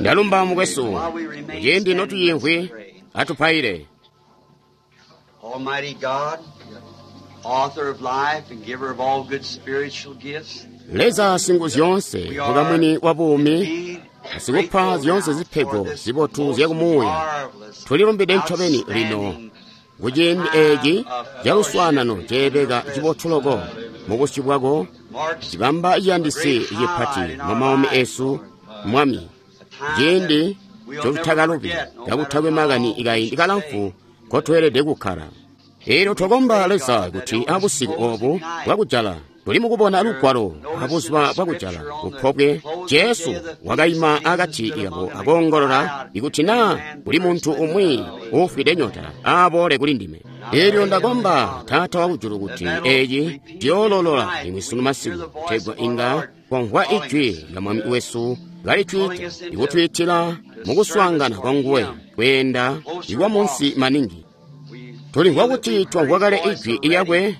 Ndalumba mukwesu, kuciindi notuyimvwi, atupaile. Almighty God, author of life and giver of all good spiritual gifts, Leza Singuzyoonse, mukamwini wa buumi, asikupa zyoonse zipego zibotu zyakumuuya, tulilumbide ncobeni lino kuciindi eeci caluswaanano ceebeka cibotu loko mubusyu bwako, cibamba ciyandisi cipati mumaumi eesu, Mwami, ciindi ncotutakalubi kakutakwe makani kaindi kalamfu nkotweelede kukkala. Eelyo twakomba Leza kuti abusiku oobu bwakujala tuli mukubona lugwalo abuzuba bwakujala kupobwe Jesu wakaima akati kabo akoongolola ikuti naa kuli muntu umwi uufwide nyota aaboole kuli ndime. Eelyo ndakomba Taata wakujulu kuti eeci ciyoololola limwi sunu masiku kutegwa inga twamvwa ijwi lya Mwami wesu kalitwiita ikutwiitila mukuswaangana kwanguwe kweenda ikwa munsi maningi. Tulimvwa kuti twamvwa kale ijwi lyakwe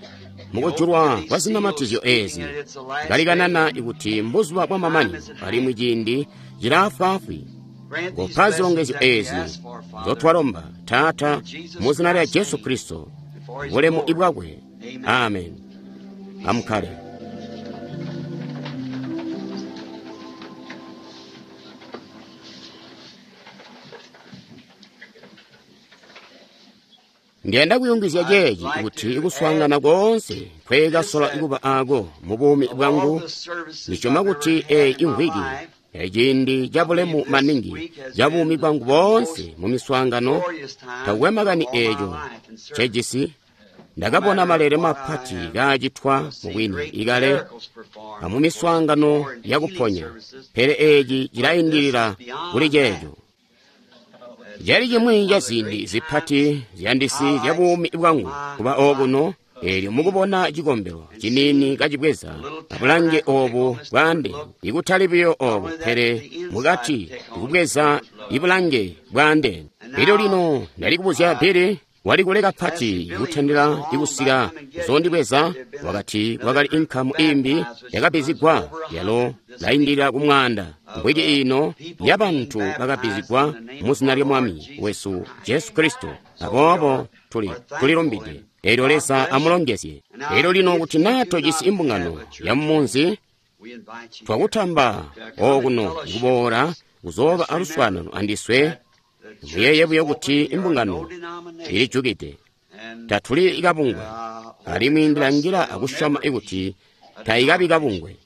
mukujulwa kwa zinamatizyo eezi kalikanana ikuti mbuzuba bwamamanino alimwi ciindi cilaafwaafwi. Kopa zilongezyo eezi nzotwalomba Taata mu zina lya Jesu Kristo, bulemu bwakwe. Amen. Amukkale. Ndiyanda kuyungizya ceeci kuti kuswaangana koonse nkweekasola kuba aako mubuumi bwangu, ndisyoma kuti eeyi imvwiki eciindi cabulemu maningi ca buumi bwangu boonse mu miswaangano, takukwe makani eeco ncejisi, ndakabona maleele mapati kaacitwa mubwini ikale amumiswaangano yakuponya, pele eeci cilaindilila kuli ceeco. Cali cimwi ca ziindi zipati ziyandisi zya buumi bwangu kuba okuno, eelyo mukubona cikombelo ciniini kacibweza abulange oobu bwaandeene, ikutali buyo oobu pele mukati ikubweza ibulange bwaandeene. Elyo lino ndali kubuzya Billy wali kule kapati kutandila ikusika kuzoondibweza, wakati kwakali inkamu imbi yakabbizigwa yalo laindilila kumwaanda mvwiki ino yabantu bakabbizigwa mu zina lya Mwami wesu Jesu Kristo. Aboobo tulilumbide. Eelyo Leza amulongezye. Eelyo lino kuti naa tojisi imbungano ya mumunzi, twakutamba okuno kuboola kuzooba aluswaanano andiswe. Muyeeye buyo kuti imbungano ilijukide, tatuli kabungwe, alimwi ndilangila akusyoma kuti tayikabi kabungwe.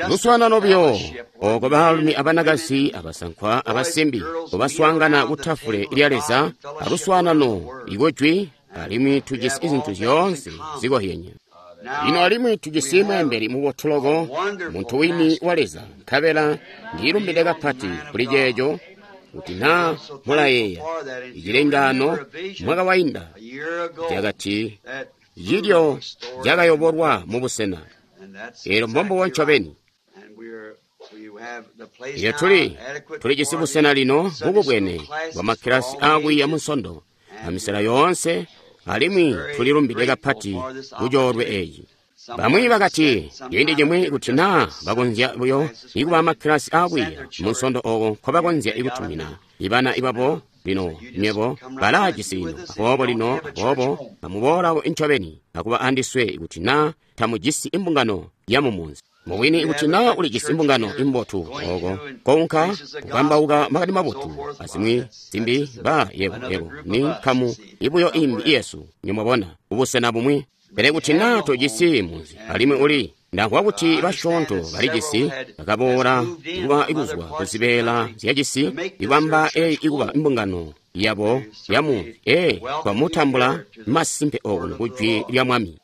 Luswaanano buyo ooko baalumi abanakazi abasankwa abasimbi kubaswaangana ku tafule lya Leza aluswaanano ikujwi, alimwi tujisi zintu zyoonse zikozyene. Lino alimwi tujisi mweembeli mubotu loko, muntu wini wa Leza, nkabela ndilumbide kapati kuli ceeco kuti naa mulayeeya icilengaano mwaka wainda cakati cilyo cakayobolwa mubusena. Eelyo mbombubo ncobeni. Eelyo tulijisi busena lino bukubwene bwa makkilasi aakwiiya munsondo amisela yoonse, alimwi tulilumbide kapati kucoolwe eeci. Bamwi bakati ciindi cimwi kuti naa bakonzya buyo ikuba amakkilasi aakwiiya munsondo ooko nkobakonzya ikutumina ibana ibabo lino nywebo balaajisi lino. Aboobo lino aboobo amuboolawo ncobeni akuba andiswe kuti naa tamujisi imbungano ya mumunzi. Mubwini kuti naa ulijisi imbungano imbotu ooko kounka kukambauka makani mabotu azimwi zimbi ba yebo ni nkamu ibuyo imbi iyesu nimwabona kubusena bumwi. Pele kuti naa tojisi munzi alimwi uli ndamvwa kuti basyoonto balijisi bakaboola kuba ikuzwa kuzibeela zyacisi ibamba eyi ikuba imbungano yabo yamunzi. Twamutambula masimpe okuno kujwi lya Mwami.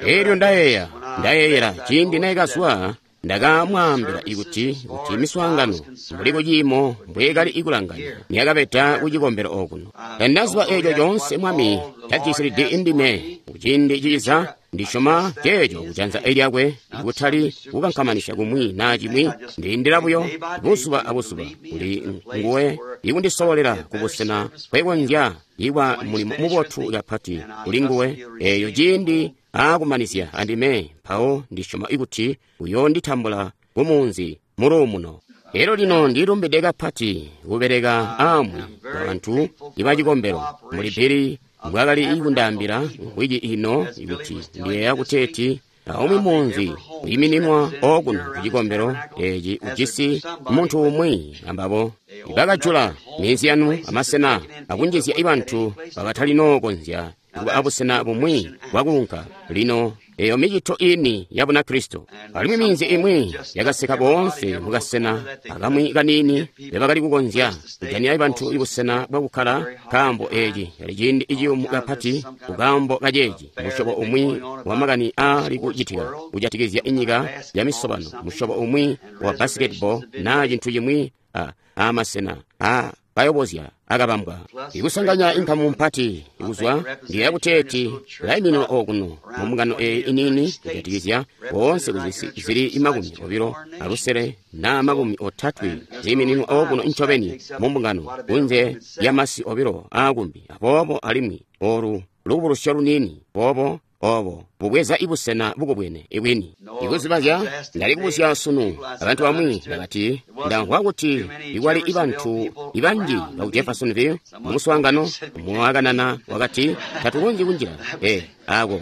Eelyo ndayeeyela ciindi naikazwa ndakamwaambila kuti miswaangano mbuli kuciimo mbweekali ikulanganya niyakabeda kucikombelo okuno. Tandaziba eeco coonse Mwami cajisilidi indime kuciindi ciza, ndisyoma ceeco kujanza lyakwe kutali kukankamanisya kumwi naa cimwi, ndiindila buyo buzuba abuzuba kuli nguwe ikundisololela kubusena nkwekonzya ikwa mulimo mubotu kapati kuli nguwe. Eeyo ciindi aakumanizya andime, mpawo ndisyoma kuti uyoonditambula kumunzi muluumuno. Elyo lino ndilumbide kapati kubeleka aamwi abantu ibacikombelo muli Billy mbwakali kundaambila wiki ino kuti ndiyeeya kuteeti aumwi munzi uyimininwa okuno kucikombelo eci ujisi muntu umwi ambabo. Bakajula minzi yanu amasena akunjizya ibantu bakatalinokonzya kuba abusena bumwi bwakuunka. Lino eyo micito ini ya Bunakristo. Alimwi minzi imwi yakaseka boonse mukasena akamwi kaniini bebakali kukonzya kujanira bantu ibusena bwakukkala, nkaambo eci cali ciindi iciyumu kapati kukaambo kaceeci. Musyobo umwi wa makani aali kucitika kujatikizya inyika ya misobano, musyobo umwi wa basketball naa cintu cimwi amasena kayobozya akabambwa ikusanganya inkamu mpati ikuzwa ndiyeeya kuteeti laiminwa okuno mumbungano eyi iniini kujatikizya boonse kuzisi zili 25 na 30 ziimininwa okuno ncobeni mumbungano kunze lya masi obilo aakumbi. Aboobo alimwi olu lubukulusyo luniini boobo obo bubweza ibusena bukubwene ibwini. Ikuzibazya ndali kubuzya sunu abantu bamwi bakati ndamvwa kuti ikwali ibantu ibanji baku Jeffersonville mumuswaangano mwakanana wakati tatukonzyi kunjila. Ako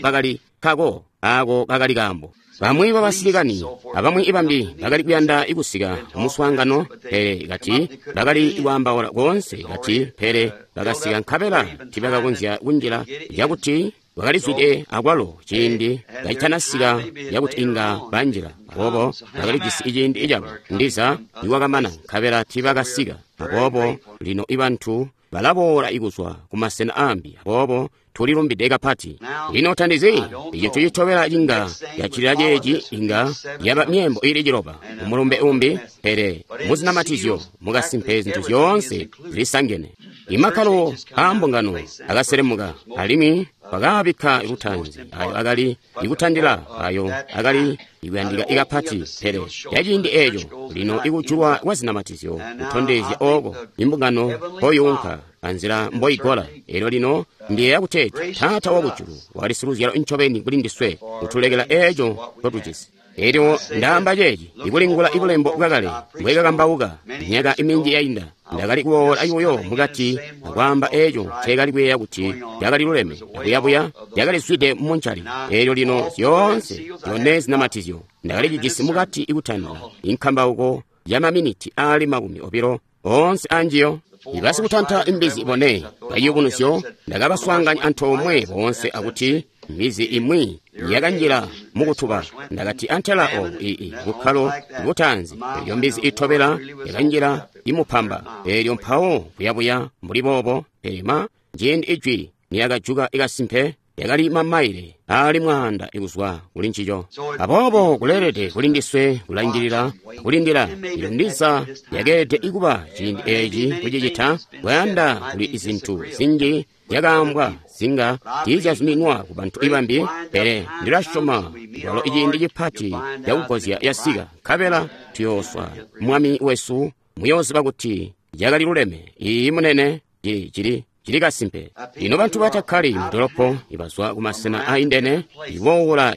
kakali kako ako kakali kaambo. Bamwi babasilikani abamwi ibambi bakali kuyanda ikusika muswaangano, pele kati bakali kwaambaula koonse kati pele bakasika nkabela tibakakonzya kunjila cakuti bakalizwide akwalo ciindi kacitanasika yakuti inga banjila. Aboobo bakalijisi iciindi cabo ndiza niwakamana nkabela tibakasika. Aboobo lino ibantu balaboola ikuzwa kumasena aambi. Aboobo tulilumbide kapati. Lino tandizi icintu citobela cinga yacilila ceeci inga yaba myeembo ili 9 umulumbe umbi, pele muzinamatizyo mukasimpe zintu zyoonse zilisangene. Imakkalo aambungano akaselemuka alimwi bakaabikka lutanzi ayo akali ikutandila ayo akali ikuyandika ikapati, pele yaciindi eeco lino ikujulwa kwa zinamatizyo kutondezya oko imbungano mpoyuunka anzila mboigola. Elyo lino ndiyeeya kuteeti Taata wakujulu wakali siluzyalo ncobeni kuli ndiswe kutulekela eeco ncotujisi. Elyo ndaamba ceeci ikulingula ibulembo bwakale mbwekakambauka myaka iminji yainda. Ndakali kuwoola buyo mukati akwaamba eeco nceekali kuyeeya kuti cakali luleme, akuyabuya yakalizwide muncali. Elyo lino zyoonse zyone zinamatizyo ndakali cijisi mukati ikutandila inkambauko ya maminiti aali 20 oonse anjiyo. Ibasikutanta imbizi bone bayubunuzyo ndakabaswaanganya antoomwe boonse akuti mbizi imwi yakanjila mukutuba. Ndakati antela obu ii bukkalo butanzi. Elyo mbizi itobela yakanjila imupamba. Elyo mpawo kuyabuya mbuli boobo. Pele ma ciindi ijwi niyakajuka ikasimpe yakali mamaile aali 100 ikuzwa kuli ncico. Aboobo kuleelede kuli ndiswe kulangilila kulindila. Elyo ndiza yakeelede ikuba ciindi eci kucicita kuyanda kuli izintu zinji zyakaambwa zinga tiizyazuminwa ku bantu ibambi, pele ndilasyoma kwalo iciindi cipati cakugozya yasika nkabela tuyooswa Mwami wesu. Muyooziba kuti yakali luleme. Iyi munene cili kasimpe. Lino bantu batakkali mudolopo ibazwa kumasena aindene iboola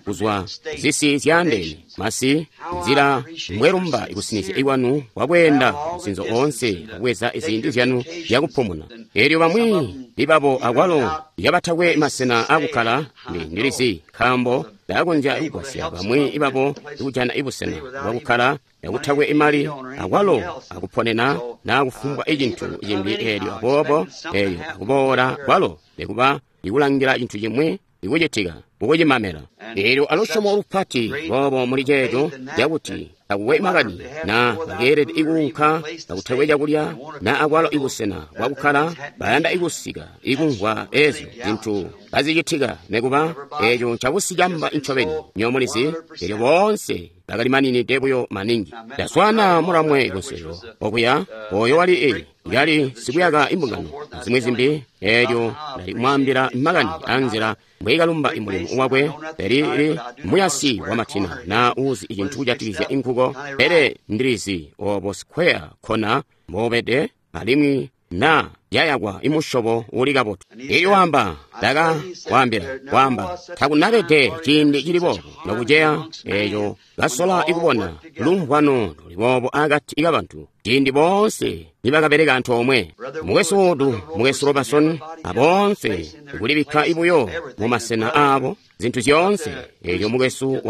kuzwa zisi zyaandeene masi nzila mbwelumba ikusinizya ikwanu kwakweenda musinzo oonse akubweza iziindi zyanu zyakupumuna. Elyo bamwi libabo akwalo yabatakwe masena akukkala ndilizi nkaambo ndakonzya kugwasya bamwi ibabo ikujana ibusena bwakukkala yakutakwe imali akwalo akuponena naa kufumbwa icintu cimbi. Elyo aboobo eyo akuboola kwalo nikuba ikulangila cintu cimwi ikucitika ukucimamela. Elyo alusyomo lupati boobo muli ceeco cakuti takuwe makani na bakeelede ikuunka takutakwe cakulya na akwalo ibusena bwakukkala bayanda ikusika ikumvwa ezyo zintu kazicitika nikuba eeco ncabusicamba ncobeni. Nyomulizi elyo boonse bakali maninide buyo maningi. Ndaswaana mulamwe kunselelo okuya oyo wali yali sikuyaka imbungano azimwi zimbi. Elyo ndali kumwaambila makani anzila mbwiikalumba imulimo wakwe. Pele muyasi wamatina na uzi icintu kujatikizya inkuko, pele ndilizi obo square kona mbobede alimwi na yayakwa imusyobo uli kabotu. Elyo wamba Ndaka waambila, waamba, takunabede ciindi cili boobo nokuceya eeco kasola ikubona lumvwano luli boobo akati kabantu ciindi boonse nibakabeleka antoomwe. Mukwesu Wood, Mukwesu Robertson, aboonse kulibikka ibuyo mu masena aabo zintu zyoonse. Eelyo mukwesu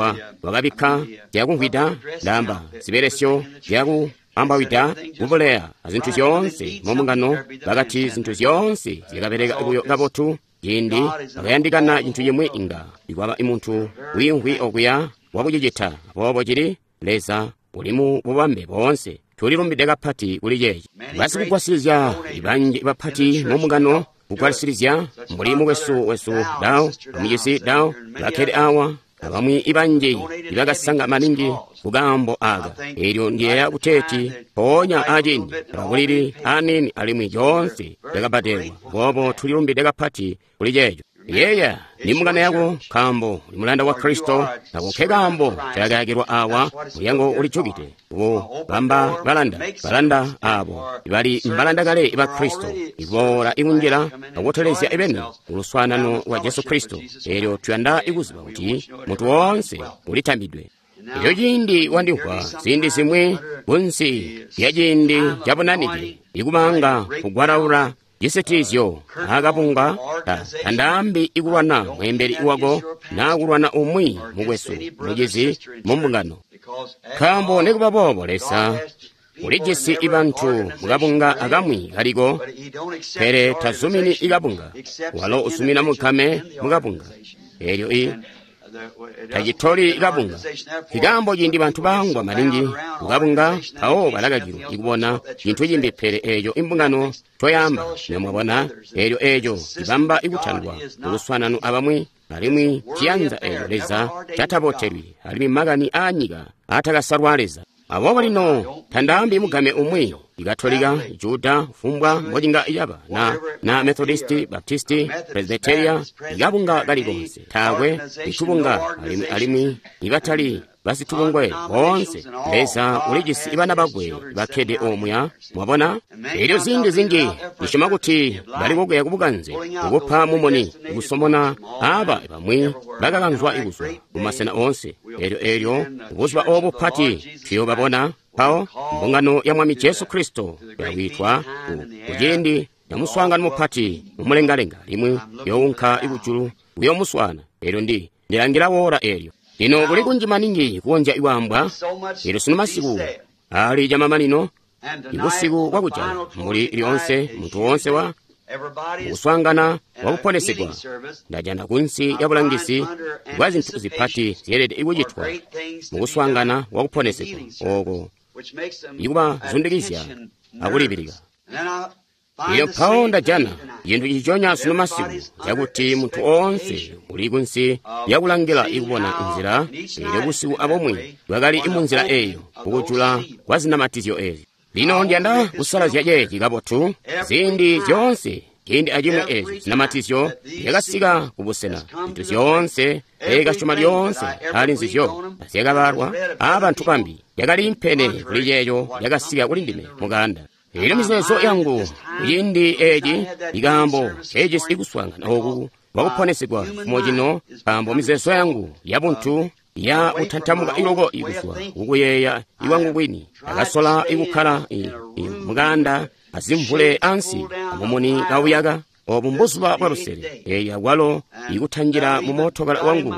wakabikka zyakumvwida, ndaamba zibelesyo zyaku ambawida kubuleya azintu zyoonse mumbungano. Bakati zintu zyoonse zyakabeleka buyo kabotu. Ciindi bakayandikana cintu cimwi inga ikwaba muntu wiimvwi okuya wakucicita. Aboobo cili Leza uli mu bubambe boonse. Tulilumbide kapati kuli ceeci. Basikugwasilizya banji bapati mumbungano kugwasilizya mbuli mukwesu wesu Dao, amucisi Dao, bakkede awa, abamwi ibanji ibakasanga maningi kukaambo aka. Eelyo ndiyeeya kuteeti mpoonya aciindi abakulili aniini alimwi coonse cakabbadelwa. Aboobo tulilumbide kapati kuli ceeco. Yeeya ni mbungano yako nkaambo uli mulanda wa Kristo. Ako nke kaambo cakayakilwa awa. Mulyango ulijukide kubamba balanda, balanda abo bali mbalanda kale ba Kristo, iboola ikunjila akutelezya ibeni kuluswaanano lwa Jesu Kristo. Eelyo tuyanda ikuziba kuti muntu woonse ulitambidwe. Elyo ciindi wandimvwa ziindi zimwi kunsi lya ciindi cabunanike ikubanga kugwalaula cisitizyo akabunga tandaambi ikulwana mweembeli wako naa kulwana umwi mukwesu mucizi mumbungano. Nkaambo nikuba boobo Leza ulijisi ibantu mukabunga akamwi kaliko, pele tazumini ikabunga. Walo uzumina mukame mukabunga. Eelyo tacitoli kabunga. Nkaambo ciindi bantu bangwa maningi kukabunga, mpawo balakakilwa ikubona cintu cimbi pele eeco imbungano coyamba. Namwabona, eelyo eeco cibamba ikutandwa kuluswaanano abamwi, alimwi ciyanza eeco Leza catabotelwi, alimwi makani aanyika aatakasalwa Leza. Aboobo lino tandaambi mugame umwi, Ikatolika, Juda, fumbwa mbocinga caba, na Methodisti, Baptisti, Presbyteria, ikabunga kali konse, taakwe itubunga, alimwi ibatali basitubungwe boonse. Leza ulijisi ibana bakwe bakkede omuya, mwabona. Eelyo ziindi zinji ndisyoma kuti bali kokuya kubukanze kukupa mumuni kusomona aba bamwi bakakanzwa kuzwa mumasena oonse. Eelyo buzuba obu bupati tuyoobabona mpawo mbungano ya Mwami Jesu Kristo yakwitwa kuciindi ca muswaangano mupati mumulengalenga, limwi younka ikujulu kuyomuswaana. Eelyo ndilangila woola eelyo. Lino kuli kunji maningi kukonzya ikwaambwa. Eelyo sunu masiku ali camamanino, ibusiku bwakujala mbuli lyoonse muntu woonse wa mukuswaangana wakuponesigwa. Ndajana kunsi ya bulangizi bwa zintu zipati zyeelede ikucitwa mukuswaangana wakuponesigwa ooko ikubazundikizya akulibilika. Eelyo mpawo ndajana cintu ciconya sunu masiku cakuti muntu oonse uli kunsi lyakulangila ikubona nzila. Eelyo busiku abomwe bwakali munzila eeyo kukujula kwa zinamatizyo eezi. Lino ndiyanda kusalazya ceeci kabotu. Ziindi zyoonse ciindi acimwi eezi zinamatizyo zyakasika kubusena, zintu zyoonse ekasyoma lyoonse ali nzizyo zyakabalwa aabantu bambi yakaliimpene kuli ceeco yakasika kuli ndime mukanda. Eelyo mizeezo yangu ciindi eeci ikaambo ceejisi ikuswaangana oku wakuponesigwa fumo cino, nkaambo mizeezo yangu yabuntu ya kutantamuka iloko ikuzwa kukuyeeya iwangu kwini. Ndakasola ikukkala mukanda azimvule ansi amumuni kauyaka. Obu mbuzuba bwa lusele. Eeyi akwalo ikutanjila mu mootokala wangu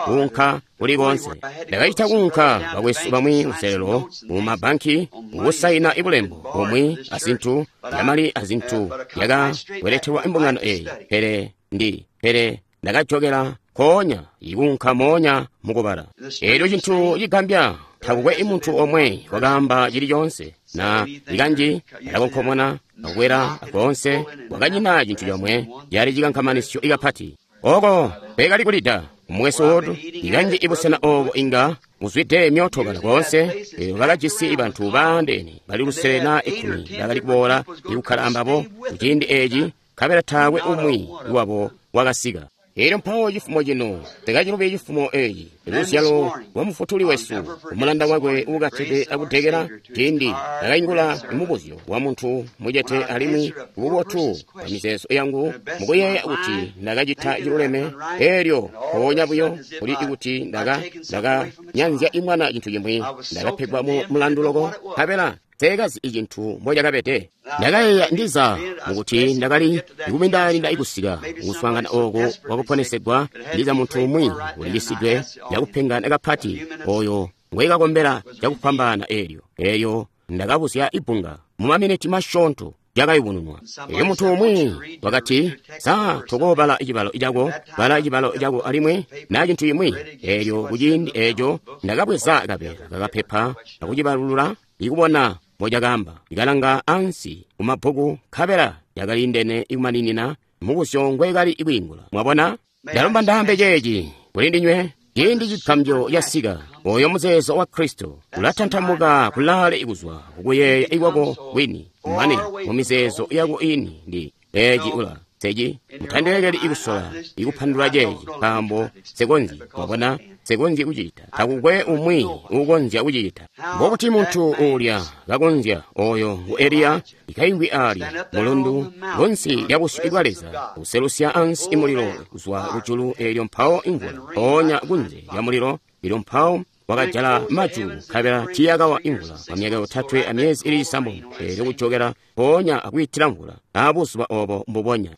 kuunka kuli koonse. Ndakacita kuunka bakwesu bamwi luselelo mu mabanki kusaina ibulembo bumwi azintu yamali azintu yakabweretelwa imbungano eeyi, pele ndakajokela nkoonya ikuunka moonya mukubala. Eelyo cintu cigambya, takukwe imuntu omwe wakaamba cili coonse na ikanji alakonkomona akwela akoonse, wakanyina cintu comwe cali cikankamanisyo ikapati. Oko kwekali kulida mukwesu Wood, ikanji ibusena obo inga buzwide myootokala koonse. Eelyo bakajisi bantu baandeene bali lusele na 10 bakali kuboola ikukkala ambabo kuciindi eeci, nkabela taakwe umwi wabo wakasika. Elyo mpawo cifumo cino, tekacilubi cifumo eci, luzyalo lwa Mufutuli wesu, umulanda wakwe uukatede akudekela, ciindi ndakaingula mubuzyo wa muntu mucete alimwi bubotu bwa mizeezo yangu mukuyeeya kuti ndakacita ciluleme, elyo mpoonya buyo kuli kuti ndakanyanzya imwana cintu cimwi, ndakapegwa mu mulandu loko, nkabela seekazi icintu mbocakabede. Ndakayeeya ndiza mukuti ndakali ikubindalinda ikusika kuswaangana oku kwakuponesegwa, ndiza muntu umwi ulicisidwe cakupengana kapati oyo ngwekakombela cakufwambaana elyo. Elyo ndakabuzya ibbunga mu maminiti masyoonto cakayubununwa. Elyo muntu umwi wakati, sa tokoobala cibalo cako, bala cibalo cako alimwi na cintu cimwi. Elyo kuciindi eco ndakabweza kabeela kakapepa akucibalulula ikubona mbocakaamba. Ikalanga ansi kumabbuku nkabela yakaliindene ikumaninina mubuzyo ngwekali kwiingula. Mwabona? Ndalomba ndaambe ceeci kuli ndinywe. Ciindi cigambyo casika, oyo muzeezo wa Kristo ulatantamuka kulaale ikuzwa kukuyeeya ikwako kwini, mane mu mizeezo yako ini ndi eci ula seci. Mutandilekeli ikusola ikupandula ceeci, nkaambo sekonzyi. Mwabona? Sekonzyi kucita. Takukwe umwi uukonzya kucita. Mbokuti muntu uulya kakonzya, oyo ngu Eliya, ikaingwi alya mulundu kunsi lya busyu bwa Leza, kuselusya ansi mulilo kuzwa kujulu, elyo mpawo imvula mpoonya kunze lya mulilo, elyo mpawo wakajala majulu nkabela tiiyakawa imvula kwa myaka 3 amyezi ili 9, elyo kujokela mpoonya akwiitila mvula aabuzuba obo mbubonya.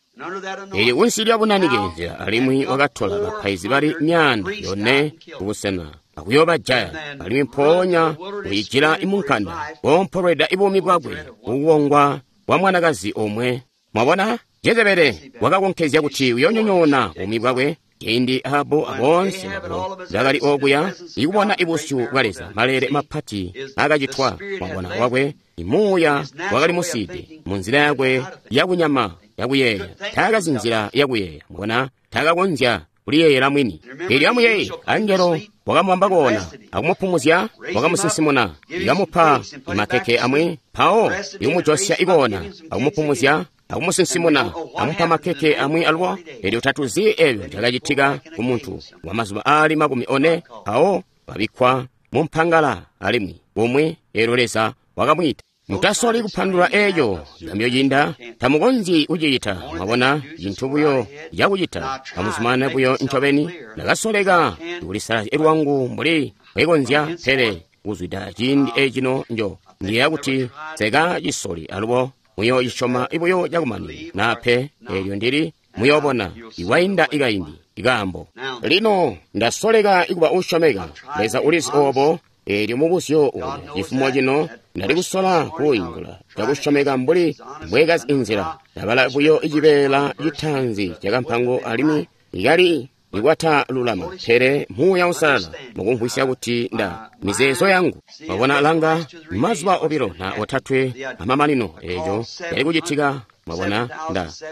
Elyo kunsi lya bunanike nzila, alimwi wakatola bapaizi bali 400 kubusena akuyoobajaya, alimwi mpoonya kuyijila imunkanda koompolweda ibuumi bwakwe kukuwongwa kwa mwanakazi omwe. Mwabona, Jezebele wakakonkezya kuti uyoonyonyoona buumi bwakwe. Ciindi Ahabu aboonse babo bakali okuya ikubona ibusyu bwa Leza, maleele mapati akacitwa. Mwabona wakwe imuuya wakali musiide mu nzila yakwe yakunyama yakuyeeya, taakazi nzila yakuyeeya. Mwabona, taakakonzya kuliyeeyela mwini. Elyo amuyeeye, angelo wakamubamba koona akumupumuzya, wakamusinsimuna, ikamupa makeke amwi, mpawo ikumujosya ikoona akumupumuzya akumusinsimuna, amupa makeke amwi alubo. Elyo tatuzi ebyo cakacitika ku muntu wa mazuba aali 40, mpawo wabikkwa mu mpangala alimwi bumwi, elyo Leza wakamwiita. Mutasoli kupandulula eco cigambyo ciinda, tamukonzyi kucicita. Mwabona, cintu buyo cakucita, amuzumanane buyo ncobeni. Ndakasoleka kulisalazya lwangu mbuli mbwekonzya, pele kuzwida ciindi ecino njo ndiyeeya kuti sekacisoli alubo. Muyoocisyoma buyo cakumani naa pe, elyo ndili muyoobona iwainda ikaindi ikaambo. Lino ndasoleka ikuba uusyomeka, Leza ulizi obo. Elyo mubuzyo uulya cifumo cino ndali kusola kuwiingula cakusyomeka mbuli mbwekazi inzila. Ndabala buyo icibeela citaanzi cakampango alimwi ikali ikwatalulama, pele Muuya Uusalala mukumvwisya kuti nda mizeezo yangu. Mwabona, langa mazuba 2 na 3 amamanino eco yali kucitika. Mwabona,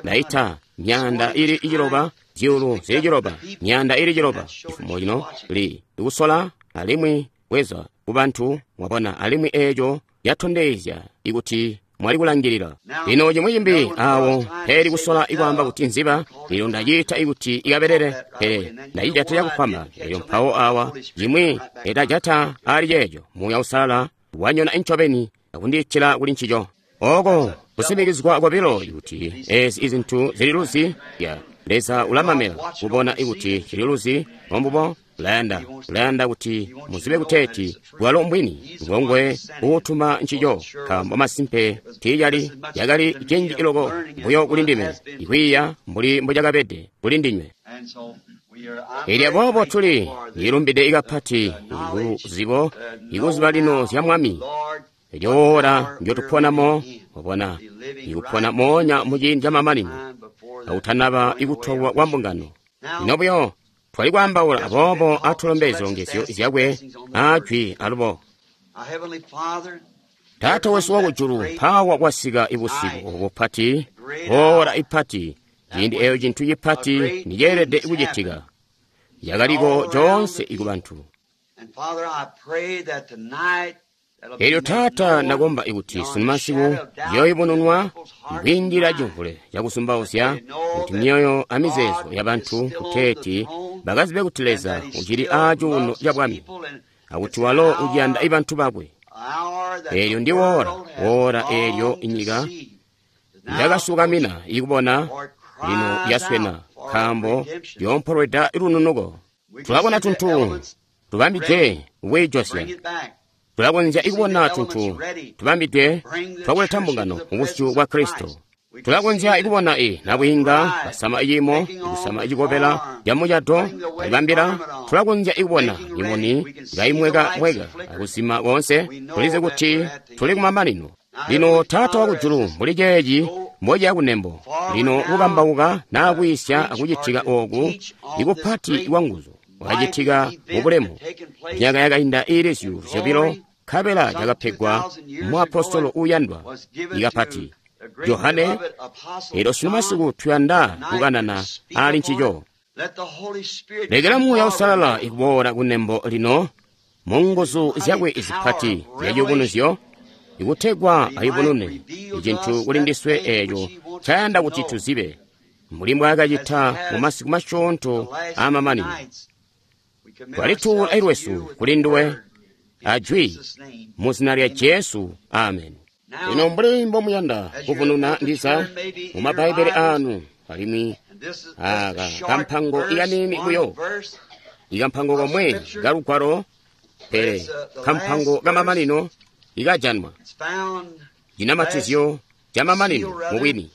ndaita 7,000 zyuulu zili 6, 6,000 cifumo cino li ikusola alimwi bweza kubantu. Mwabona, alimwi eco yatondezya ikuti mwali kulangilila. Lino cimwi cimbi awo peli kusola ikwaamba kuti nziba, lino ndaciita ikuti ikabelele, pele ndacijata cakufwamba. Elyo mpawo awa cimwi etajata ali ceeco, Muuya Uusalala wanyona incobeni akundiitila kuli ncico. Oko kusimikizwa kobilo kuti ezi izintu zililuzi ya Leza ulamamela kubona ikuti cililuzi, ombubo ulayanda kuti muzibe kuteeti bwalo mbwini ngongwe uutuma ncico, nkaambo masimpe tiicali yakali cinji iloko buyo kuli ndime ikwiiya mbuli mbucakabede kuli ndinywe. Elyo aboobo tuli ilumbide ikapati ikuzibo ikuziba lino zya Mwami. Elyo oora ndyotuponamo, obona ikupona moonya muciindi camamanino akutanaba ikutolwa kwa mbungano. Lino buyo twali kwaambaula, aboobo atulombe zilongezyo zyakwe aajwi alubo. Taata wesu wakujulu, mpaawa kwasika ibusiku obu bupati, oora ipati, ciindi eyo cintu cipati niceelede kucitika, yakaliko coonse ikubantu. Elyo Taata, ndakomba ikuti sunumasiku yooyubununwa kwiindila cimvule cakusumbauzya, kuti myoyo amizeezo yabantu kuteeti bakazibe kuti Leza ucili aacuuno ca bwami, akuti walo uciyanda ibantu bakwe. Eelyo ndi woora, woora eelyo inyika yakasukamina ikubona lino yaswena, nkaambo yoompolweda lununuko. Tulabona tuntu tubambidwe kwiijosya. Tulakonzya ikubona tuntu tubambidwe twakuleta mbungano mubusyu bwa Kristo. Tulakonzya ikubona i nabwiinga basama iciimo, kusama icikobela camucato balibambila. Tulakonzya ikubona imuni kaimweka-mweka akuzima koonse. Tulizi kuti tuli kumamanino. Lino Taata wakujulu, mbuli ceeci mbociya kunembo lino kukambauka naa kwiisya akucitika ooku ikupati kwanguzu kwakacitika mubulemu myaka yakainda iili 2,000, nkabela cakapegwa muapostolo uuyandwa ikapati Johane. Elyo sunumasiku tuyanda kukanana ali ncico. Lekela Muuya Uusalala ikuboola kunembo lino mu nguzu zyakwe zipati zyaciyubunuzyo, ikutegwa ayubunune icintu kuli ndiswe eeco ncayanda kuti tuzibe, mbuli mbwaakacita mu masiku masyoonto aamamanino. Twalituula lwesu kuli nduwe ajwi mu zina lya Jesu, amen. Lino mbuli mbomuyanda kuvununa ndiza mu Mabbaibele aanu, alimwi aaka kampango ikaniini buyo, ikampango komwe kalugwalo, pele kampango kamamanino ikajanwa cinamatizyo camamanino mubwini.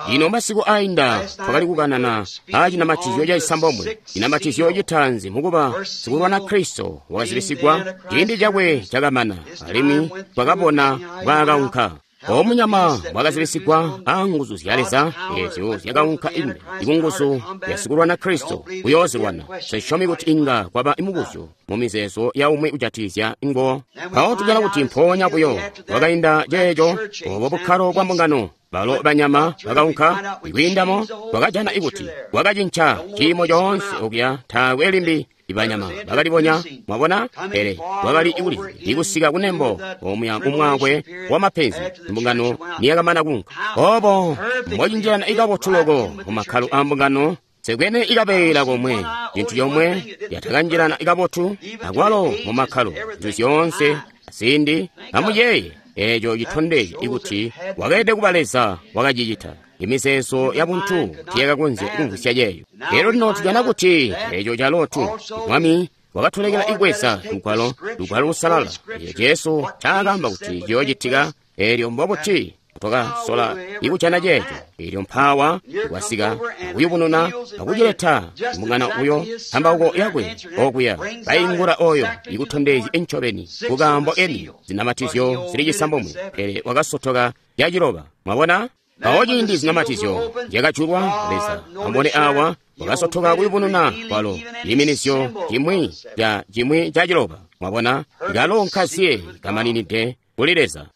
Lino masiku ainda twakali kukanana aa cinamatizyo cacisambomwe, cinamatizyo citaanzi mukuba sikulwana Kristo wakazibisigwa, ciindi cakwe cakamana, alimwi twakabona mbwaakaunka. Omunyama bwakazibisigwa aa nguzu zya Leza eezyo zyakaunka ime ikunguzu ya sikulwana Kristo kuyoozilwana. Sisyomi kuti inga kwaba imubuzyo mu mizeezo ya umwi kujatikizya ngo. Mpawo tujana kuti mpoonya buyo kwakainda ceeco, obo bukkalo bwa mbungano, balo banyama bakaunka kwiindamo, twakajana ikuti kwakacinca ciimo coonse okuya, taakwe limbi ibanyama bakalibonya, mwabona, pele wakali ikuli ikusika kunembo omuya mumwakwe wa mapenzi mbungano niyakamana kunka. Obo mbocinjilana ikabotu loko mu makkalo a mbungano, sekwene ikabeela komwe, cintu comwe yatakanjilana ikabotu akwalo mu makkalo, zintu zyoonse ziindi. Amuyeeye, eeco citondezya ikuti wakeelede kuba Leza wakacicita. Imizeezo yabuntu tiyakakonzya kumvwisya ceeyo. Lero lino tujana kuti eeco calo tu Mwami wakatulekela ikweza lugwalo, lugwalo lusalala, eeco Jesu ncaakaamba kuti ciyoocitika. Eelyo mbobuti twakasola ikujana ceeco? Eelyo mpaawa kwasika akuyubununa akucileta mbungano uyo mpambauko yakwe okuya baingula oyo ikutondezya incobeni kukaambo eni zinamatizyo zili cisambomwe, pele wakasotoka yaciloba. Mwabona? Mpawo ciindi zinamatizyo zyakajulwa, Leza ambone awa wakasotoka kuyubununa kwalo ciiminizyo cimwi ca cimwi ca ciloba. Mwabona? Kalo nkaziye kamaninide kuli Leza.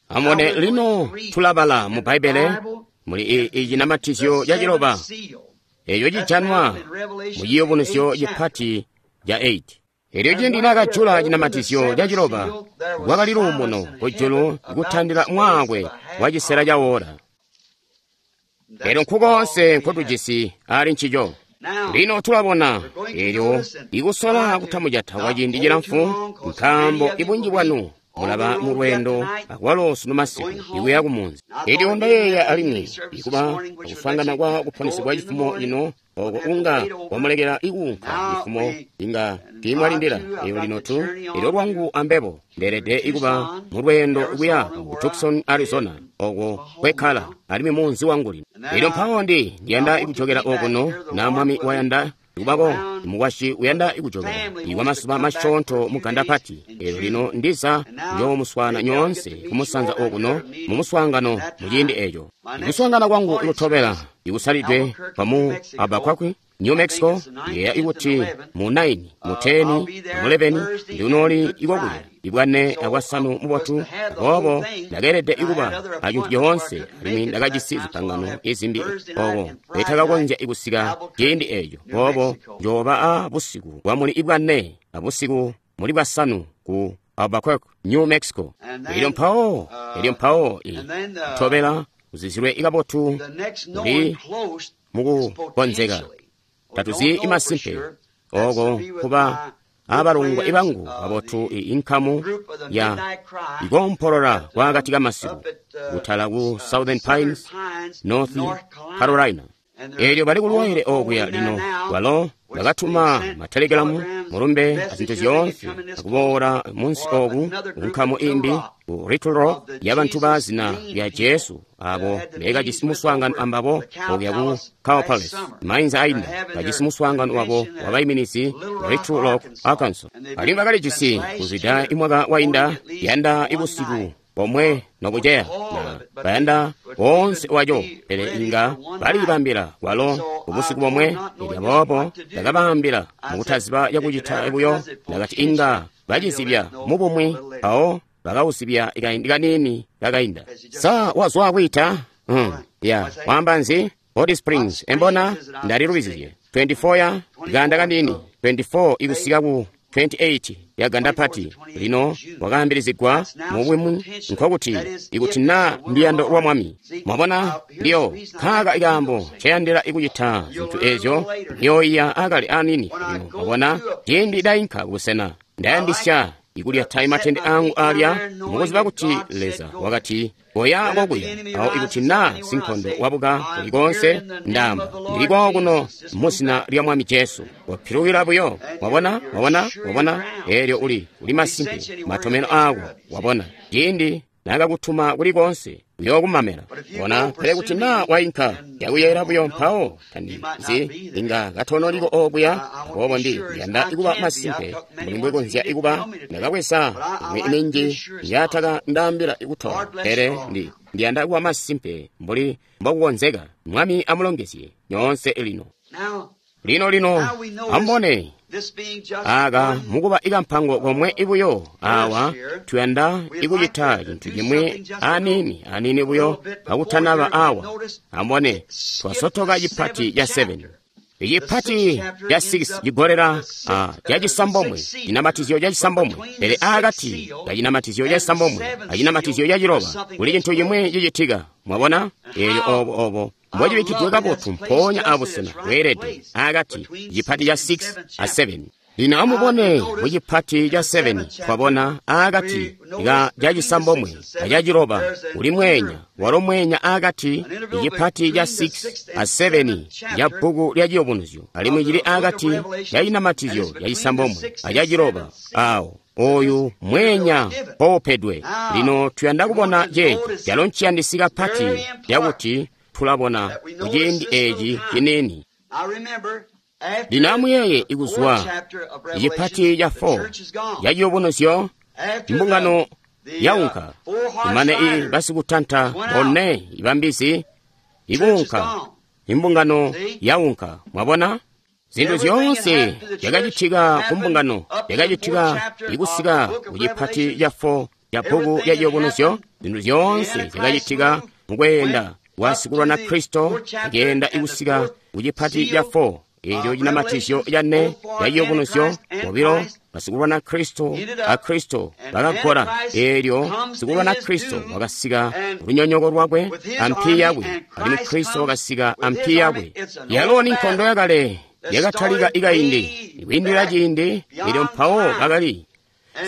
Amubone lino tulabala mu Bbaibbele muli icinamatizyo ca ciloba eeco cijanwa mu ciyubunuzyo cipati ca 8. Elyo ciindi naakajula cinamatizyo ca ciloba, kwakali luumuno kujulu kutandila mwaakwe wa cisela ca woola. Elyo nkukoonse nkotujisi ali ncico. Lino tulabona elyo ikusola kutamujata kwa ciindi cilamfu, nkaambo ibunji bwanu mulaba mu lweendo akwalo sunu masiku ikuya kumunzi. Elyo ndayeeya alimwi ikuba akuswaangana kwa kuponesegwa cifumo lino, oko unga wamulekela ikuunka cifumo inga tiimwalindila. Elyo lino tu elyo lwangu ambebo ndeelede ikuba mu lweendo kuya ku Tucson, Arizona, oko kwekkala alimwi munzi wangu lino. Elyo mpawo ndiyanda ikujokela okuno na Mwami wayanda ikubako mukwasyi uyanda ikujokela ikwa masuba masyoonto mu ganda pati. Elyo lino ndiza njoomuswaana nyoonse kumusanza okuno mu muswaangano mu ciindi eco. Ikuswaangana kwangu ikutobela ikusalidwe kwamu Albuquerque, New Mexico, yeeya ikuti mu 9, mu 10, mu 11 ndiunooli ikokuya ibwane abwasanu mubotu. Aboobo ndakeelede ikuba acintu coonse, alimwi ndakajisi zipangano izimbi oko etakakonzya ikusika ciindi eco. Boobo njooba a busiku bwa muli ibwane abusiku muli bwasanu ku Albuquerque, New Mexico. Elyo mpawo tobela uzizilwe kabotu kuli mukukonzeka. Tatuzi imasimpe oko kuba abalongwe ibangu babotu inkamu ya ikompolola kwakati kamasiku kutala ku Southern Pines, North Carolina. Elyo bali kulwaile okuya lino walo bakatuma matelegalamu mulumbe azintu zyoonse akuboola munsi oku kunkamu imbi ku Little Rock y'abantu ba zina lya Jesu abo bekajisi muswaangano ambabo okuya ku Cow Palace mainza ainda bajisi muswaangano wabo wabaiminizi Little Rock, Arkansas. Alimwi bakalijisi kuzwida imwaka wainda yanda ibusiku bomwe nokuceya na bayanda boonse waco, pele inga balibambila kwalo ubusiku bomwe. Elyo aboobo ndakabaambila mukutaziba yakucita buyo, ndakati inga bacizibya mubumwi, mpawo bakawuzibya kaindi kaniini kakainda. Sa wazwa kwiita? Ya waamba nzi? Hot Springs embona ndalilubizizye 24 ya ganda kaniini 24 ikusika ku 28 ya ganda pati lino wakaambilizigwa mubwimu, nkokuti ikuti na nduyando lwa Mwami. Mwabona, ndiyo kaaka ikaambo nceyandila ikucita zintu ezyo ndiyoiya akali anini lino. Mwabona, ciindi dainka kubusena ndayandisya ikulyata matende angu alya mukuziba kuti Leza wakati koya kokuya. Awo ikuti na sinkondo wabuka kuli konse, ndamba ndili kwawo kuno muzina lya Mwami Jesu, wapilukila buyo. Wabona, wabona, wabona, elyo uli masimpe matomeno ako. Wabona, ciindi nakakutuma kuli konse uyokumamela. Bona, pele kuti na wainka yakuyera buyo, mpawo tandizi inga katonoliko okuya. Aboobo ndi yanda ikuba masimpe mbuli mbwekonzya ikuba. Ndakabweza imwi minji yataka ndaambila ikutola, pele ndi ndiyanda kuba masimpe mbuli mbokukonzeka. Mwami amulongezye nyoonse lino. Lino ambone aka mukuba ikampango komwe ibuyo awa, tuyanda ikucita cintu cimwi anini anini buyo kakutanaba awa. Ambone twasotoka cipati ca 7, icipati ca 6 cigolera cacisambomwe, cinamatizyo cacisambomwe. Pele akati kacinamatizyo cacisambomwe acinamatizyo caciloba kuli cintu cimwi cicitika. Mwabona, eelyo obo mbocibikkidwe kabotu mpoonya abusena bweelede akati cipati ca 6 a 7. Lino amubone mucipati ca 7 twabona akati ka cacisambomwe acaciloba uli mweenya, walo mweenya akati icipati ca 6 a 7 ca bbuku lya Ciyubunuzyo, alimwi cili akati ca cinamatizyo cacisambomwe acaciloba. Awo oyu mweenya mpoupedwe. Lino tuyanda kubona ceeci calo nciyandisi kapati cakuti tulabona kuciindi eci ciniini. Lino amuyeeye ikuzwa icipati ca 4 ca Ciyubunuzyo, imbungano yaunka imane i basikutanta bone ibambizi ikuunka, imbungano yaunka. Mwabona, zintu zyoonse zyakacitika ku mbungano zyakacitika ikusika kucipati ca 4 ca bbuku lya Ciyubunuzyo. Zintu zyoonse zyakacitika mukweenda wasikulwana Kristo akeenda ikusika kucipati ca 4 eelyo cinamatizyo ca 4 ca Ciyubunuzyo. Bobilo basikulwana Kristo a Kristo bakagola. Eelyo sikulwana Kristo wakasika lunyonyoko lwakwe ampi yakwe, alimwi Kristo wakasika ampi yakwe. Yalo ni nkondo yakale yakatalika ikaindi ikwiindila ciindi. Eelyo mpawo bakali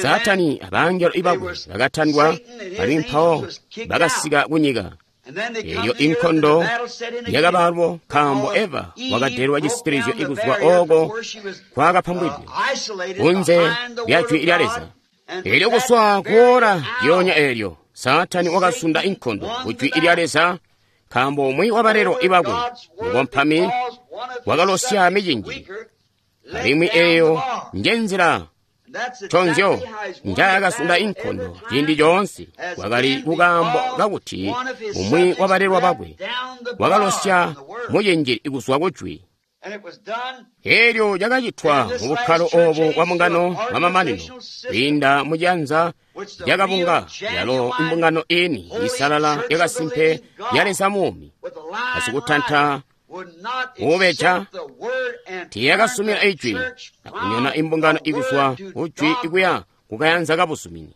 Saatani abangelo ibakwe bakatandwa, alimwi mpawo bakasika kunyika. Eelyo inkondo yakabalwo nkaambo Eva wakadelwa cisitilizyo ikuzwa oko kwakapambwidwe kunze lya jwi lya Leza. Eelyo kuswa kuora lyonya eelyo Saatani wakasunda inkondo ku jwi lya Leza, nkaambo umwi wabalelo ibakwe mukompami wakalosya micinji, alimwi eeyo njenzila tonzyo njaakasunda inkondo ciindi coonse. Kwakali kukaambo kakuti umwi wabalelwa bakwe wakalosya mucinjili kuzwa kujwi. Eelyo cakacitwa mu bukkalo obu bwa mbungano bwamamanino kwiinda mucianza cakabunga, yalo imbungano ini isalala yakasimpe ya Leza muumi. Basikutanta ubeja tiyakasumina ijwi akunyona imbungano ikuzwa kujwi ikuya kukayanza kabuzumini.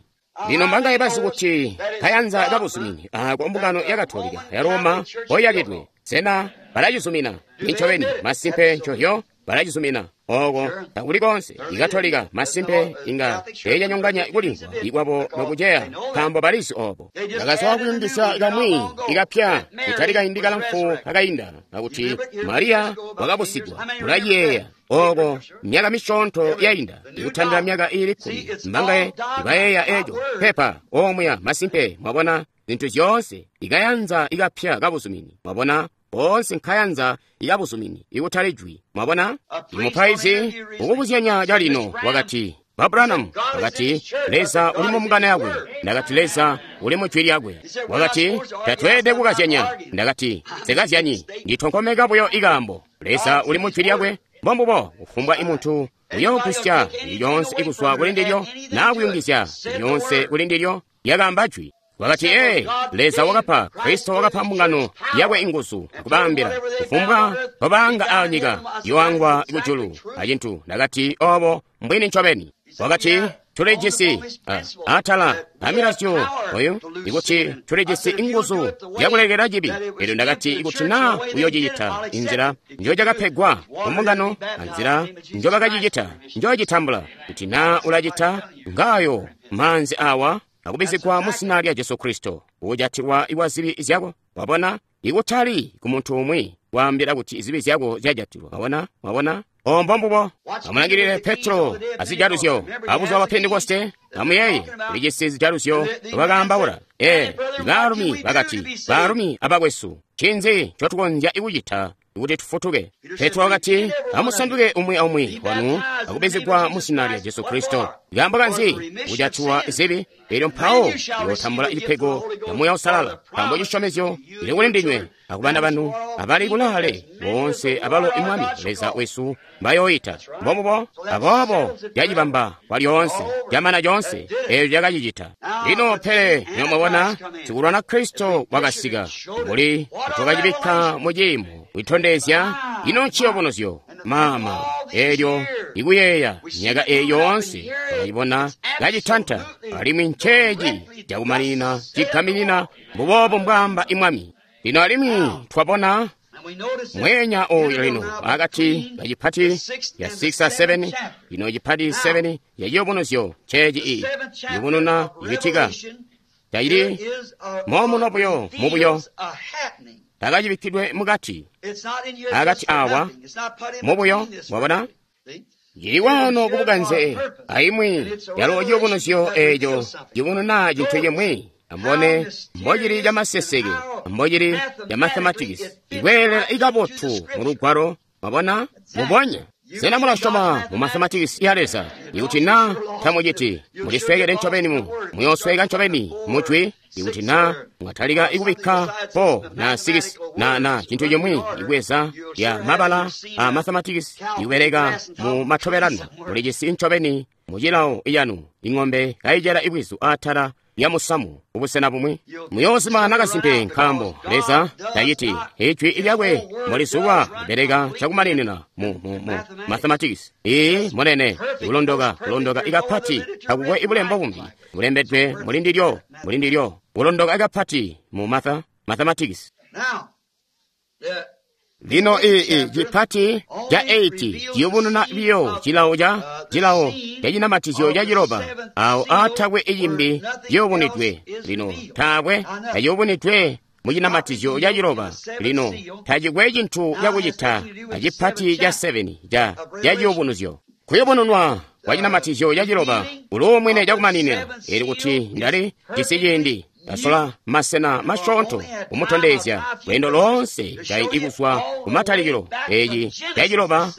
Lino mbangaye bazi kuti kayanza kabuzumini ako mbungano ya Katolika ya Roma koyakidwe? Sena balacizumina? Nincobeni, masimpe ncohyo balacizumina. Oko takuli konse ikatolika masimpe inga teecanyonganya kulimvwa ikwabo nokuceya, nkaambo balizi obo. Bakasowa kuyungizya kamwi ikapya kutali kaindi kalamfu kakainda kakuti Mariya wakabusigwa. Mulaciyeeya oko myaka misyoonto yainda, ikutandila myaka iili 10. Mbangaye ibayeeya eco pepa omuya? Masimpe, mwabona zintu zyoonse ikayanza ikapya kabuzumini. Mwabona boonse nkayanza ikabuzumini ikutali jwi. Mwabona imupaizi ukubuzyanya calino wakati, Ba Branham, wakati, Leza uli mu mbungano yakwe. Ndakati, Leza uli mu jwi lyakwe. Wakati, tatweelede kukazyanya. Ndakati, nsikazyanyi, nditonkomeka buyo ikaambo. Leza uli mu jwi lyakwe. Mbombubo, kufumbwa imuntu uyoogusya lyoonse ikuzwa kuli ndilyo naa kuyungizya lyoonse kuli ndilyo, lyakaamba jwi. Wakati, ee, Leza wakapa, Kristo wakapa mbungano yakwe inguzu akubaambila kufumbwa babaanga a nyika yoangwa kujulu acintu. Ndakati, obo mbwini ncobeni. Wakati, tulijisi atala amilazyo oyu ikuti tulijisi inguzu zyakulekela cibi. Elyo ndakati, ikuti naa uyocicita inzila njocakapegwa kumbungano anzila njobakacicita njocitambula, kuti naa ulacita ngayo maanzi awa akubizigwa mu zina lya Jesu Kristo, ujatilwa iwa zibi zyako. Wabona, ikutali ku muntu umwi waambila kuti zibi zyako zyajatilwa. Wabona, wabona ombo mbubo. Amulangilile Petro azijaluzyo abuzuba bwa Pentekoste. Amuyeeye ulijisi zijaluzyo bakaambaula. Ee, baalumi bakati, baalumi abakwesu, ncinzi ncotukonzya kucita kuti tufutuke? Petro wakati, amusanduke umwi aumwi wanu akubizigwa mu zina lya Jesu Kristo. Kaambo kanzi? Kujatilwa zibi, elyo mpawo uyotambula cipego ca Muuya Uusalala, nkaambo cisyomezyo cili kuli ndinywe akubana banu abali kulaale boonse abalo imwami Leza wesu mbayooyita. Mbombubo, aboobo lyacibamba kwa lyoonse, lyamana lyoonse, eelyo lyakacicita. Lino pele nomwabona sikulwana Kristo wakasika, mbuli twakacibikka mu ciimo kuitondezya ino nciyobunuzyo mama eelyo ikuyeeya myaka eeyi yoonse twakacibona kacitanta, alimwi nceeci cakumanina cigaminina mbuboobo mbwaamba imwami. Lino alimwi twabona mweenya oyu lino akati kacipati ya 6 a 7. Lino cipati 7 ya ciyubunuzyo nceeci iyi yubununa icitika tacili momuno buyo mubuyo, takacibikkidwe mukati akati awa mubuyo. Mwabona cili wano kubukanze aimwi yalo ciyubunuzyo eeco cibununa cintu cimwi. Ambone mbocili camaseseke, mbocili ca mathematics, ikweelela ikabotu mu lugwalo. Mwabona mubonya. Sena mulasyoma mu mathematics ya Leza? Ikuti naa tamuciti, muliswekele ncobeni, muyoosweka ncobeni mujwi. Ikuti naa mwatalika ikubikka 4 na 6 na cintu cimwi ikweza ya mabala a mathematics ikubeleka mu matobelano, mulijisi ncobeni mucilawo iyanu ing'ombe kayicela ibwizu atala ya musamu ubusena bumwi. Muyoozima nakasimpe, nkaambo Leza taciti ijwi lyakwe mulizulwa libeleka cakumaninina mu mathematics. Ii munene kulondoka kulondoka ikapati, takukwe ibulembo bumbi bulembedwe mulindilyo mulindilyo kulondoka ikapati mu mathematics. Lino ii cipati ca 8 ciyubununa biyo cilawo ca cilawo cacinamatizyo ca ciloba, awo aatakwe icimbi ciyubunidwe. Lino taakwe taciyubunidwe mu cinamatizyo ca ciloba. Lino tacikwe cintu cakucita acipati ca 7 ca ciyubunuzyo. Kuyubununwa kwa cinamatizyo ca ciloba uluumwine cakumaninina. Eli kuti ndali jisi ciindi ndasola masena masyoonto kumutondezya lweendo loonse kaindi kuzwa kumatalikilo eeci caciloba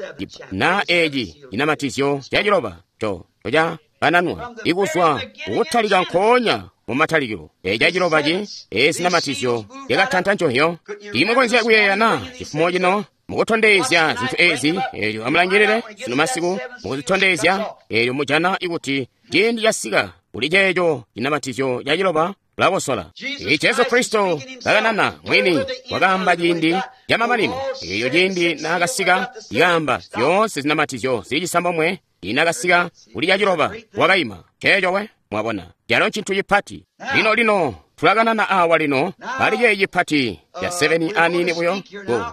na eeci cinamatizyo caciloba co cakananwa ikuzwa kukutalika nkoonya mu matalikilo. Eeci caciloba ci eezinamatizyo yakatanta nconhyo. Imukonzya kuyeeya na cifumo cino mukutondezya zinthu ezi, eelyo amulangilile sino masiku mukuzitondezya, eelyo mujana ikuti ciindi casika kuli ceeco cinamatizyo caciloba. ulakosola. Jesu Kristo kakanana mwini wakaamba ciindi camamanino. Eyo ciindi naakasika ikaamba zyoonse zinamatizyo zili cisambomwe, inakasika kuli caciloba wakaima. Ceeco we mwabona calo ncintu cipati. Lino lino tulakanana awa lino pali ceeyi cipati ca 7 anini buyo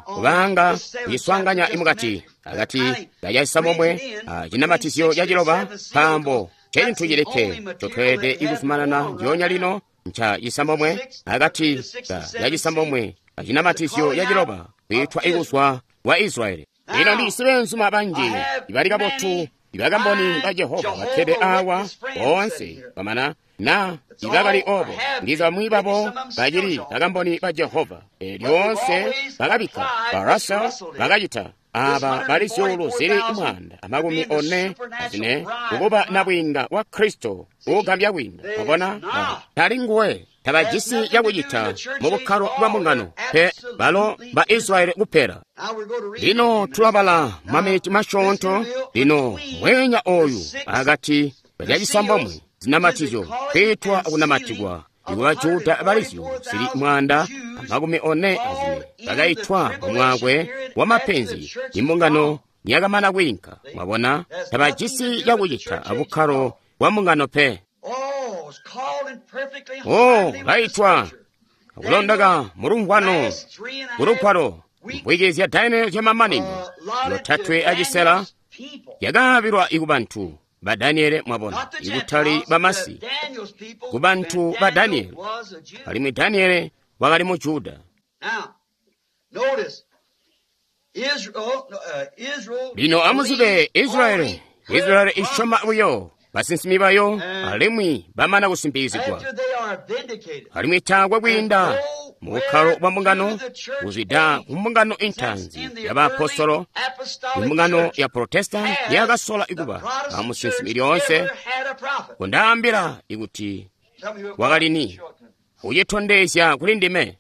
kubanga kuciswaanganya imukati akati kacacisambomwe acinamatizyo caciloba, nkaambo ncecintu cilikke ncotweelede ikuzumanana ndyoonya lino nca cisambomwe akati ka cacisambomwe acinamatizyo caciloba kwiitwa ikuzwa wa Israeli. Lino ndijisi beenzuma banji ibali kabotu ibakamboni ba Jehova bakkede awa boonse bamana na ibakali obo ndiza bamwi babo bacili bakamboni ba Jehova. Lyoonse bakabikka ba Russell bakacita aba bali zyuulu zili 144 kukuba nabwiinga wa Kristo uugambya kwiinda. Mwabona tali nguwe tabajisi cakucita mu bukkalo bwa mbungano pe, balo ba Israeli kupela. Lino tulabala mameti masyoonto. Lino mweenya oyu akati kacacisambomwe zinamatizyo kwiitwa kunamatikwa ikuba Juda bali zyuulu zili 144 bakaitwa mumwakwe wa mapenzi imbungano niyakamana kwiinka. Mwabona tabajisi cakucita abukkalo bwa mbungano pe. Oh, baitwa akulondaka mulumvwano kulugwalo mbwiki zya Daniel zyamamanino 3.5 yakaabilwa ikubantu ba Daniele. Mwabona ikutali bamasi, kubantu ba Daniele, alimwi Daniele wakali mu Juda. Lino amuzibe Israeli, Israeli isyoma buyo basinsimi bayo alimwi bamana kusimpikizigwa, alimwi taakwe kwiinda mu bukkalo bwa mbungano kuzwida ku mbungano intanzi ya baapostolo. Imbungano ya Protestant yakasola ikuba amusinsimi lyoonse. Kundaambila ikuti wakali ni ucitondezya kuli ndime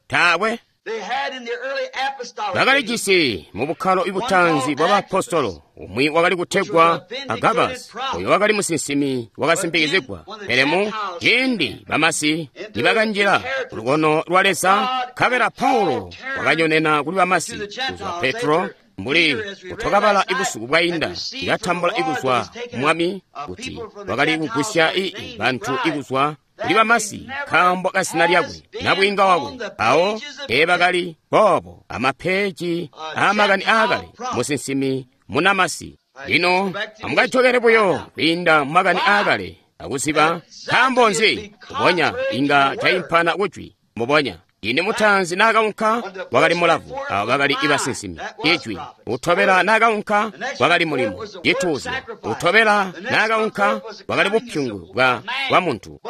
taakwe. Bakalijisi mu bukkalo ibutanzi bwa baapostolo umwi wakali kutegwa Agabus, oyo wakali musinsimi wakasimpikizigwa. Pele mu ciindi bamasi nibakanjila lukono lwa Leza, nkabela Paulo wakanyonena kuli bamasi kuzwa Petro, mbuli kutwakabala ibusuku bwainda, ikatambula ikuzwa mwami kuti wakali kugwisya bantu ikuzwa kuli bamasi nkaambo ka zina lyakwe nabwiinga wakwe. Awo teebakali boobo amapeeji aamakani aakale musinsimi munamasi. Lino amukajokele buyo kwiinda mumakani aakale akuziba nkaambo nzi mbubonya inga caimpana kujwi. Mbubonya ine mutanzi naakaunka wakali mulavu, abo bakali ibasinsimi ijwi. Utobela naakaunka wakali mulimo cituuzyo. Utobela naakaunka wakali bupyungu bwa muntu.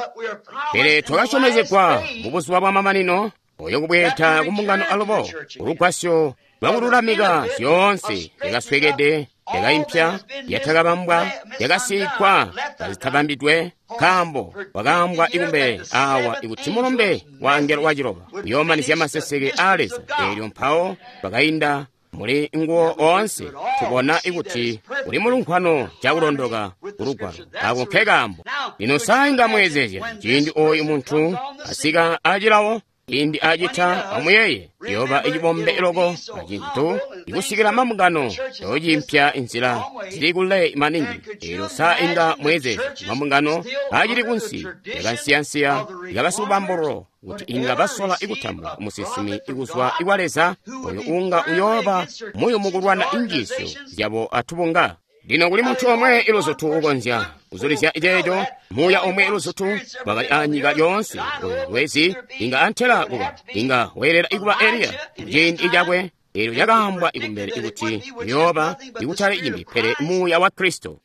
Pele twakasyomezegwa mu buzuba bwa mamanino oyo kubweeda ku mbungano alubo ulugwasyo lwakululamika zyoonse yakaswekede, yakaimpya, yatakabambwa, yakasiigwa kazitabambidwe. Nkaambo wakaambwa ikumbele awa ikuti mulumbe wa angelo waciloba uyoomanizya maseseke aa Leza. Eelyo mpawo bakainda muli nguwo oonse, tubona ikuti uli mulunkhwano cakulondoka kulugwalo. Ako nke kaambo. Lino sainga mweezezya ciindi oyu muntu asika acilawo, ciindi acita amuyeeye yoba icibombe loko acintu ikusikila mambungano yocimpya inzila zili kule maningi. Eelyo sa inga mweezezya mambungano acili kunsi yakansiyansiya ikabasibubambululo kuti inga basola ikutambula musinsimi ikuzwa ikwa Leza oyo unga uyooba muyumu kulwana injiisyo zyabo atubunga. Lino kuli muntu omwe iluzutu ukonzya kuzulizya ceeco, muuya omwe iluzutu wakali anyika lyoonse oyo lwezi inga antela kuba inga weelela ikuba Eliya muciindi cakwe. Eelyo cakaambwa ikumbele ikuti uyooba ikutali cimbi pele muuya wa Kristo.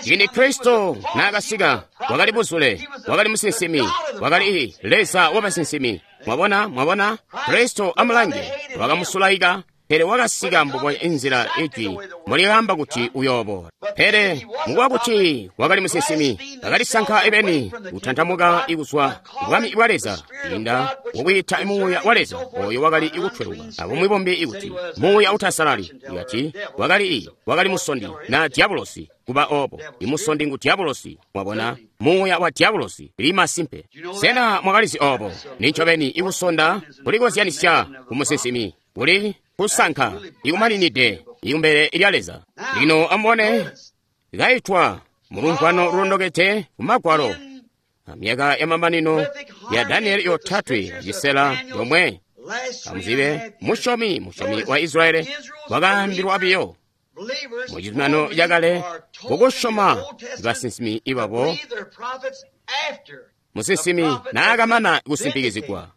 Ciindi Kristo naakasika wakali buzule, wakali musinsimi, wakali Leza wabasinsimi. Mwabona, mwabona Kristo amulange wakamusulaika. Pele wakasika mbubonya inzila ijwi mulyaamba kuti uyooboola. Pele mukuba kuti wakali musinsimi, bakalisanka ebeni kutantamuka kuzwa bwami bwa Leza kwiinda mukwiita Muuya wa Leza oyo wakali kutweluka, abumwi bumbi kuti muuya utasalali. Ikati wakali musondi na dyabulosi kuba obo. Imusondi ngu dyabulosi, mwabona, muuya wa dyabulosi li masimpe. Sena mwakalizi obo? Nincobeni ikusonda kulikozyanisya ku musinsimi kuli kusanka ikumaninide ikumbele lya Leza. Lino amubone kaitwa mulumvwano lulondokede ku Magwalo amyaka yamamanino ya Danieli yotatwe cisela yomwe. Amuzibe musyomi wa Israeli wakaambilwa biyo mu cizuminano cakale kukusyoma basinsimi ibabo musinsimi naakamana kusimpikizigwa.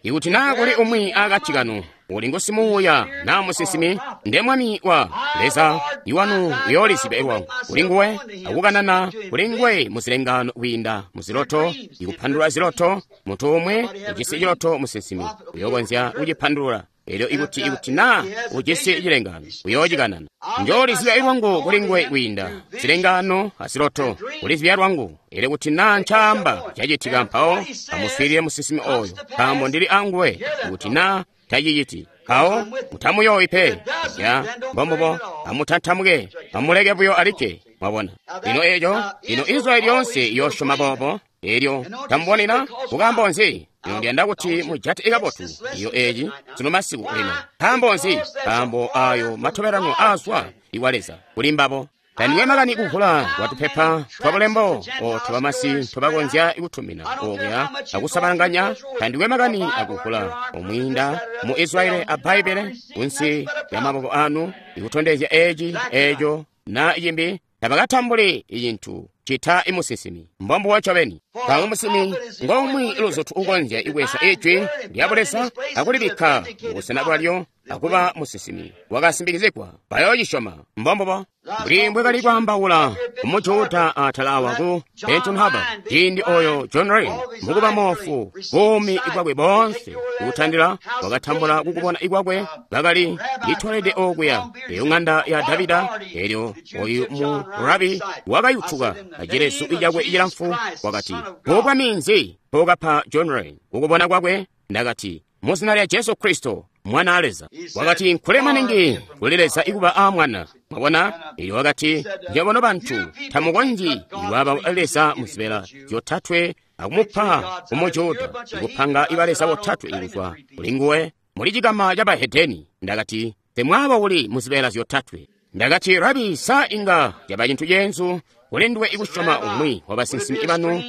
Ikuti naa kuli umwi akati kanu uli ngusimuuya naa musinsimi, nde mwami wa Leza iwanu uyooliziba lwangu kuli nguwe akukanana kuli nguwe muzilengano kwiinda muziloto, ikupandulula ziloto. Muntu umwe ujisi ciloto musinsimi uyokonzya kucipandulula. Elyo ikuti naa ujisi cilengano uyoocikanana. Njooliziba lwangu kuli nguwe kwiinda zilengano aziloto, kulizibya lwangu. Elyo kuti naa ncaamba cacitika, mpawo amuswiilile musinsimi oyo, nkaambo ndili anguwe. Kuti naa taciciti, mpawo mutamuyoowi pe. Ya mbombubo, amutantamuke, amuleke buyo alikke. Mwabona? Lino eco, lino Israeli yoonse iyoosyoma boobo. Elyo tamubonena kukaambo nzi? Lino ndiyanda kuti mujate kabotu iyo eci sunu masiku lino. Nkaambo nzi? Nkaambo ayo matobelanwa aazwa iwa Leza kuli mbabo. Tandikwe makani kuvula kwatupepa twa bulembo oto bamasi tobakonzya kutumina okuya akusabanganya. Tandikwe makani akuvula omwiinda mu Israeli a Bbaibbele kunsi lya maboko anu ikutondezya eci eco na cimbi. Tabakatambuli cintu cita imusinsimi. Mbombubo ncobeni. Nkaambo musinsimi ngomwe luzutu ukonzya ikwesa ijwi lya Buleza akulibikka mubusena bwalyo akuba musinsimi wakasimbikizigwa. Bayoocisyoma. Mbombubo. Mbuli mbwekali kwaambaula kumujuda atala awa ku Benton Harbor ciindi oyo John Ray mukuba moofu buumi bwakwe boonse kutandila wakatambula kukubona ikwakwe bakali litolede okuya eyo ng'anda ya Davida. Elyo oyu mu rabi wakayutuka acilesu icakwe icilamfu wakati, "Bubwa minzi pokapa John Ray kukubona kwakwe?" Ndakati, "Muzina lya Jesu Kristo, Mwana a Leza." Wakati, "Nkule maningi kuli Leza ikuba a mwana." Mwabona? Elyo wakati, "Nywebo bantu tamukonzyi iwaba Leza muzibela zyotatwe akumupa kumujuda ikupanga iba Leza botatwe ikuzwa kuli nguwe muli cikama ca bahedeni." Ndakati, "Temwaba uli muzibela zyotatwe." Ndakati, "Rabi, sa inga caba cintu ceenzu kuli nduwe ikusyoma umwi wa basinsimi banu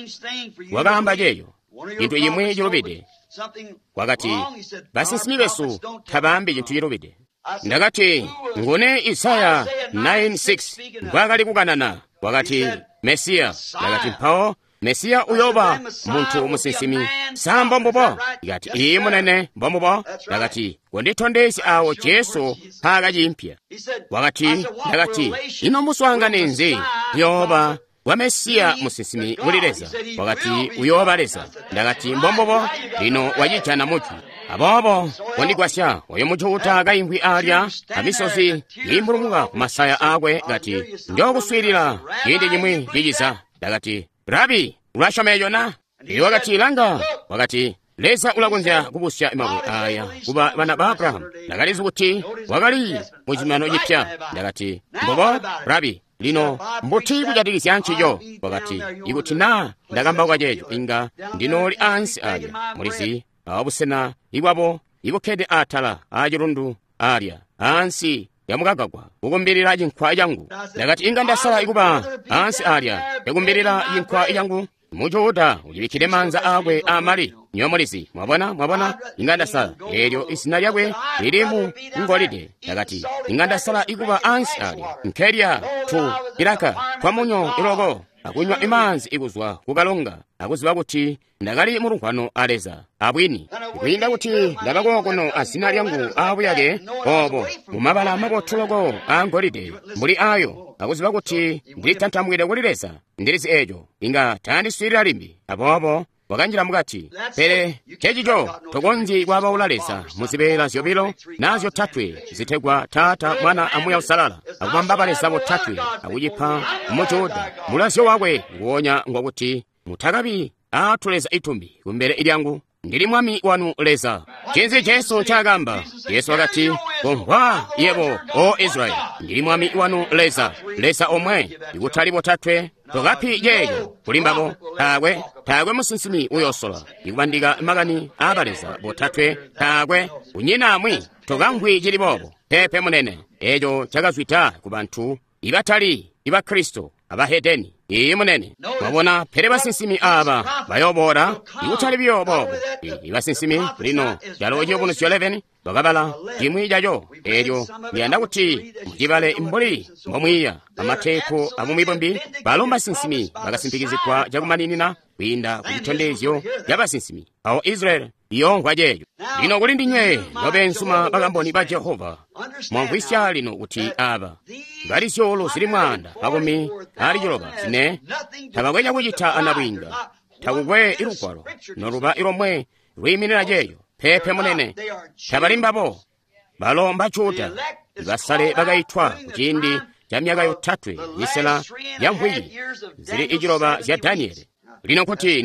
wakaamba ceeyo cintu cimwi cilubide?" Wakati, "Basinsimi besu tabaambi cintu cilubide." Ndakati, "Ngune Isaya 9:6 mbwaakali kukanana?" Wakati, "Mesiya." Ndakati, "Mpawo Mesiya uyoba muntu musinsimi. Sa mbombubo?" Ikati, "Iyi munene, mbombubo." Ndakati, "Konditondezya awo Jesu mpaakaciimpya." Wakati, ndakati, "Ino muswaangane nzi uyooba wa Mesiya musinsimi kuli Leza?" Wakati, "Uyooba Leza." Ndakati, "Mbombubo, lino wacijana mujwi." Aboobo kondigwasya oyo mujuda kaimvwi alya amisozi iimbulumuka ku masaya akwe kati, "Njookuswiilila ciindi cimwi ciciza." Ndakati, "Rabi, ulasyoma eco na?" Iye wakati, "Langa." Wakati, "Leza ulakonzya kubusya mabwe aya kuba bana ba Abrahamu." Ndakalizi kuti wakali mu cizuminano cipya. Ndakati, "Mbubo, Rabi, lino mbuti kujatikizya ncico?" Wakati, "Ikuti naa ndakambauka ceeco, inga ndinooli ansi alya mulizi awa busena ibwabo ibukkede atala aacilundu alya ansi yamukagagwa kukumbilila cinkwa cangu." Ndakati, "Inga ndasala ikuba ansi alya yakumbilila cinkwa cangu." Mujuda ulibikkile maanza akwe amali nyo mulizi. Mwabona, mwabona, inga ndasala. Elyo izina lyakwe lili mu ngolide. Ndakati, "Inga ndasala ikuba ansi alya nkelya tu ilaka twamunyo iloko akunywa imaanzi ikuzwa kukalonga akuziba kuti ndakali mulunkwano a Leza abwini, kwiinda kuti ndaba kokuno azina lyangu aabuyake obo mumabala mabotu loko a ngolide mbuli ayo, akuziba kuti ndilitantamukide kuli Leza. Ndilizi eco inga tandiswiilila limbi. Aboobo wakanjila mukati. Pele cecico tokonzyi kwaabaula Leza muzibeela zyobilo naa zyotatwe zitegwa Taata, Mwana a Muuya Uusalala, akubamba baleza botatwe akucipa muJuda. Mulazyo wakwe nguwonya ngwakuti mutakabi aatuleza itumbi kumbele lyangu. Ndili Mwami wanu Leza. Ncinzi Jesu ncaakamba? Jesu wakati, "Komvwa yebo, O Israyeli, ndili Mwami wanu Leza, Leza omwe, ikutali botatwe." Tokapi ceeco kuli mbabo. Taakwe, taakwe musinsimi uyosola ikubandika makani aabaleza botatwe. Taakwe, kunyina amwi tokamvwi cili boobo. Peepe munene, eeco cakazwida ku bantu ibatali iba Kristo abahedeni. Iyi munene, mwabona. Pele basinsimi aaba bayoboola, ikutali biyo boobo. Ibasinsimi lino calo Ciyubunuzyo 11 bakabala cimwi caco. Eelyo ndiyanda kuti mucibale mbuli mbomwiiya amateepu amumibumbi. Balo basinsimi bakasimpikizigwa cakumaninina kwiinda ku citondezyo ca basinsimi. Awo Israeli iyoomvwa ceeco. Lino kuli ndinywe nobeenzuma bakamboni ba Jehova, mwamvwisya lino kuti aaba bali zyuulu zili 194 tabakwe cakucita anabwiinga. Takukwe ilugwalo noluba ilomwe lwiiminina ceeco. Peepe munene, tabali mbabo. Balo mbaJuda, basale bakaitwa kuciindi ca myaka yotatwe misela ya mvwiki zili iciloba zya Daniele. Lino kuti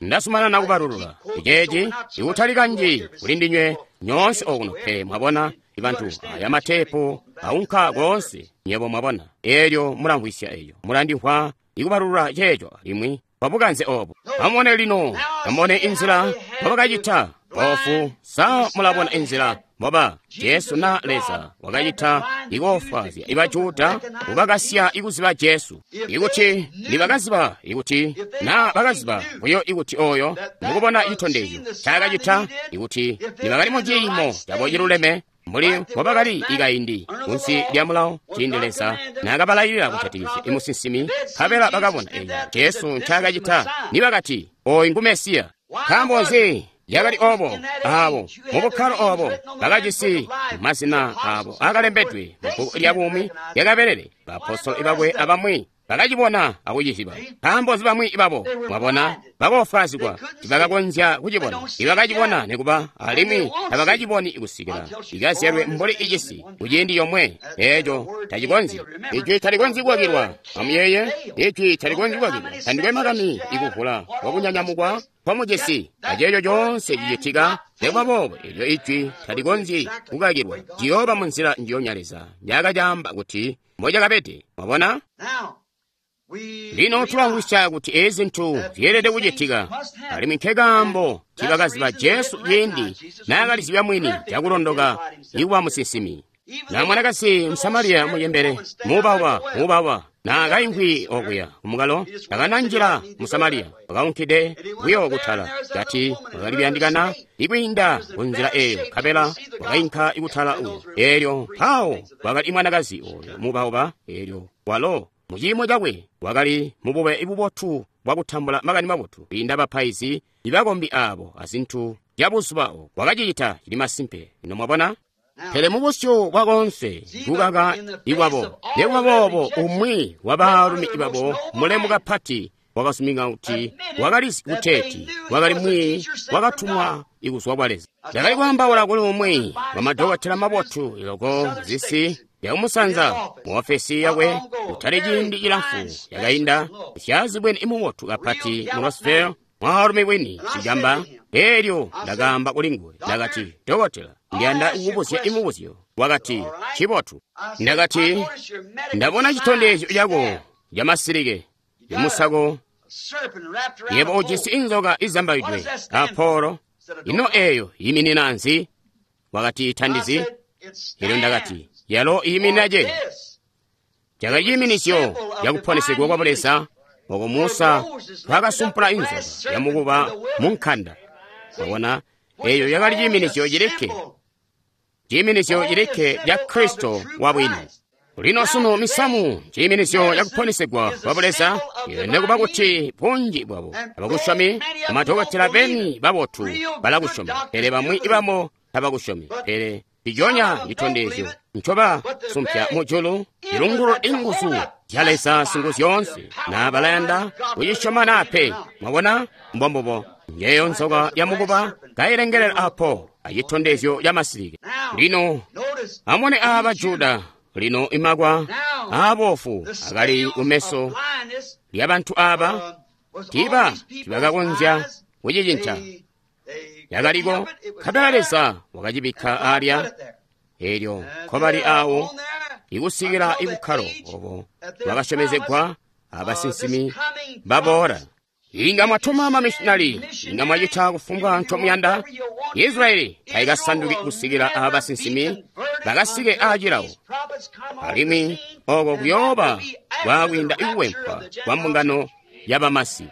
ndasumanana kubalulula iceeci ikutali kanji kuli ndinywe nyoonse okuno, pele mwabona ibantu aya mateepu aunka koonse, nyebo mwabona. Eelyo mulamvwisya eyo, mulandimvwa ikubalulula ceeco alimwi kwabukanze obo. Amubone lino, amubone inzila mbobakacita boofu. Sa mulabona inzila mboba Jesu na Leza wakacita ikoofwaazya ibaJuda kubakasya ikuziba Jesu. Ikuti nibakaziba, ikuti na bakaziba buyo ikuti oyo mukubona citondezyo ncaakacita, ikuti nibakali mu ciimo cabo ciluleme mbuli mbobakali ikaindi kunsi lya mulawo ciindi Leza naakabalayilila kujatikizya imusinsimi, nkabela bakabona eco Jesu ncaakacita, nibakati, "Ooyu ngu Mesiya." Nkaambo nzi yakali obo? Aabo mubukkalo obo bakajisi mazina aabo akalembedwe mubbuku lya buumi lyakabelele. Baapostolo bakwe abamwi bakacibona akuciziba. Nkaambo nzi bamwi babo, mwabona, bakoofwaazigwa, tibakakonzya kucibona. Ibakacibona nikuba alimwi tabakaciboni kusikila ikazyalwe mbuli icisi kuciindi yomwe. Eeco tacikonzyi. Ijwi talikonzyi kukakilwa. Amuyeeye, ijwi talikonzyi kukakilwa. Tandikwe makani ikuvula kwakunyanyamukwa kwamujisi aceeco coonse cicitika. Nikuba boobo, eelyo ijwi talikonzyi kukakilwa. Ciyooba munzila njiyonya Leza njaakacaamba kuti mbocakabede. Mwabona? Lino tulamvwisya kuti ezi zintu zyeelede kucitika, alimwi nkekaambo tibakaziba Jesu ciindi naakalizibya mwini cakulondoka ikuba musinsimi. Na mwanakazi Msamariya mucembele muubauba muubauba naakaimvwi okuya kumukalo, takananjila mu Samariya, wakaunkide buyo kutala. Kati wakali kuyandikana ikwiinda kunzila eyo, nkabela wakainka ikutala uyo. Eelyo mpawo kwakali mwanakazi oyo muubauba, eelyo walo muciimo cakwe wakali mubube bubotu bwakutambula makani mabotu kwiinda bapaizi ibakombi aabo azintu zyabuzuba obo. Wakacicita cili masimpe. Ino mwabona? Pele mubusyu bwakoonse kukaka ikwabo. Nikuba boobo, umwi wa baalumi babo mulemu kapati wakasumika kuti wakalizi kuteeti wakali mwiiyi wakatumwa ikuzwa kwa Leza. Ndakali kwaambaula kuli umwi wamadokotela mabotu loko zisi yakumusanza muofesi yakwe kutali ciindi cilamfu yakainda, syaazibwene imubotu kapati mu Roseville, mwaalumi wini sicamba. Eelyo ndakaamba kuli nguwe, ndakati, "Dokotela, ndiyanda kukubuzya imubuzyo." Wakati, "Cibotu." Ndakati, "Ndabona citondezyo cako camasilike imusako. Yebo ujisi inzoka izambaidwe apolo. Ino eyo yiminina nzi?" Wakati, "Tandizi." Elyo ndakati, "Yalo iyiminina ceeco." Cakali ciiminisyo cakuponesegwa kwa Buleza oko Musa twakasumpula inzoka yamukuba mu nkanda. Mwabona, eyo yakali ciiminisyo cilikke, ciiminisyo cilikke ca Kristo wabwini. Lino sunu misamu ciiminisyo cakuponesegwa kwa Buleza, nekuba kuti bunji bwabo abakusyomi, amadokotela beni babotu balakusyoma, pele bamwi ibamo tabakusyomi. Pele ndiconya citondezyo ncoba sumpya mujulu ilungulula inguzu zya Leza singuzyoonse, na balayanda kucisyoma naa pe. Mwabona, mbombubo. Njeyo nzoka ya mukuba kailengelela apo acitondezyo ca masilike. Lino amone aba Juda lino imakwa aabofu akali kumeso lya bantu aba tiba tibakakonzya kucicinca. Yakaliko nkabela Leza wakacibikka alya elyo nkobali awo ikusikila ibukkalo obo bwakasyomezegwa abasinsimi baboola. Inga mwatuma mamishinali, inga mwacita kufumbwa ncomuyanda. Israeli taikasanduki kusikila abasinsimi bakasike aacilawo, alimwi oko kuyooba kwaakwiinda ikuwempwa kwa mbungano yabamasi.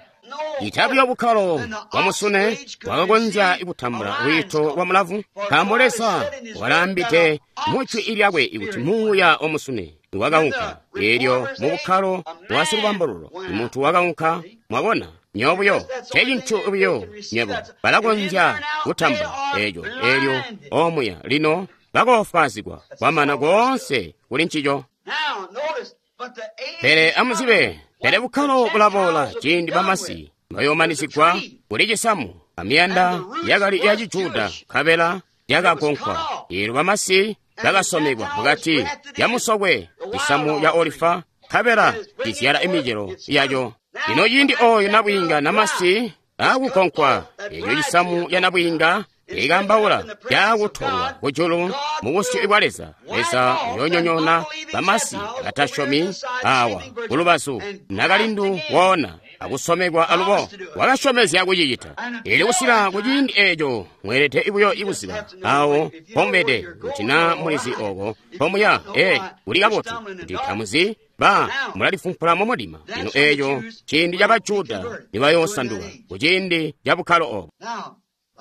Itabi bukkalo bwa musune bwakakonzya kutambula lwiito lwa mulavu, nkaambo Leza wakalaambide mu jwi lyakwe kuti muuya wa musune wakaunka. Eelyo mu bukkalo bwa silubambululo muntu wakaunka. Mwabona, nywebo buyo ncecintu buyo nywebo balakonzya kutambula eeco. Eelyo omuya lino bakoofwaazigwa kwamana koonse kuli ncico. Pele amuzibe, pele bukkalo bulaboola ciindi bamasi bayoomanizigwa kuli cisamu amiyanda yakali ya Cijuda nkabela yakagonkwa. Eelyo bamasi bakasomekwa mukati ya musokwe cisamu ya olifa nkabela cizyala imicelo yaco. Lino ciindi ooyo nabwiinga namasi aakugonkwa, eeco cisamu ya nabwiinga ikambaula caakutolwa kujulu mu busyu bwa Leza. Leza uyoonyonyoona bamasi batasyomi awa kulubazu nakalindu woona akusomekwa alubo wakasyomezya kucicita. Eelyo kusika kuciindi eeco mweelede buyo ikuziba awo mpomubede kuti naa mulizi oko mpomuya. Kuli kabotu kuti tamuzi ba mulalifumpula mumudima. Lino eeco ciindi ca Bajuda nibayoosanduka kuciindi ca bukkalo obo.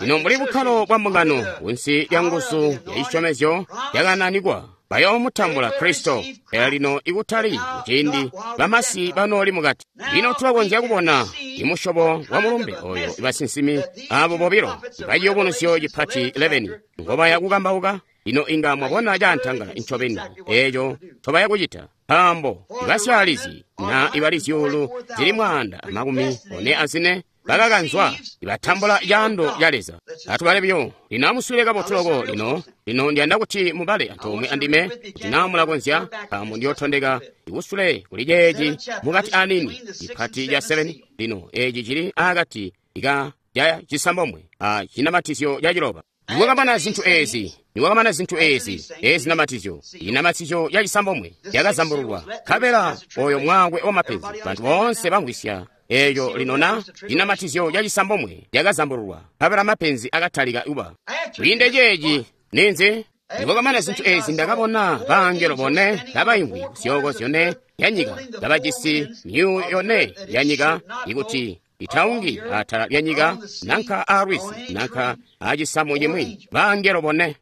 Lino mbuli bukkalo bwa mbungano kunsi lya nguzu ya cisyomezyo yakananikwa, bayoomutambula Kristo. Pele lino ikutali kuciindi bamasi banooli mukati. Lino tulakonzya kubona imusyobo wa mulumbe oyo basinsimi abo bobilo baciyubunuzyo cipati 11 ngobaya kukambauka. Lino inga mwabona caantangala ncobeni eeco ncobaya kucita, nkaambo ibasyaalizi na ibali zyuulu zili 144 bakakanzwa ibatambula caando ca Leza. Atubale buyo lino, amuswile kabotu loko. Lino lino ndiyanda kuti mubale antoomwe andime kuti naa mulakonzya, nkaambo ndiyootondeka ikusule kuli ceeci mukati anini cipati ca 7. Lino eeci cili aakati ka ca cisambomwe a cinamatizyo ca ciloba. Niwakamana zintu eezi, niwakamana zintu eezi, eezi namatizyo, inamatizyo ya cisambomwe yakazambululwa, nkabela oyo mwaakwe wa mapenzi bantu boonse bamvwisya eeco lino na cinamatizyo ca cisambomwe yakazambululwa, nkabela mapenzi akatalika kuba. Kwiinde ceeci ninzi? Niwakamana zintu eezi ndakabona baangelo bone kabaimvwi zyooko zyone yanyika, kabajisi myuuyo yone yanyika ikuti itaungi atala lyanyika nanka aalwizi nanka aacisamu cimwi. Baangelo bone.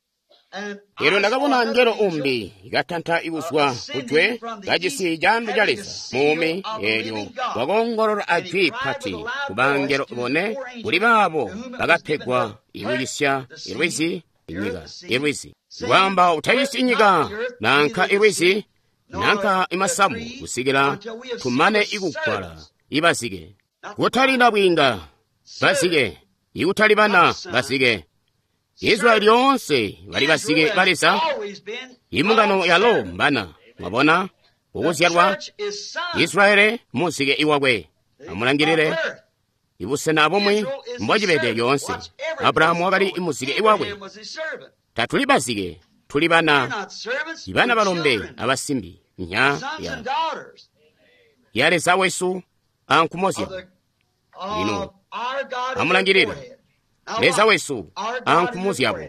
Eelyo ndakabona ngelo umbi katanta ikuzwa kujwe kajisi caando ca Leza muumi. Eelyo wakoongolola ajwi pati ku bangelo bone kuli baabo bakapegwa ikucisya ilwizi inyika ilwizi, kwaamba utacisi inyika nanka ilwizi nanka imasamu kusikila tumane ikugwala ibazike. Kutali nabwiinga bazike, ikutali bana bazike. Israeli yoonse bali bazike ba Leza. Imbungano yalo mbana. Mwabona ukuzyalwa Israeli muzike iwakwe. Amulangilile ibusena bumwi mbocibede lyoonse. Abrahamu wakali muzike iwakwe. Tatuli bazike, tuli bana, ibana balombe abasimbi nya ya Leza wesu ankumo zyabo. Lino amulangilile Leza wesu ankumo zyabo.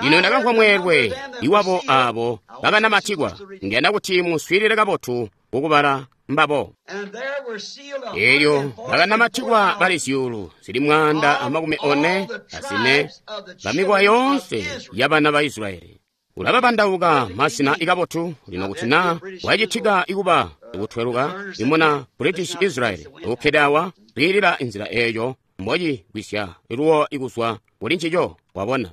Lino ndakamvwa mweelwe iwabo abo bakanamatikwa. Ndiyanda kuti muswiilile kabotu kukubala mbabo. Eelyo bakanamatikwa bali zyuulu zili 144 bamikowa yoonse yabana ba Israeli. Ulababandauka masina ikabotu lino kuti naa wacitika ikuba ikutweluka imuna British Israel ukkede awa kwiilila inzila eeyo mbocigwisya luwo ikuzwa kuli ncico. Wabona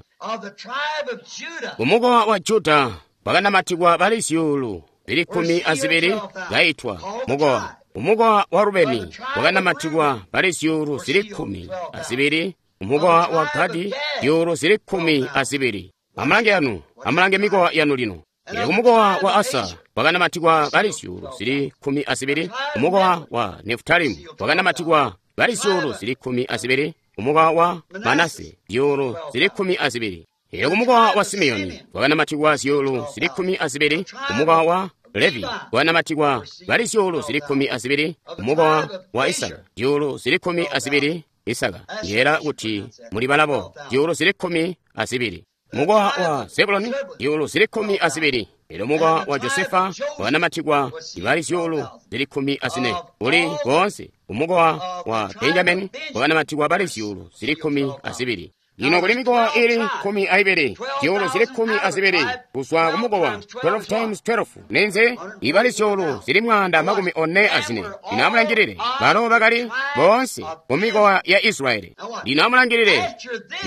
kumukowa wa Juda bakanamatikwa bali zyuulu zili 12 kaitwa mukowa. Umukowa wa Rubeni wakanamatikwa bali zyuulu zili 12. Kumukowa wa Gadi zyuulu zili 12. Amulange yanu, amulange mikowa yanu lino. Elyo kumukowa wa Asa kwakanamatikwa bali zyuulu zili 12. Kumukowa wa Nefutalimu kwakanamatikwa bali zyuulu zili 12. Kumukowa wa Manase zyuulu zili 12. Elyo kumukowa wa Simeoni kwakanamatikwa zyuulu zili 12. Kumukowa wa Levi kwakanamatikwa bali zyuulu zili 12. Kumukowa wa Isaka zyuulu zili 12. Isaka yeela kuti muli balabo zyuulu zili 12. Mukowa wa Zebuloni zyuulu zili 12. Elyo mukowa wa Josefa wakanamatikwa ibali zyuulu zili 14. Uli boonse umukowa wa Benjamini wakanamatikwa bali zyuulu zili 12. Lino kuli mikowa ili 12, zyuulu zili 12 kuzwa kumukowa 12 times 12 nenze ibali zyuulu zili 144. Lino amulangilile balo bakali boonse mu mikowa ya Israeli. Lino amulangilile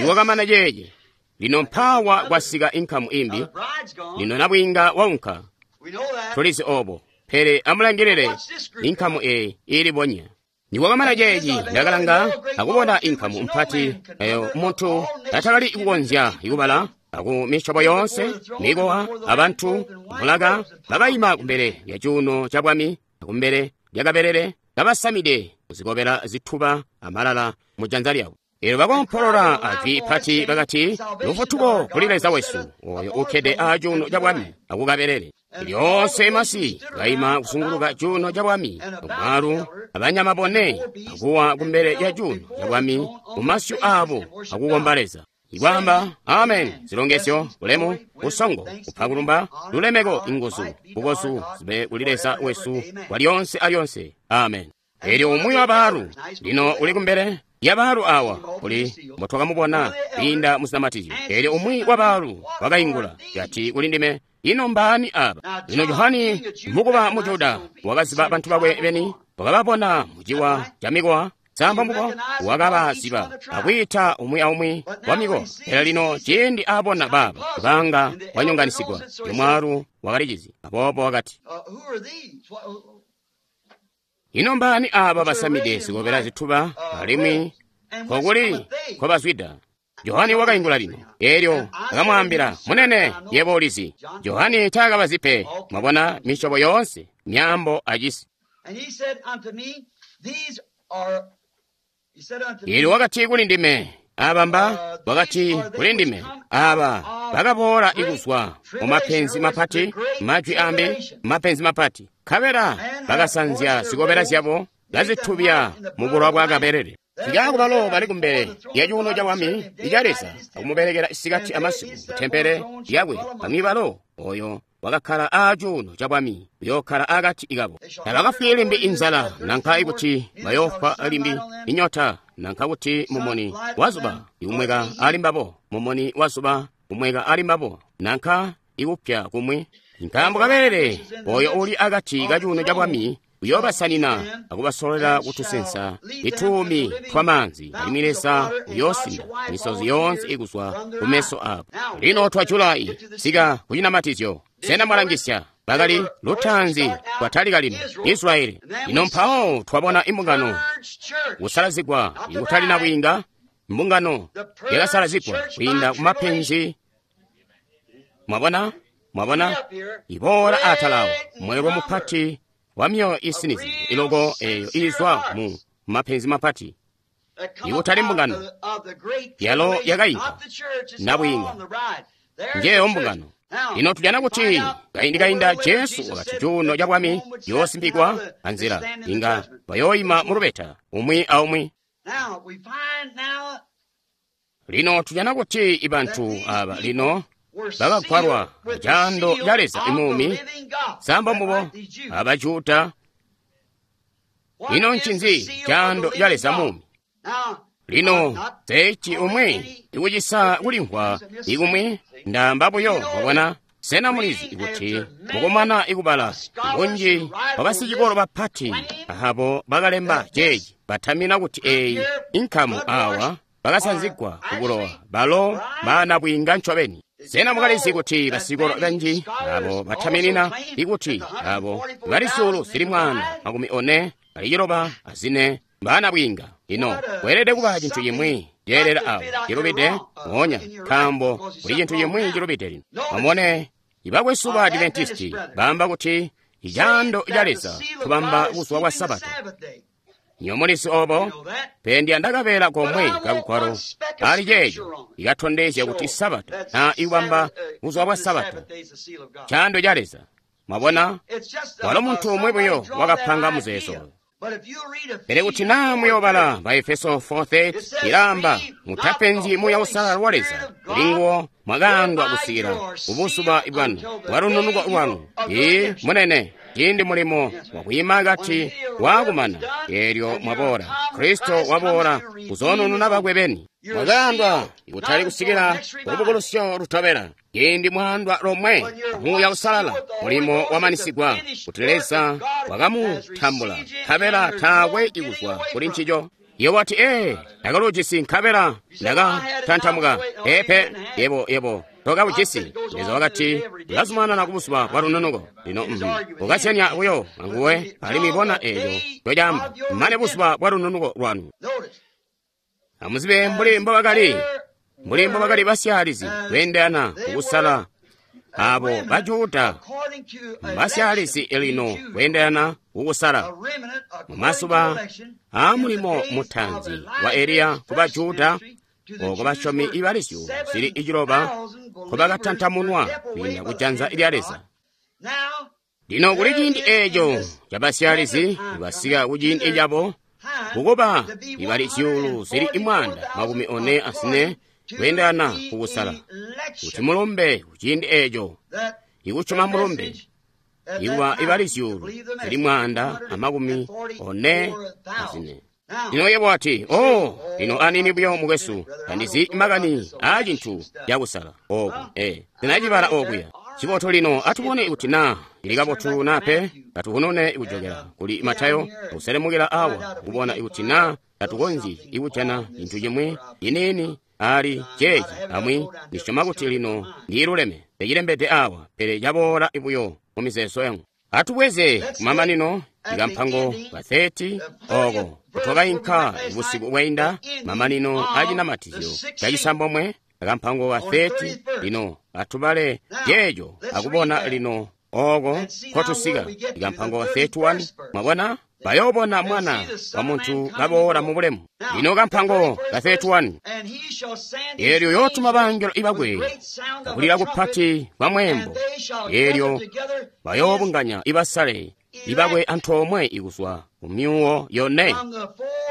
iwakamana ceeci. Lino mpaawa kwasika inkamu imbi. Lino nabwiinga waunka. Tulizi obo. Pele amulangilile inkamu eyi ilibonya. Niwakamana ceeci ndakalanga akubona inkamu mpati eyo muntu atakali kukonzya kubala aku misyobo yoonse, mikowa, abantu, mulaka, bakayima kumbele lya cuuno ca bwami akumbele lya kabelele kabasamide kuzikobela zituba amalala mu janza lyabo. Elyo bakompolola ajwi pati bakati, lufutuko kuli Leza wesu oyo ukkede aacuuno ca bwami akukabelele. Lyoonse masi kayima kuzunguluka cuuno ca bwami, omwalu abanyama bone akuwa kumbele lya cuuno ca bwami mumasyu aabo akukomba Leza. Ikwaamba amen, zilongezyo, bulemu, busongo, kupakulumba, lulemeko, inguzu, bukozu zibe kuli Leza wesu kwa lyonse alyonse. Amen. Elyo umwi wa baalu lino uli kumbele ya baalu awa kuli mbotwakamubona kwiinda muzinamatizyo. Elyo umwi wa baalu wakaingula yati kuli ndime, ino mbaani aba? Lino Johani mukuba mu Juda wakaziba bantu bakwe beni, wakababona muciwa ca mikowa samba mbubo wakabaziba akwiita umwi aumwi wa mikowa. Pele lino ciindi aabona baaba banga wanyonganisigwa, mwaalu wakalicizi, aboobo wakati, ino mbaani aba basamide zikobela zituba alimwi kokuli nkobazwida? Johani wakaingula lino, elyo akamwaambila, munene, yebo ulizi. Johani taakabazi pe, mwabona misyobo yoonse, myaambo acisi. Elyo wakati kuli ndime, aba mba, wakati kuli ndime, aba bakaboola ikuzwa mu mapenzi mapati, majwi ambi, mapenzi mapati. Nkabela bakasanzya zikobela zyabo bazitubya mu bulowa bwa kabelele. Sikaku balo bali kumbele lya cuuno ca bwami ica Leza akumubelekela isikati amasiku ku tempele lyakwe. Bamwi balo oyo wakakkala aacuuno ca bwami uyookkala akati kabo. Tabakafwi limbi inzala nanka kuti bayoofwa limbi inyota nanka kuti mumuni wazuba ikumweka ali mbabo, mumuni wazuba kumweka ali mbabo nanka ikupya kumwi. Nkaambo kabelele oyo uli akati ka cuuno ca bwami uyoobasanina akubasololela kutusensa ituumi twamaanzi, alimwi Leza uyoosinda misozi yoonse ikuzwa kumeso abo. Lino twa Julayi sika kucinamatizyo. Sena mwalangisya? Bakali lutaanzi kwatalika lino Israeli. Lino mpawo twabona imbungano kusalazigwa ikutali nabwiinga, mbungano yakasalazigwa kwiinda kumapenzi. Mwabona? Mwabona? Iboola atalawo mweelwe mupati wa myoyo isinizi iloko eyo izwa mu mapenzi mapati ikutali mbungano yalo yakayinka nabwiinga njeyo mbungano. Lino tujana kuti kaindi kainda Jesu wakati cuuno ca bwami yoosimbikwa anzila inga bayooyima mu lubeta umwi aumwi. Lino tujana kuti ibantu aba lino bakagwalwa caando ca Leza imuumi samba mbubo abajuda. Ino ncinzi caando ca Leza muumi? Lino seci umwi ikucisa kulimvwa ikumwi ndaamba buyo mwabona. Sena mulizi kuti mukumana ikubala bunji bwabasicikolo bapati abo bakalemba ceeci batamina kuti eyi inkamu awa bakasanzigwa kubulowa balo baanabwiinga ncobeni. Sena mukalizi kuti basicikolo banji abo bataminina ikuti abo bali zyuulu zili 149 baanabwiinga? Lino kweelede kuba cintu cimwi ceelela awo cilubide moonya, nkaambo kuli cintu cimwi cilubide lino. Amubone, ibakwesu ba Adventisti baamba kuti icaando ca Leza kubamba buzuba bwa Sabata. Nyomulizi obo, pele ndiyanda kabeela komwe kagwalo ali ceeco ikatondezya kuti Sabata na ikubamba buzuba bwa Sabata caando ca Leza. Mwabona, walo muntu umwi buyo wakapanga muzeezo oyo. Pele kuti naa muyoobala ba Efeso 4:30 ilaamba, mutapenzyi Muuya Uusalala wa Leza, kuli nguwo mwakaandwa kusikila kubuzuba bwanu bwalununuko lwanu. Ii munene, ciindi mulimo wakwiima akati waakumana, eelyo mwaboola, Kristo waboola kuzoonununa bakwe beni. Mwakaandwa ikutali kusikila kulubukulusyo lutobela. Ciindi mwaandwa lomwe Muuya Uusalala, mulimo wamanisigwa kuti Leza wakamutambula, nkabela taakwe ikuzwa kuli ncico. Iye wati, ee, ndakaluujisi nkabela ndakatantamuka. Peepe, yebo tokabujisi. Leza wakati, ulazumanana kubuzuba bwa lununuko. Lino ukasyanya buyo anguwe, alimwi bona eeco ncocaamba, mane buzuba bwa lununuko lwanu. Amuzibe mbuli mbobakali basyaalizi kweendelana kukusala abo Bajuda basyaalizi lino kweendelana kukusala. Mumazuba aamulimo mutaanzi wa Eliya ku Bajuda, oko basyomi ibali zyuulu zili iciloba nkobakatantamunwa kwiinda kujanza lya Leza. Lino kuli ciindi eeco cabasyaalizi basika kuciindi cabo kukuba ibali zyuulu zili 144 kweendelana kukusala, kuti mulumbe kuciindi eeco ikusyoma mulumbe ikuba ibali zyuulu zili 144. Lino yebo wati, oh, lino anini buyo mukwesu, tandizi makani aa cintu cakusala oku, sinacibala okuya. Cibotu lino atubone kuti naa ili kabotu naa pe, katuhunune ikujokela kuli Matayo akuselemukila awa kubona kuti naa tatukonzyi ikujana cintu cimwi ciniini ali ceeci. Amwi ndisyoma kuti lino ndiiluleme, ndicilembede awa, pele caboola buyo mu mizeezo yangu. Atubweze kumamanino ikampango ka 30 oko kutwakainka busiku bwainda, mamanino acinamatizyo cacisambomwe, akampango ka 30. Lino atubale ceeco akubona lino oko nkotusika. Ikampango ka 31, mwabona, bayoobona Mwana wa Muntu kaboola mu bulemu. Lino kampango ka 31, eelyo yootuma bangelo ibakwe kakulila kupati kwa mweembo, eelyo bayoobunganya ibasale ibakwe antoomwe ikuzwa ku myuwo yone,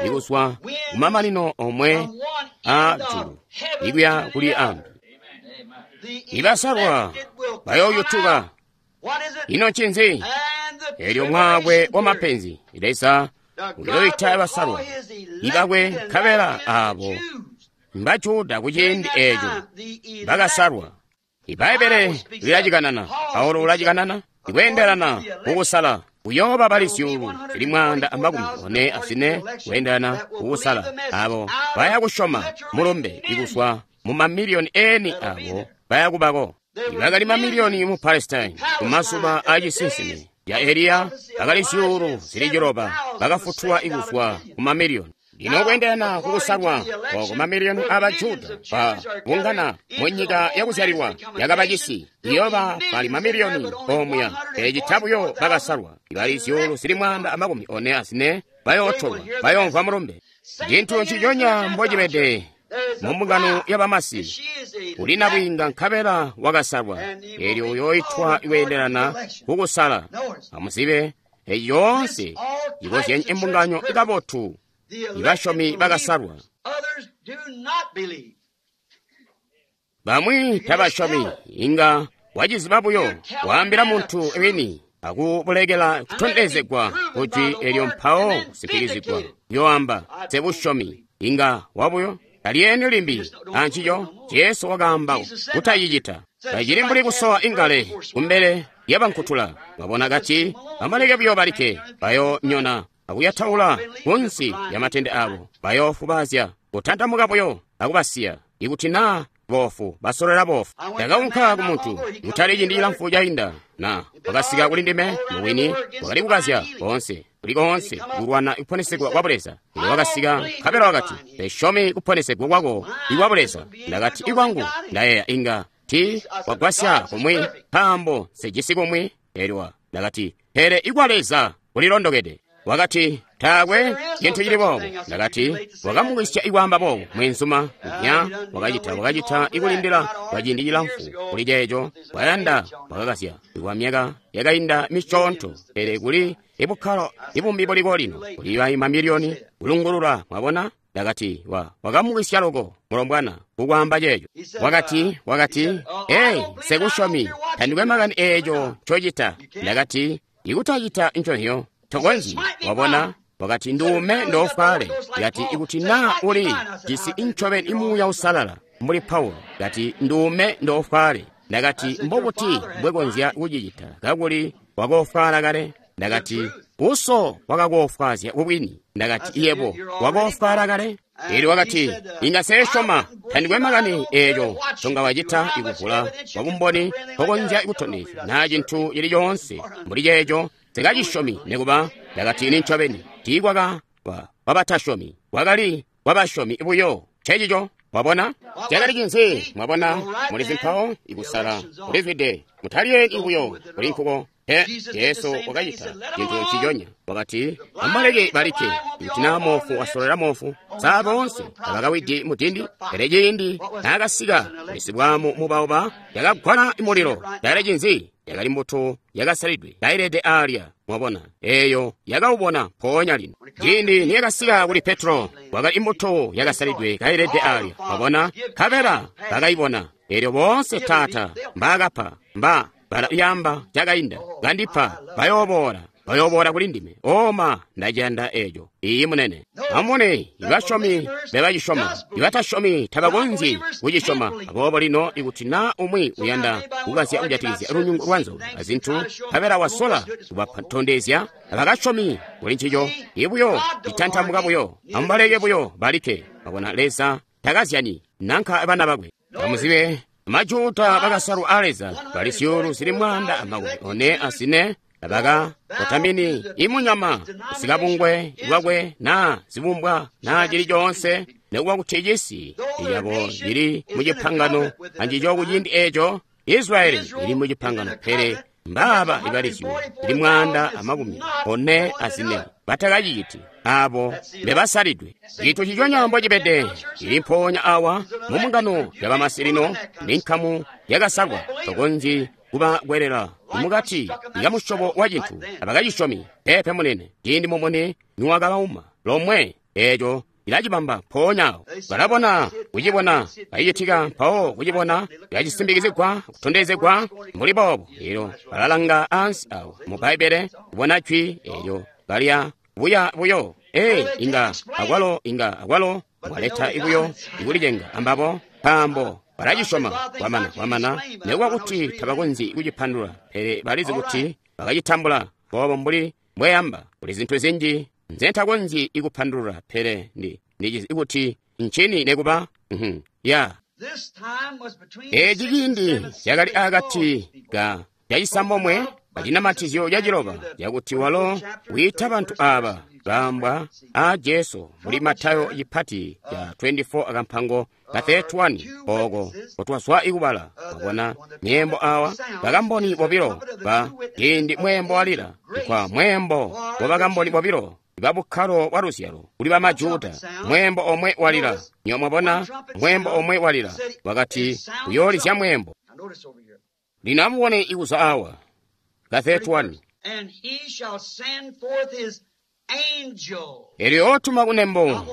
ikuzwa kumamanino omwe a julu ikuya kuli ambi. Ibasalwa bayooyutuka. Ino ncinzi? Eelyo mwaakwe wa mapenzi, Leza uyoita abasalwa ibakwe, nkabela aabo Mbajuda kuciindi eeco bakasalwa. Ibbaibbele lilacikanana, Paulo ulacikanana, ikweendelana kukusala kuyooba bali zyuulu zili 144 kweendelana kukusala abo baya kusyoma mulumbe ikuzwa mu mamiliyoni eni abo baya kubako. Ibakali mamiliyoni mu Palestine kumazuba aacisinsimi ya Eliya bakali zyuulu zili 6 bakafutulwa ikuzwa ku mamiliyoni. Lino kweendelana kukusalwa oko mamiliyoni aba Juda babungana mu nyika yakuzyalilwa yakabacisi, iyooba bali mamiliyoni omuya, pele cita buyo bakasalwa ibali zyuulu zili 144 bayootolwa, bayoomvwa mulumbe. Cintu nciconya mbocibede mu mbungano y'abamasi, uli nabwiinga nkabela wakasalwa, eelyo uyooitwa kweendelana kukusala. Amuzibe, eeci yoonse ikozyenye imbungano ikabotu, ibasyomi bakasalwa. Bamwi tabasyomi, inga waciziba buyo, waambila muntu wini akubulekela kutondezegwa kujwi elyo mpawo kusimpikizigwa. Yoamba sebusyomi, inga wabuyo talyeeni limbi ancico. Jesu wakaamba kutacicita. Tacili mbuli kusowa ingale kumbele lyabankutula. Wabona kati amaleke buyo balikke, bayoonyona akuyataula kunsi lyamatende abo, bayoofubaazya kutantamuka buyo akubasiya. Ikuti naa boofu basolola boofu. Ndakaunka ku muntu kutali ciindi cilamfu cainda, na wakasika kuli ndime mubwini wakali kukazya boonse. kuli koonse kulwana kuponesegwa kwa Buleza. Elyo wakasika nkabela wakati, "Nsyomi kuponesegwa kwako ikwa Buleza." Ndakati, "Ikwangu ndayeeya inga ti wagwasya kumwi nkaambo nsejisi kumwi." Elyo ndakati, "Pele ikwa Leza kulilondokede." Wakati, "Taakwe cintu cili boobo." Ndakati, "Wakamukwisya ikwaamba boobo mweenzuma." Nya wakacita ikulindila kwa ciindi cilamfu kuli ceeco. Wayanda wakakasya kwa myaka yakainda misyoonto, pele kuli ibukkalo ibumbi buliko lino kuli mamiliyoni kulungulula. Mwabona? Ndakati, wakamukwisya loko mulombwana kukwaamba ceeco. Wakati, "Ei, nsekusyomi, tandikwe makani eeco ncocita." Ndakati, "Ikutacita nconzyo tokonzyi." Wabona? Wakati, "Nduume ndofwale." Kati, "Ikuti naa uli jisi incobeni imuuya usalala mbuli Paulo." Kati, "Nduume ndofwale." Ndakati, "Mbobuti mbwekonzya kucicita kakuli wakofwala kale?" Ndakati, "Uso wakakofwazya kubwini." Ndakati, "Yebo wakofwala kale." Elyo wakati, "Inga sesyoma, tandikwe makani eeco nconga wacita ikuvula kwabumboni nkokonzya kutondezya naa cintu cili coonse mbuli ceeco, nsikachisyomi nikuba." Ndakati, "Nincobeni tiikwaka wabatasyomi, kwakali wabasyomi buyo." Ncencico. Mwabona? Cakali cinzi? Mwabona, mulizi mpawo ikusala kulizwide. Mutalyeeni buyo kuli nkuko. Pe, Jesu wakacita cintu nciconya. Wakati, "Amubaleke balikke. Ikuti naa moofu wasololela moofu, saa boonse tabakawidi mudindi?" Pele ciindi naakasika sibwaamu mubauba, yakagwala mulilo. Cakali cinzi? Yakali mbuto yakasalidwe kailede aalya. Mwabona, eeyo yakaubona mpoonya lino. Ciindi niyakasika kuli Petro, kwakali imbuto yakasalidwe kailede aalya. Mwabona, nkabela bakayibona. Eelyo boonse Taata mbaakapa mba bala yamba cakainda kandipa bayooboola kuli ndime. Oma, ndaciyanda eeco. Iiyi munene. Amubone, ibasyomi bebacisyoma, ibatasyomi tabakonzyi kucisyoma. Aboobo lino ikuti naa umwi uyanda kukazya kujatikizya lunyungu lwa nzoka azintu, nkabela wasola kubatondezya abakasyomi kuli ncico, ibuyo citantamuka buyo, amubaleke buyo balikke. Mwabona, Leza takazyani nanka bana bakwe. Amuzibe, Majuda bakasalwa a Leza bali zyuulu zili 144 abaka kotamini imunyama kusikabungwe bwakwe naa zibumbwa naa cili coonse, nekuba kuti cisi cabo cili mucipangano ancico kuciindi eeco. Israyeli ili mucipangano, pele mbaaba ibali zyuulu zili 144 batakaciciti, abo mbebasalidwe. Cintu ciconya mbocibede cili mpoonya awa mu mbungano ya bamasi lino, ni nkamu yakasalwa. Tokonzyi kubakwelela mukati kamusyobo wa cintu, abakacisyomi. Peepe munene. Ciindi mumuni niwakabauma lomwe, eeco ilacibamba mpoonya awo. Balabona kucibona kacicitika, mpawo kucibona kacisimbikizigwa kutondezegwa mbuli boobo. Elyo balalanga ansi awo mu Bbaibbele kubona jwi eelyo balya buya buyo. Ee, inga akwalo mwaleta ibuyo ikulicenga ambabo, nkaambo balacisyoma. Kwamana nekuba kuti tabakonzyi kucipandulula, pele balizi kuti bakacitambula. Boobo mbuli mbweyamba, kuli zintu zinji nzentakonzyi ikupandulula, pele ndicizi kuti ncini nekuba. Ya eeci ciindi cakali akati ka cacisambomwe acinamatizyo caciloba, cakuti walo wiita bantu aaba baambwa a Jesu muli Matayo cipati ca 24 akampango ka 31 ooko kotwazwa ikubala. Wabona myeembo awa, bakamboni bobilo ba ciindi mweembo walila, kwa mweembo wa bakamboni bobilo babukkalo bwa luzyalo kuli bamajuda. Mweembo omwe walila, nyo mwabona, mweembo omwe walila, wakati uyoolizya mweembo. Lino amubone ikuza awa ka 31. Elyo otuma kunembo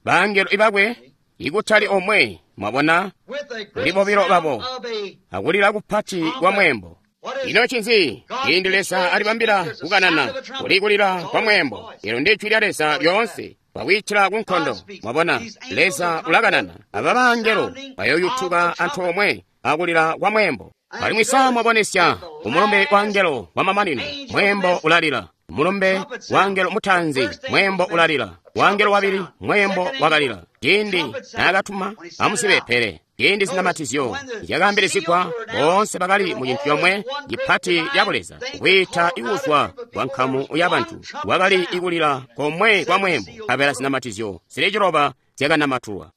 bangelo ibakwe, ikutali omwe, mwabona, kuli bobilo babo, akulila kupati kwa mweembo. Ino ncinzi? Ciindi Leza alibambila kukanana, kuli kulila kwa mweembo. Elo ndi jwi lya Leza lyoonse kwakwiitila ku nkondo. Mwabona, Leza ulakanana. Aba bangelo bayoyutuka antoomwe akulila kwa mweembo. Alimwi sa mwabonesya kumulumbe wa angelo wa mamanino, mweembo ulalila. Mulumbe wa angelo mutaanzi, mweembo ulalila. Wa angelo wabili, mweembo wakalila. Ciindi naakatuma, amuzibe pele ciindi zinamatizyo zyakaambilizigwa, boonse bakali mu cintu comwe cipati ca Buleza, kwiita ikuzwa kwa nkamu ya bantu. Kwakali ikulila komwe kwa mweembo, nkabela zinamatizyo zili ciloba zyakanamatulwa.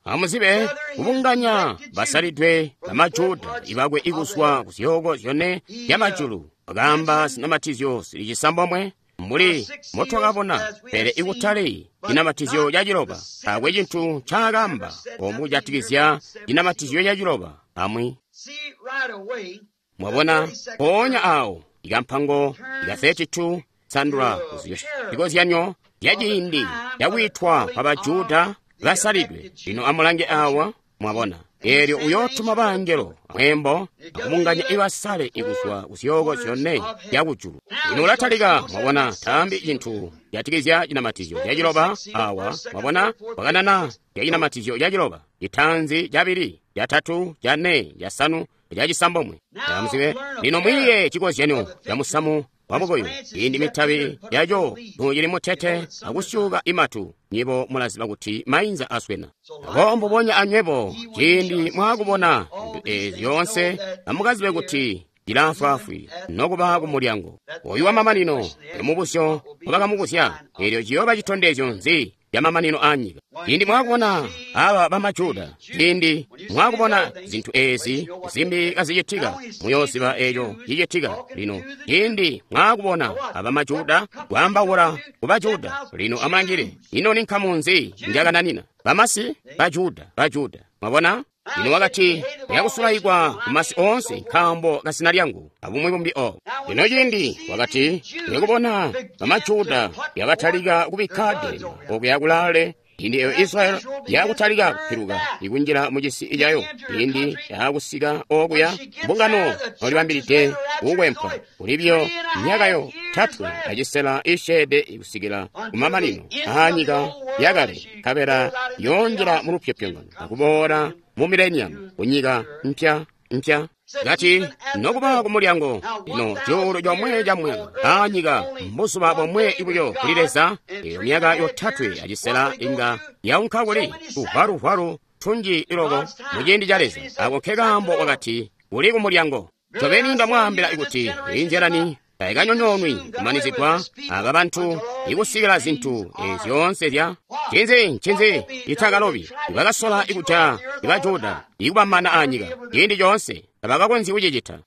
Amuzibe kubunganya basalidwe bamajuda ibakwe ikuzwa ku zyooko zyone zyamajulu. Wakaamba zinamatizyo zili cisambomwe mbuli motwakabona, pele ikutali cinamatizyo ca ciloba. Taakwe cintu ncaakaamba omu kujatikizya cinamatizyo ca ciloba amwi. Mwabona, mpoonya awo ikampango ika 32 sandula zikozyanyo zya ciindi cakwiitwa kwa Bajuda basalidwe. Lino amulange awa, mwabona. Eelyo uyootuma bangelo mweembo akubunganya ibasale ikuzwa ku zyooko zyone zyakujulu. Lino ulatalika, mwabona, taambi cintu jatikizya cinamatizyo ca ciloba awa, mwabona, wakanana zya cinamatizyo ca ciloba, citaanzi, cabili, catatu, cane, casanu, cacisambomwe. Amuzibe, lino mwiiye cikozyanyo ca musamu wamukuyu. Ciindi mitabi yaco nucili mutete akusyuka imatu, nyibo mulaziba kuti mainza aswena. Abo mbubonya anywebo, ciindi mwaakubona zintu eezi zyoonse, amukazibe kuti cilaafwaafwi nokuba ku mulyango. Oyu wamamanino mubuzyo wabakamubuzya, eelyo ciyooba citondezyo nzi camamanino aanyika? Ciindi mwaakubona aba bamajuda, ciindi mwaakubona zintu eezi zimbi kazicitika, muyooziba eeco cicitika. Lino ciindi mwaakubona aba majuda kwaambaula ku Bajuda, lino amulangile, ino ni nkamu nzi njakananina? Bamasi, Bajuda, Bajuda. Mwabona? Lino wakati, muyakusulaikwa kumasi oonse nkaambo kasina lyangu, abumwi bumbi obo. Lino ciindi wakati, muyakubona bamajuda yakatalika kubikka dema okuya kulaale. Ciindi eyo Israeli yakutalika kupiluka ikunjila mucisi cayo, ciindi yakusika okuya mbungano nolibambilide kukwempwa kulibyo myaka yotatwe acisela isyeede kusikila kumamanino aanyika yakale, nkabela yoonjila mu lupyopyongano akuboola mu mileniamu kunyika mpya mpya. Kati nokuba ku mulyango, lino cuulu comwe ca mwaka aanyika mbuzuba bomwe buyo kuli Leza. Eyo myaka yotatwe acisela inga yaunka kuli tuvwalu-vwalu tunji iloko muciindi ca Leza. Ako nkekaambo wakati uli ku mulyango. Ncobeni ndamwaambila kuti inzyalani tayikanyonyoonwi kumanizigwa aba bantu ikusikila zintu ezi zyoonse zya ncinzi ncinzi itakalobi. Ibakasola ikuja ibajuda ikubamana aanyika ciindi coonse tabakakonzyi kucicita.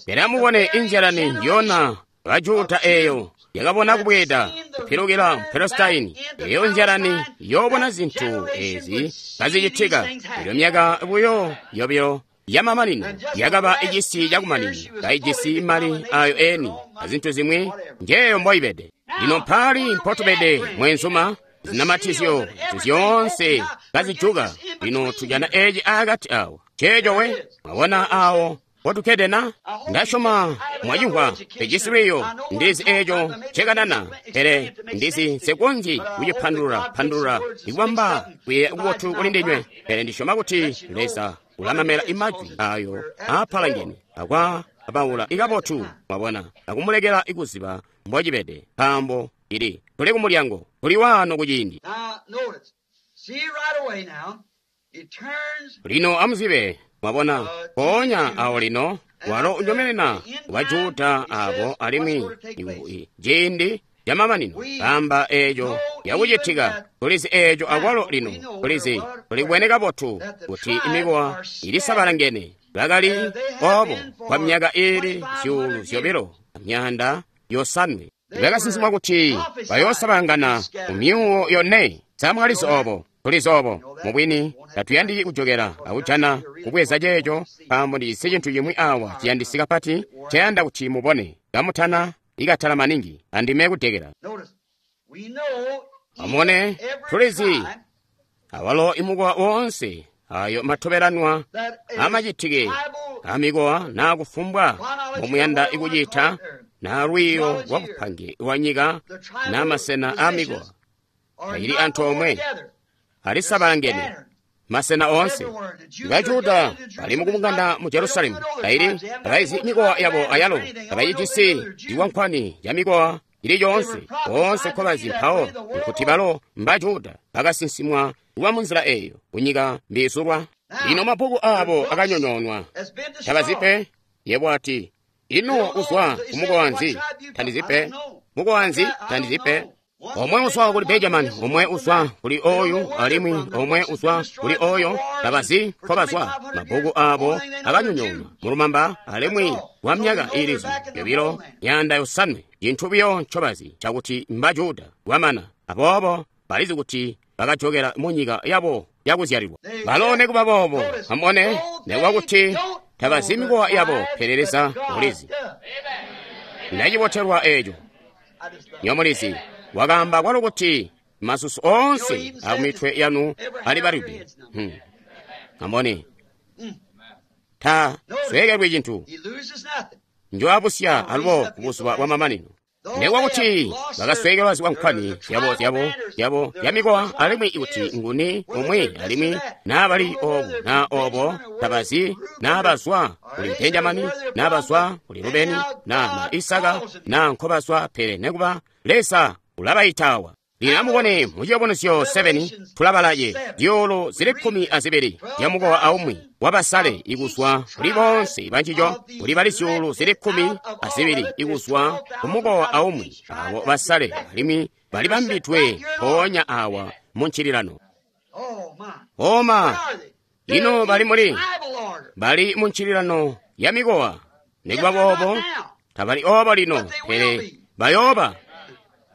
Pele amubone inzyalani njiyona bajuda eeyo yakabona kubweeda kupilukila mu Palestine. Eyo nzyalani yoobona zintu ezi kazicitika. Elyo myaka buyo yobilo yamamanino yakaba icisi cakumanina, kaijisi mali ayo eni azintu zimwi njeyo mboibede. Lino mpali mpotubede mwenzuma, zinamatizyo zyoonse kazijuka. Lino tujana eci akati awo ceeco we mwabona awo mpotukkede na. Ndasyoma mwacimvwa pejisi lwiyo, ndizi eeco ncekanana, pele ndizi nsekonzyi kucipandulula pandulula ikubamba kuyeeya kubotu kuli ndinywe, pele ndisyoma kuti Leza ulamamela imajwi ayo aapalangene akwa abaula ikabotu, mwabona, akumulekela ikuziba mbocibede, nkaambo ili tuli kumulyango, tuli waano kuciindi. Lino amuzibe, mwabona, mpoonya awo lino walo unyomenena Bajuda abo alimwi ciindi camamanino kamba eeco yakucitika. Tulizi eeco akwalo lino, tulizi tulibwene kabotu kuti imikowa ilisabalangene. Bakali obo kwa myaka iili 2500. Bakasinsimwa kuti bayoosabalangana ku myuwo yone. Samwalizi obo, tulizi obo. Mubwini tatuyandiki kujokela akujana kubweza ceeco, nkaambo ndijisi cintu cimwi awa ciyandisi kapati nceyanda kuti mubone kamutana ikatala maningi andime kudekela. Amubone, tulizi awalo imukowa woonse ayo matobelanwa amacitike amikowa naa kufumbwa mbomuyanda ikucita naa lwiiyo lwa bupange lwa nyika naa masena aamikowa tayili antoomwe, alisabalangene. Masena oonse. Bajuda bali mukubungana mu Jerusalemu. Kaili tabaizi mikowa yabo ayalo, tabayijisi iwankwani ya mikowa ili yoonse. Oonse nkobazi mpawo nkuti balo Mbajuda bakasinsimwa kuba munzila eyo kunyika mbiizulwa. Lino mabbuku abo akanyonyoonwa. Tabazi pe. Yebo ati, ino uzwa kumukowa nzi? Tandizi pe. Mukowa nzi? Tandizi pe. Omwe uzwa kuli Benjamini, omwe uzwa kuli oyu, alimwi omwe uzwa kuli oyo, tabazi nkobazwa. Mabbuku abo akanyonyoonwa mulumamba alimwi kwa myaka iilizi 250. Cintu buyo ncobazi cakuti Mbajuda kwamana. Aboobo balizi kuti bakajokela mu nyika yabo yakuzyalilwa. Balo nekuba boobo, amubone, nekuba kuti tabazi mikowa yabo, pele Leza ulizi. Ndacibotelwa eeco. Nyomulizi wakaamba kwalo kuti masusu oonse akumitwe yanu alibalidwe. Amubone, ta sweekelwi cintu. Njoabusya alubo kubuzuba bwamamanino. Nekuba kuti bakasweekelwa zikwankwani zyabo yabo ya mikowa, alimwi kuti nguni umwi, alimwi naa bali obu naa obo, tabazi naa bazwa kuli Benjamini, naa bazwa kuli Rubeni, naa na Isaka, naa nkobazwa, pele nekuba Leza ulabayitawa. Lino amubone mu Ciyubunuzyo 7 tulabalaye zyuulu zili 12 zya mukowa aumwi wabasale ikuzwa kuli bonse bancico, kuli bali zyuulu zili 12 ikuzwa kumukowa aumwi abo basale, alimwi balibambidwe mpoonya awa mu ncililano. Oma, ino bali muli? Bali mu ncililano ya mikowa. Nikuba boobo tabali obo lino, pele bayooba.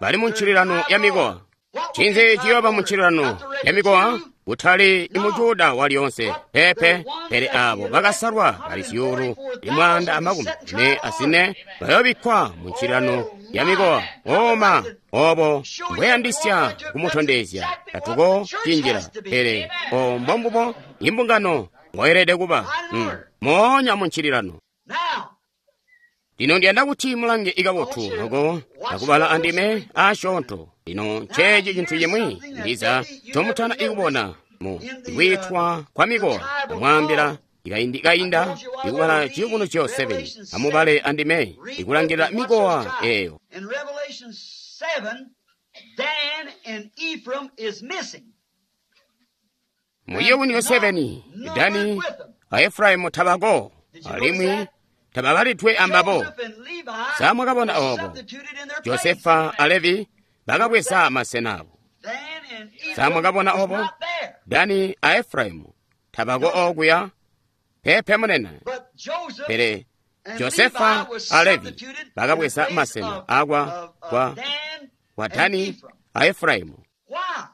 Bali mu ncililano ya mikowa. Ncinzi ciyooba mu ncililano ya mikowa? Kutali imujuda walyoonse pepe, pele abo bakasalwa bali zyuulu 144 bayoobikkwa mu ncililano ya mikowa. Oma, obo mbweyandisya kumutondezya, tatuko cinjila, pele o mbombubo imbungano mboyelede kuba, moonya mu ncililano. Lino ndiyanda kuti mulange ikabotu loko akubala andime asyoonto. Lino nceeci cintu cimwi ndiza ncomutana ikubona mu kwiitwa kwa mikowa. Ndamwaambila ikaindi kainda ikubala Ciyubunuzyo 7. Amubale andime ikulangilila mikowa eyo. In Revelation 7, Dan and Ephraim is missing. Mu Ciyubunuzyo 7, Dani a Efraimu tabako, alimwi tababalidwe ambabo. Joseph and Levi Samwakabona were obo. substituted in their place. Josefa a Levi bakabweza masena abo. Dan and Ephraim Samwakabona was obo. not there. Dani a Efraimu tabako okuya pepe munene, But Joseph pele and Josefa Levi was a Levi substituted in the bakabweza place masena of, akwa of kwa Dan kwa and Dani Ephraim. a Efraimu. Why?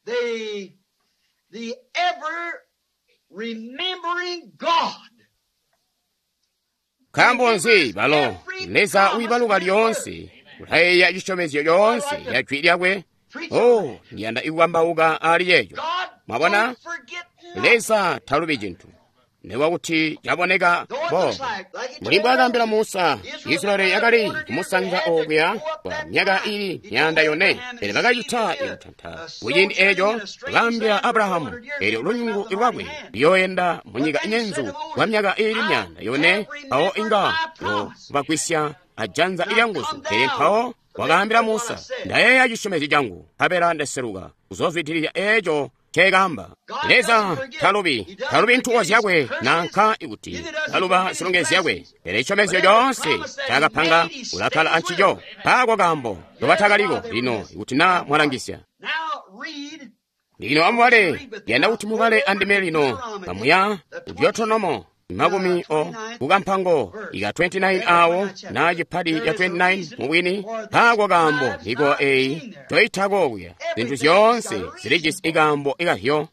The ever remembering God. Nkaambo nzi balo Leza wiibaluka lyoonse kulayeeya cisyomezyo lyoonse ya jwi lyakwe? Oh, ndiyanda ikukambauka ali yeeco. God Mwabona? don't forget nothing. Leza talubi cintu, nekuba kuti caboneka Though it boobo. looks like he Mbuli told mbwaakaambila Moses, Musa, Israel Israeli had yakali ordered you kumusanza had to okuya go up kwa that myaka mountain. ili He told 400, Abraham pele and bakacita seed to be ikutanta. a Kuciindi sojourning eco in a strange bakaambila land for Abrahamu, 400 years, eelyo and bring lunyungu out the lwakwe mighty hand. luyooyenda mu But nyika then he said inyenzu to Moses, kwa myaka ili I 400, have mpawo remembered inga my promise. yobagwisya ajanza Now lyanguzu. come Pele down mpawo to make wakaambila good what I Musa, said. ndayeeya cisyomezyo cangu, nkabela ndaseluka kuzozwidilila eco nceekaamba. God Leza doesn't forget. talubi, He doesn't talubi ntuko forget his zyakwe curses. nanka ikuti Neither does he taluba forget his zilongezyo zyakwe, blessings. pele cisyomezyo But every coonse promise that he ncaakapanga made, he ulakkala stays with ancico. it. Mpaako kaambo Yes, nobataakaliko why they were lino missing. ikuti naa mwalangisya. Now read. Lino amubale, ndiyanda kuti mubale andime lino pamuya ku Deuteronomo makumi o kukampango ika 29 awo na chipadi cha 29 mubwini. Mpaako kaambo mikowa eyi toyithako okuya. Zinthu zyonse zilijisi ikambo ikahyo.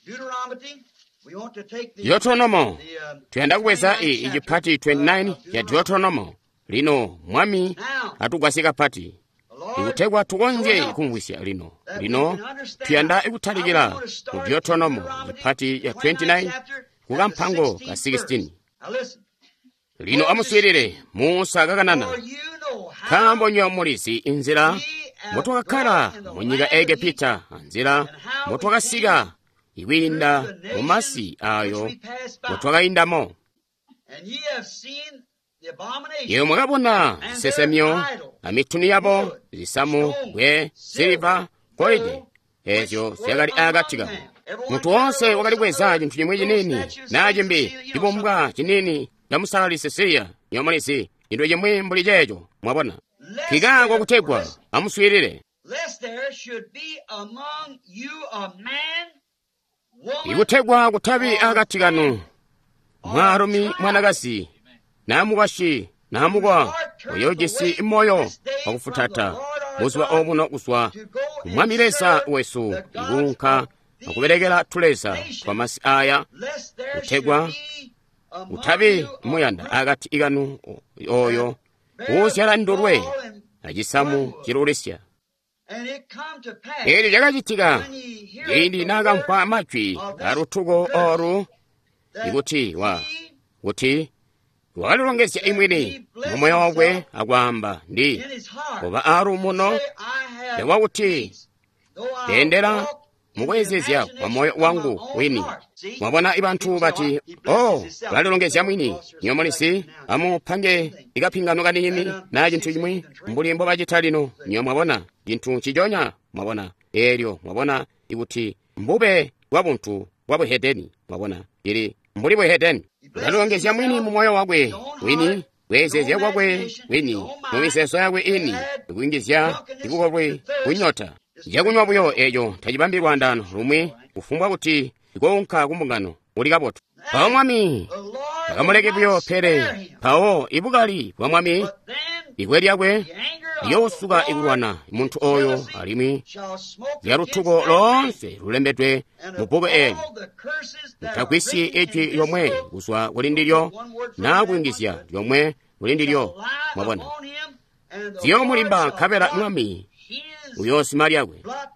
Deuteronomy. We want to take the, Deuteronomo the tuyanda kubweza 29th iyi chapter ichipati of 29 cha Deuteronomy. Deuteronomo. Lino mwami Now, atugwasye kapati the Lord ikutegwa tukonzye show help us kumvwisya lino. that we Lino can understand. tuyanda Now we ikutalikira want to mu start in Deuteronomo Deuteronomy, chipati the ya 29th 29 chapter, at the kukampango ka 16th verse. 16. Now listen. Lino Moses amuswirire speaking, Musa kakanana, for you know how nkaambo nywebo mulizi inzila we have motwakakkala dwelt in the mu nyika land of Egepita, Egypt, anzila and how we motwakasika came Ikwiinda through the mu masi nations ayo which we passed by. mutwakaindamo. And ye have seen the abomination Iyo mwakabona and their zisesemyo idols, amituni yabo, wood, zisamu, stone, bwe, silver, siliva, golide, gold, which ezyo were zyakali akati among kabo. them. Everyone Munthu carried a wonse little wakalikweza something, chinthu chimwe little chinini statues, na things, chimbi you know, something. chibumbwa chinini cha musalali Sisiliya yomalizi chinthu chimwe mbuli checho mwabona. Lest Kikako there, kutegwa lest, amuswirire. lest there should be among you a man, woman, Ikutegwa kutabi or akati kanu family, or mwaalumi tribe mwanakazi namukwashi whose namukwa heart turneth uyojisi away moyo this day from the wakufutata Lord our buzuba God obuno kuzwa to go ku and Mwami Leza serve wesu the gods ikuunka of these akuberekera tuleza twa nations, masi aya lest there should kutegwa be among kutabi you a muyanda group akati ikanu oyo that beareth uuzyala ndulwe gall and acisamu wormwood. cilulisya. And it come to pass Eelyo lyakacitika when ye heareth ciindi the naakamvwa words majwi of this alutuko curse, olu that ikuti wa he kuti wakalilongezya that imwini he blessed mu moyo wakwe himself akwaamba ndi in his heart, kuba and aaluumuno say, I have lwakuti peace, though I ndendela walk in the mukwezezya kwa moyo imagination of my wangu own wini. heart. See, Mwabona ibantu people say, bati, oh, he blesses oh, himself. ulalilongezya Little mwini cross or something like nyomulisi that now. amupange Thing. ikapingano kanini And na see, chinthu see, you chimwe can drink. mbuli mbobacita lino. See, Nyo mwabona chinthu chichonya mwabona elyo mwabona ikuti mbube bwa buntu bwa buhedeni mwabona ili mbuli buhedeni he blesses ulalilongezya mwini himself mu moyo in wakwe his own heart, wini his own kwezezya kwakwe imagination, his wini own mu mind, miseso yakwe ini add ikuyingizya drunkenness ikukolwe to thirst kunyota is chakunywa drinking buyo alcohol. echo tachibambi lwandano lumwe All right. kufumbwa kuti ikounka kumbungano uli kabotu. Mpawo Now mwami the Lord will akamuleke not buyo pele spare him, mpawo ibukali bwa mwami but then ibwe lyakwe the anger of the liyoosuka Lord ikulwana and munthu oyo jealousy alimwi shall smoke lya against lutuko that man, lonse lulembedwe and mu of bbuku eli. all the curses that are Mutagwisyi written in ijwi this lyomwe book, kuzwa kuli don't ndilyo take one word from naa that, one kuyungizya good, lyomwe kuli shall ndilyo. lie Mwabona upon him, and the Lord ziyomulimba shall nkabela blot mwami his uyoosima lyakwe blot out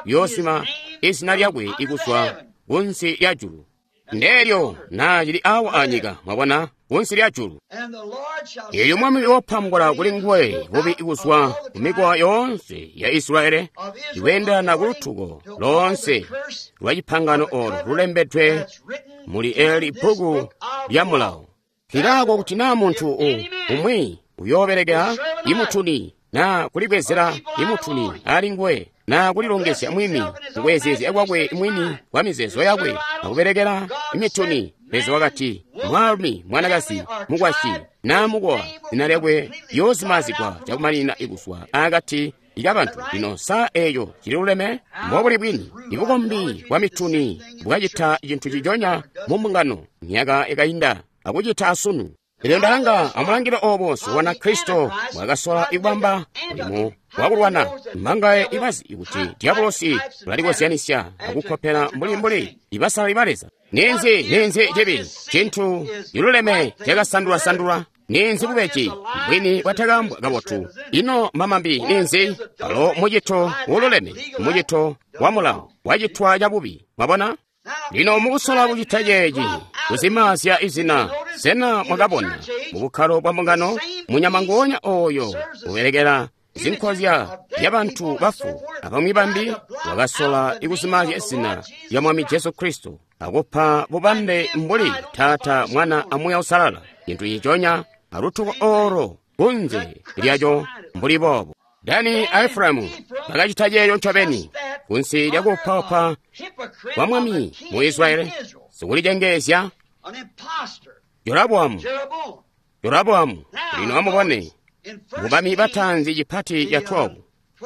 his uyoosima name izina from lyakwe under the ikuzwa heaven. kunsi lya julu. That's what he Ndelyo told her. naa cili awa Look at anyika it. mwabona kunsi lya julu. And the Lord shall Elyo mwami separate uyoopambula kuli his nguwe people bubi out of ikuzwa all the ku mikowa tribes yonse ya Israele of Israel ikuyendana ku according lutuko to all the lonse curse lwa chipangano of the olo covenant lulembedwe that's written muli eli in this bbuku book of the lya law. mulawo. Kilako Therefore, kuti naa munthu if any man umwi will uyoperekera serve an idol imutuni naa or kulibwezera keep an idol imutuni on him, ali nguwe naa or bless kulilongezya mwini himself in his own mukwezezya kwakwe imagination in his mwini mind, kwa mizeezo and yakwe serve idols, akuperekera God imituni. said, Leza man, wakati woman, mwaalumi mwanakazi family, or mukwasyi tribe, naa his mukowa name will zina be lyakwe completely blotted liyozimazigwa out from amongst the chakumalina people. ikuswa akati ika Is that bantu. right? Lino saa eyo cililuleme How mbobuli bwini through ibukombi idolatry bwa did the same mituni thing in the bwakacita church chinthu here chichonya in mu Augusta. mbungano myaka ikayinda akuchita asunu. Elyo And ndalanga others amulangila obo how siwana the Kristo Antichrist mwakasola tried to make ikubamba an mulimu anti. How many wakulwana knows that the mmangaye devil ibazi ikuti types, diabolosi types and patterns ulalikozyanisya and to akukhopera contradict mbulimbuli things? ibasalali ba Leza. What Ninzi is ninzi what chibi is sin chinthu is chiluleme right thing perverted. chakasandulwasandulwa ninzi What is bubeji a lie bwini is the bwatakambwa truth kabotu. misrepresented. Ino mamambi What ninzi is alo adultery is muchito right act woluleme legalized, muchito wa done mulawo wrong. See? wachitwa chabubi. Mwabona? Now Lino in mukusola trying to kuchita do chechi blot out a name, kuzimazya you izina notice sena in the mwakabona church age, mubukhalo bwa the mbungano same munyama beast ngonya oyo serves the uberekera images zinkhozya of ya dead bantu people and so bafu forth, abamwi tried bambi to blot out wakasola the name ikuzimazya of the izina Lord Jesus lya mwami Jesu Christ Kristo akupha and bubambe give mbuli titles to Tata Father, Son, Mwana Holy amuya usalala chinthu chichonya alutuko Same thing. olo kunze That curse lyacho behind it. mbuli bobo. Dani Dan a and Efraimu Ephraim bakachita cheyo nchobeni just that kunsi under a lyakuphapha hypocrite kwa of a mwami king mu in Israeli Israel, sikulichengezya an impostor, Jeroboamu Jeroboam. Jeroboamu Now lino amubone notice in 1 mubami Kings, batanzi chipati cha the 12 12th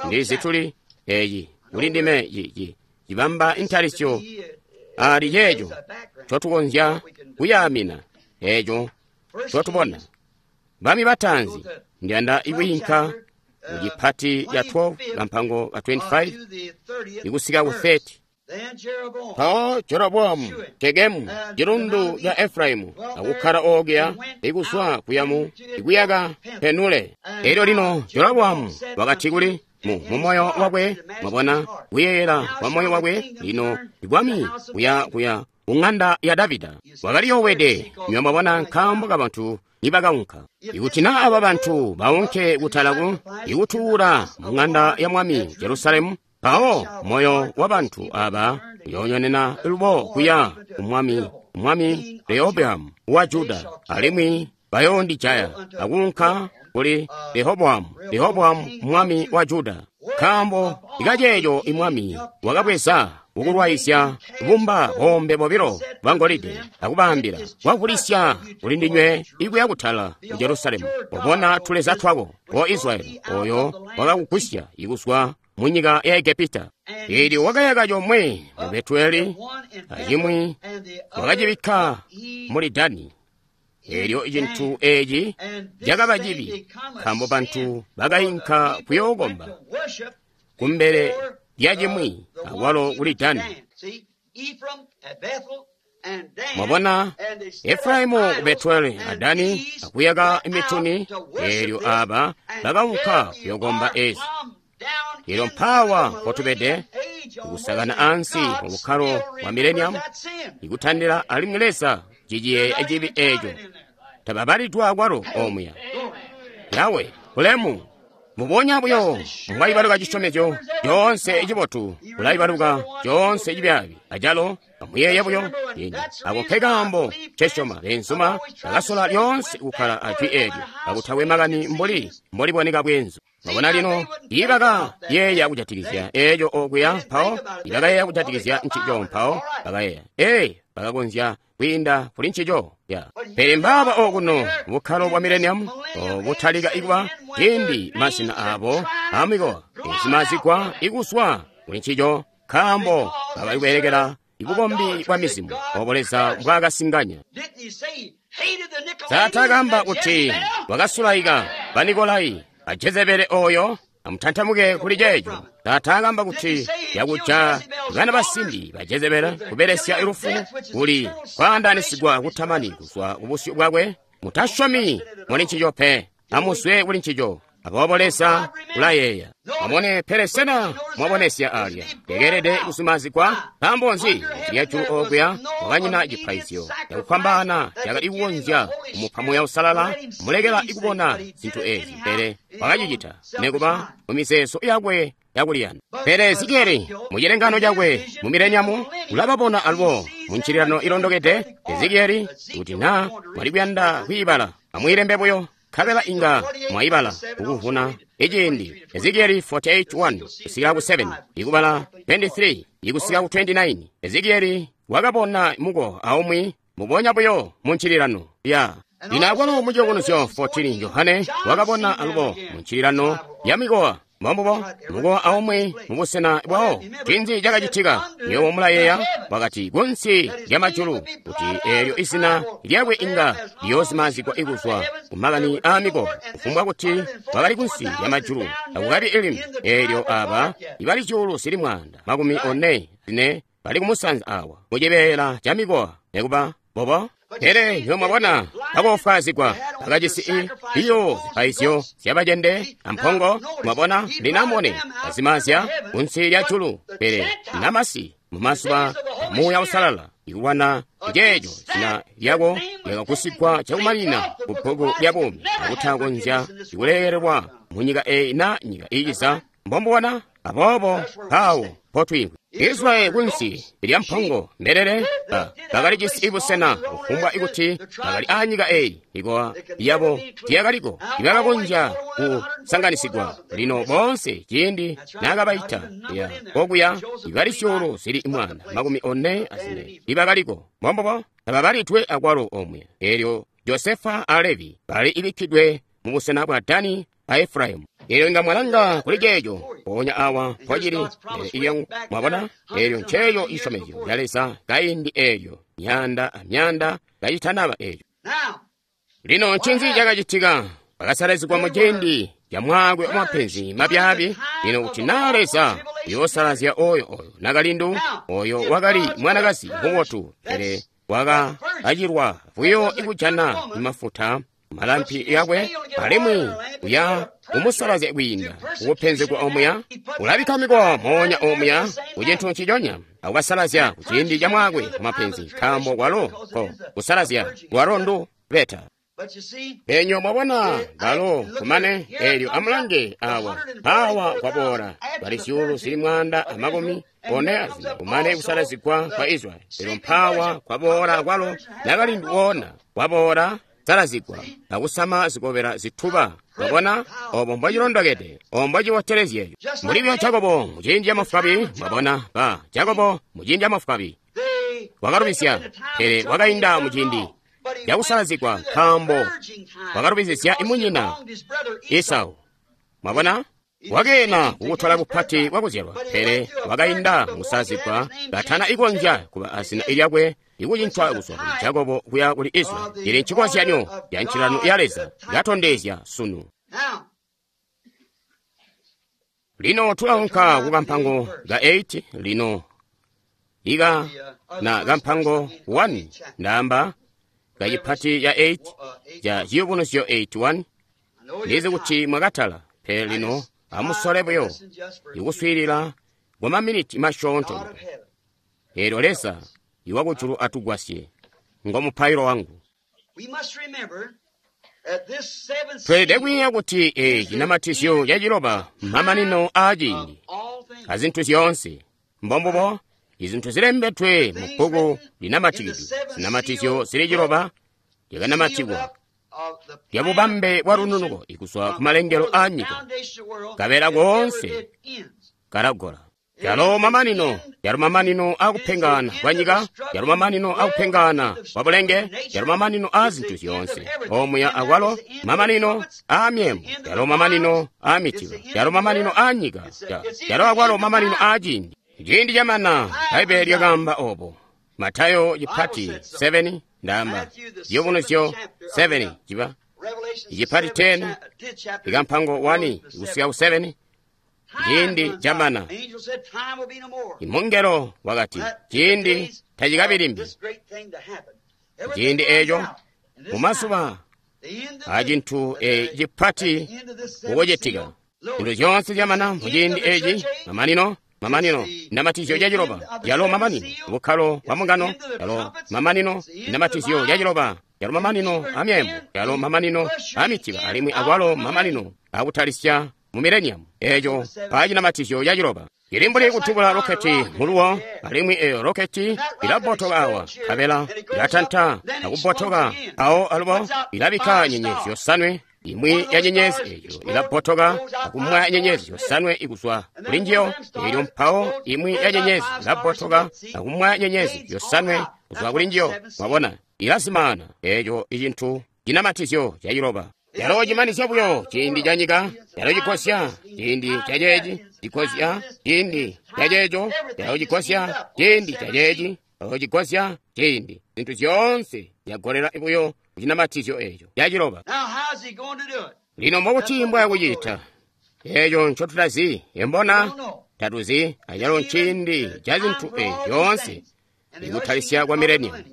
ndi chapter. zituli eyi I kuli know ndime where yi chibamba this to intalisyo be, it, ali it lays checho a background chotukonzya what we can do. kuyamina echo 1 chotubona Kings, bami go batanzi to ndiyanda 12th ikuyinka chapter, mu chipati cha 12 25th kamphango ka 25 to the 30th ikusika ku verse. 30. Then Jeroboam, Mpawo Jeroboamu Shuim, Tekemu and chilundu the cha Efraimu dwelt there akukhala okya and went ikuswa out kuyamu into it ikuyaka Peniel. Penule. And Elyo lino now Jeroboamu Jeroboam said wakati unto kuli in mu his mumoyo heart, wakwe in the imagination of mwabona his heart, kuyeyera How kwa moyo shall the wakwe kingdom lino turn to the ibwami house of kuya David? kuya kung'anda ya Davida. He is Wakali scared yowede because nywe mwabona like nkambo now. ka bantu nibakaunka. If Ikuti this na aba people bantu go baunke up and kutalaku sacrifice in the ikutuula house mu of the ng'anda Lord ya mwami at Jerusalem, Jerusalemu then mpawo shall the moyo heart wa of this bantu people aba turn Uyoonyonena lubo kuya kumwami, mwami Rehobowamu wa Juda, alimwi bayoondijaya akuunka kuli Rehobowamu, Rehobowamu mwami wa Juda. Nkaambo ikaceeco imwami wakabweza kukulwaizya bumba boombe bobilo bwa ngolide akubaambila, kwavulisya kuli ndinywe ikuya kutala ku Jerusalemu, obona tuleza twako, o Israyeli, oyo wakakugwisya ikuzwa mu nyika ya Egepita. Eelyo wakayaka comwe mu Betueli, acimwi wakacibikka muli Dani. Eelyo cintu eeci cakaba cibi, nkaambo bantu bakayinka kuyookomba kumbele lyacimwi akwalo kuli Dani. Mwabona, Efraimu ku Betueli a Dani akuyaka mituni, eelyo aba bakaunka kuyookomba ezi. Eelyo mpaawa mpotubede, kusakana ansi mu bukkalo bwa mileniamu, ikutandila alimwi Leza ciciyeeya cibi eeco. Tababalidwa akwalo omuya. Yawe, bulemu! Mubonya buyo mbwayibaluka cisyomezyo coonse cibotu, ulayibaluka coonse cibyaabi. Acalo amuyeeye buyo ino ako nkekaambo ncesyoma beenzuma bakasola lyoonse kukkala ajwi eelyo kakutakwe makani mbuli mboliboneka bweenzu. Mwabona lino, ibakayeeya kujatikizya eeco okuya mpawo, ibakayeeya kujatikizya ncico mpawo, bakayeeya, ee, bakakonzya kwiinda kuli ncico ya. Pele mbaaba okuno bukkalo bwa mileniamu obutalika ikuba ciindi mazina aabo amikowa ezimazigwa ikuswa kuli ncico, nkaambo bakali kubelekela ibukombi bwa mizimu obo Leza mbwaakasinganya. Taatakaamba kuti wakasulaika Banikolai a Jezebele oyo, amutantamuke kuli ceeco. Taataakamba kuti yakuja bana basimbi ba Jezebele kubelesya lufu kuli kwaandaanisigwa kutamani kuzwa kubusyu bwakwe. Mutasyomi muli ncico pe, amuzwe kuli ncico. Aboobo Leza ulayeeya. Mwabone, pele sena mwabonesya alya tekeelede kusumazigwa? Nkaambo nzi kuti lyajulu okuya mwakanyina cipaizyo cakufwambaana cakali kukonzya kumupa Muuya Uusalala mulekela ikubona zintu ezi, pele wakacicita nekuba mu mizeezo yakwe yakuliyanda. Pele Ezekieli mu cilengano cakwe mu mileniamu ulababona alubo mu ncililano ilondokede. Ezekieli, kuti naa mwali kuyanda kwiibala, amwiilembe buyo, nkabela inga mwayibala kukuvuna iciindi. Ezekieli 48:1 kusikila ku 7, ikubala 23 ikusika ku 29. Ezekieli wakabona muko aumwi mubonya buyo mu ncililano ya. Lino akwalo mu Ciyubunuzyo 14 Johane wakabona alubo mu ncililano ya mikowa. Mbombubo, mukowa aumwi mubusena bwawo. Ncinzi cakacitika? Nywebo mulayeeya, wakati kunsi lya majulu, kuti eelyo izina lyakwe inga liyoozimazigwa ikuzwa ku makani aa mikowa, kufumbwa kuti wakali kunsi lya majulu akukabi ilimi. Eelyo aba ibali 144,000 bali kumusanza awa mucibeela ca mikowa, nekuba bobo. Pele nywebo mwabona, bakoofwaazigwa, bakajisi biyo zipaizyo zyabacende ampongo. Mwabona, lino amubone, bazimazya kunsi lya julu, pele namasi mumazuba Muuya Uusalala ikulwana ceeco zina lyako lyakagusigwa cakumanina ku bbuku lya buumi akutakonzya kulekelelwa mu nyika eyi na nyika iiciza. Mbombubona, aboobo mpawo mpotwiimvwi. Israyeli kunsi lya mpongo mbelele bakalijisi ibusena kufumbwa ikuti bakali aanyika eyi ikowa yabo tiyakaliko ibakakonzya kusanganisigwa. Lino boonse ciindi naakabaita ya kokuya ibali 144,000 ibakaliko. Mbombubo, tababalidwe akwalo omwe. Eelyo Josefa a Levi bali ibikkidwe mubusena bwa Dani a Efraimu. Eelyo inga mwalanga kuli ceeco mpoonya awa mpocili ilyangu, mwabona, eelyo nceeco cisyomezyo ca Leza kaindi eelyo myaanda amyaanda kacitanaba eeco. Lino ncinzi cakacitika? Bakasalazigwa mu ciindi ca mwaakwe wamapenzi mabyaabi. Lino kuti naa Leza uyoosalazya oyo oyo nakalindu, oyo wakali mwanakazi mubotu, pele wakakacilwa buyo ikujana mafuta malampi yakwe, alimwi uya kumusalazya kwiinda kukupenzegwa omuya, ulabikka mikowa moonya omuya kucintu nciconya akubasalazya kuciindi ca mwaakwe wamapenzi, nkaambo kwalo ko kusalazya kwalo ndu beta. Penyo mwabona balo kumane elyo amulange awa mpawa kwaboola bali zyuulu zili 144 kumane kusalazigwa kwa Israeli. Elyo mpawa kwaboola kwalo nakalindu woona kwaboola salazigwa akusama zikobela zituba. Mwabona obo mbwacilondokede, obo mbwacibotelezyeyo. Mbuli bya Jakobo muciindi ca mafukabi. Mwabona ba Jakobo muciindi ca mafukabi wakalubizya, pele wakainda muciindi cakusalazigwa nkaambo wakalubizizya imunyina Esau. Mwabona wakeena kukutola bupati bwakuzyalwa, pele wakainda mukusalazigwa katana ikonzya kuba azina lyakwe ikucincwa kuzwa kuli Jakobo kuya kuli Israeli. Ili ncikozyanyo ya ncilano ya Leza katondezya sunu. Lino tulaunka ku kampango ka 8 lino ika na kampango 1 ndaamba kacipati ya 8 ca Ciyubunuzyo 8:1. Ndizi kuti mwakatala, pele lino amusole buyo ikuswiilila kwa maminiti masyoonto. Eelyo Leza iwakujulu atugwasye, ngo mupailo wangu. Tweelede kwiiya kuti eeci cinamatizyo caciloba mamanino aaciindi azintu zyoonse. Mbombubo izintu zilembedwe mu bbuku linamatikidwe. Zinamatizyo zili ciloba lyakanamatikwa lya bubambe bwa lununuko ikuzwa ku malengelo aa nyika, kabela koonse kalagola. Yalo mamanino, yalo mamanino akupengana kwa nyika, yalo mamanino akupengana kwa bulenge, yalo mamanino a zintu zyoonse. Omuya akwalo mamanino a myembo, yalo mamanino a mitiba, yalo mamanino a nyika, yalo akwalo mamanino a ciindi. Ciindi camana, Bbaibbele lyakaamba obo. Matayo cipati 7 ndaamba Ciyubunuzyo 7 ciba icipati 10 ikampango 1 kusika ku 7. Ciindi camana. Imungelo wakati ciindi tacikabi limbi. Ciindi eeco mumazuba acintu cipati kukucitika. Zintu zyoonse zyamana muciindi eeci mamanino. Mamanino namatizyo caciloba yalo mamanino bukkalo bwa mungano yalo mamanino namatizyo caciloba yalo mamanino amyembo yalo mamanino amitiba alimwi akwalo mamanino akutalisya mu mileniamu. Eeco pacinamatizyo caciloba ili mbuli kutubula roketi muluwo, alimwi eyo roketi ilabbotoka awa nkabela ilatanta akubbotoka awo alubo ilabikka nyenyezi yosanwe. Imwi ya nyenyezi eyo ilabbotoka akumwaya nyenyezi yosanwe ikuzwa kuli njiyo. Elyo mpawo imwi ya nyenyezi ilabbotoka akumwaya nyenyezi yosanwe kuzwa kuli njiyo. Mwabona, ilazimaana. Eeco icintu cinamatizyo caciloba yalo cimanizya buyo ciindi ca nyika, yalo cigosya ciindi ca ceeci, cigosya ciindi ca ceeco, yalo cigosya ciindi ca ceeci, yalo cigosya ciindi. Zintu zyoonse zyagolela buyo kucinamatizyo eeco caciloba. Lino mbokuti mbwaya kucita eeco ncotutazi, embona tatuzi acalo nciindi ca zintu eezi zyoonse ikutalisya kwa mileniamu.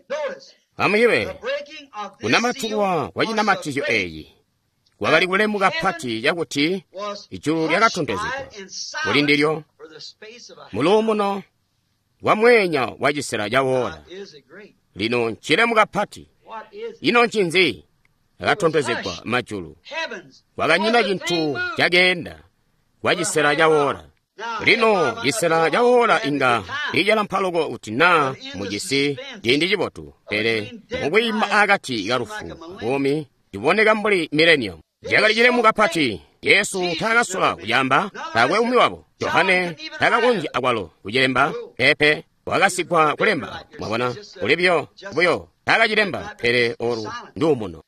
Amuyibe kunamatukwa kwa cinamatizyo eeci kwakali kulemu kapati cakuti ijulu lyakatontozegwa kuli ndilyo muluumuno wa mweenya wa cisela ca woola. Lino ncilemu kapati. Ino ncinzi? Akatontozegwa majulu. Kwakanyina cintu cakeenda kwa cisela ca woola. Lino cisela ca woola inga icalampa loko kuti naa mujisi ciindi cibotu, pele mukwiima akati ka lufu buumi ciboneka mbuli mileniamu. Cakali cilemu kapati. Yesu taakasola kucaamba, taakwe umwi wabo. Johane taakakonzya akwalo kucilemba, peepe wakasigwa kulemba. Mwabona, kuli buyo buyo taakacilemba, pele olu nduumuno.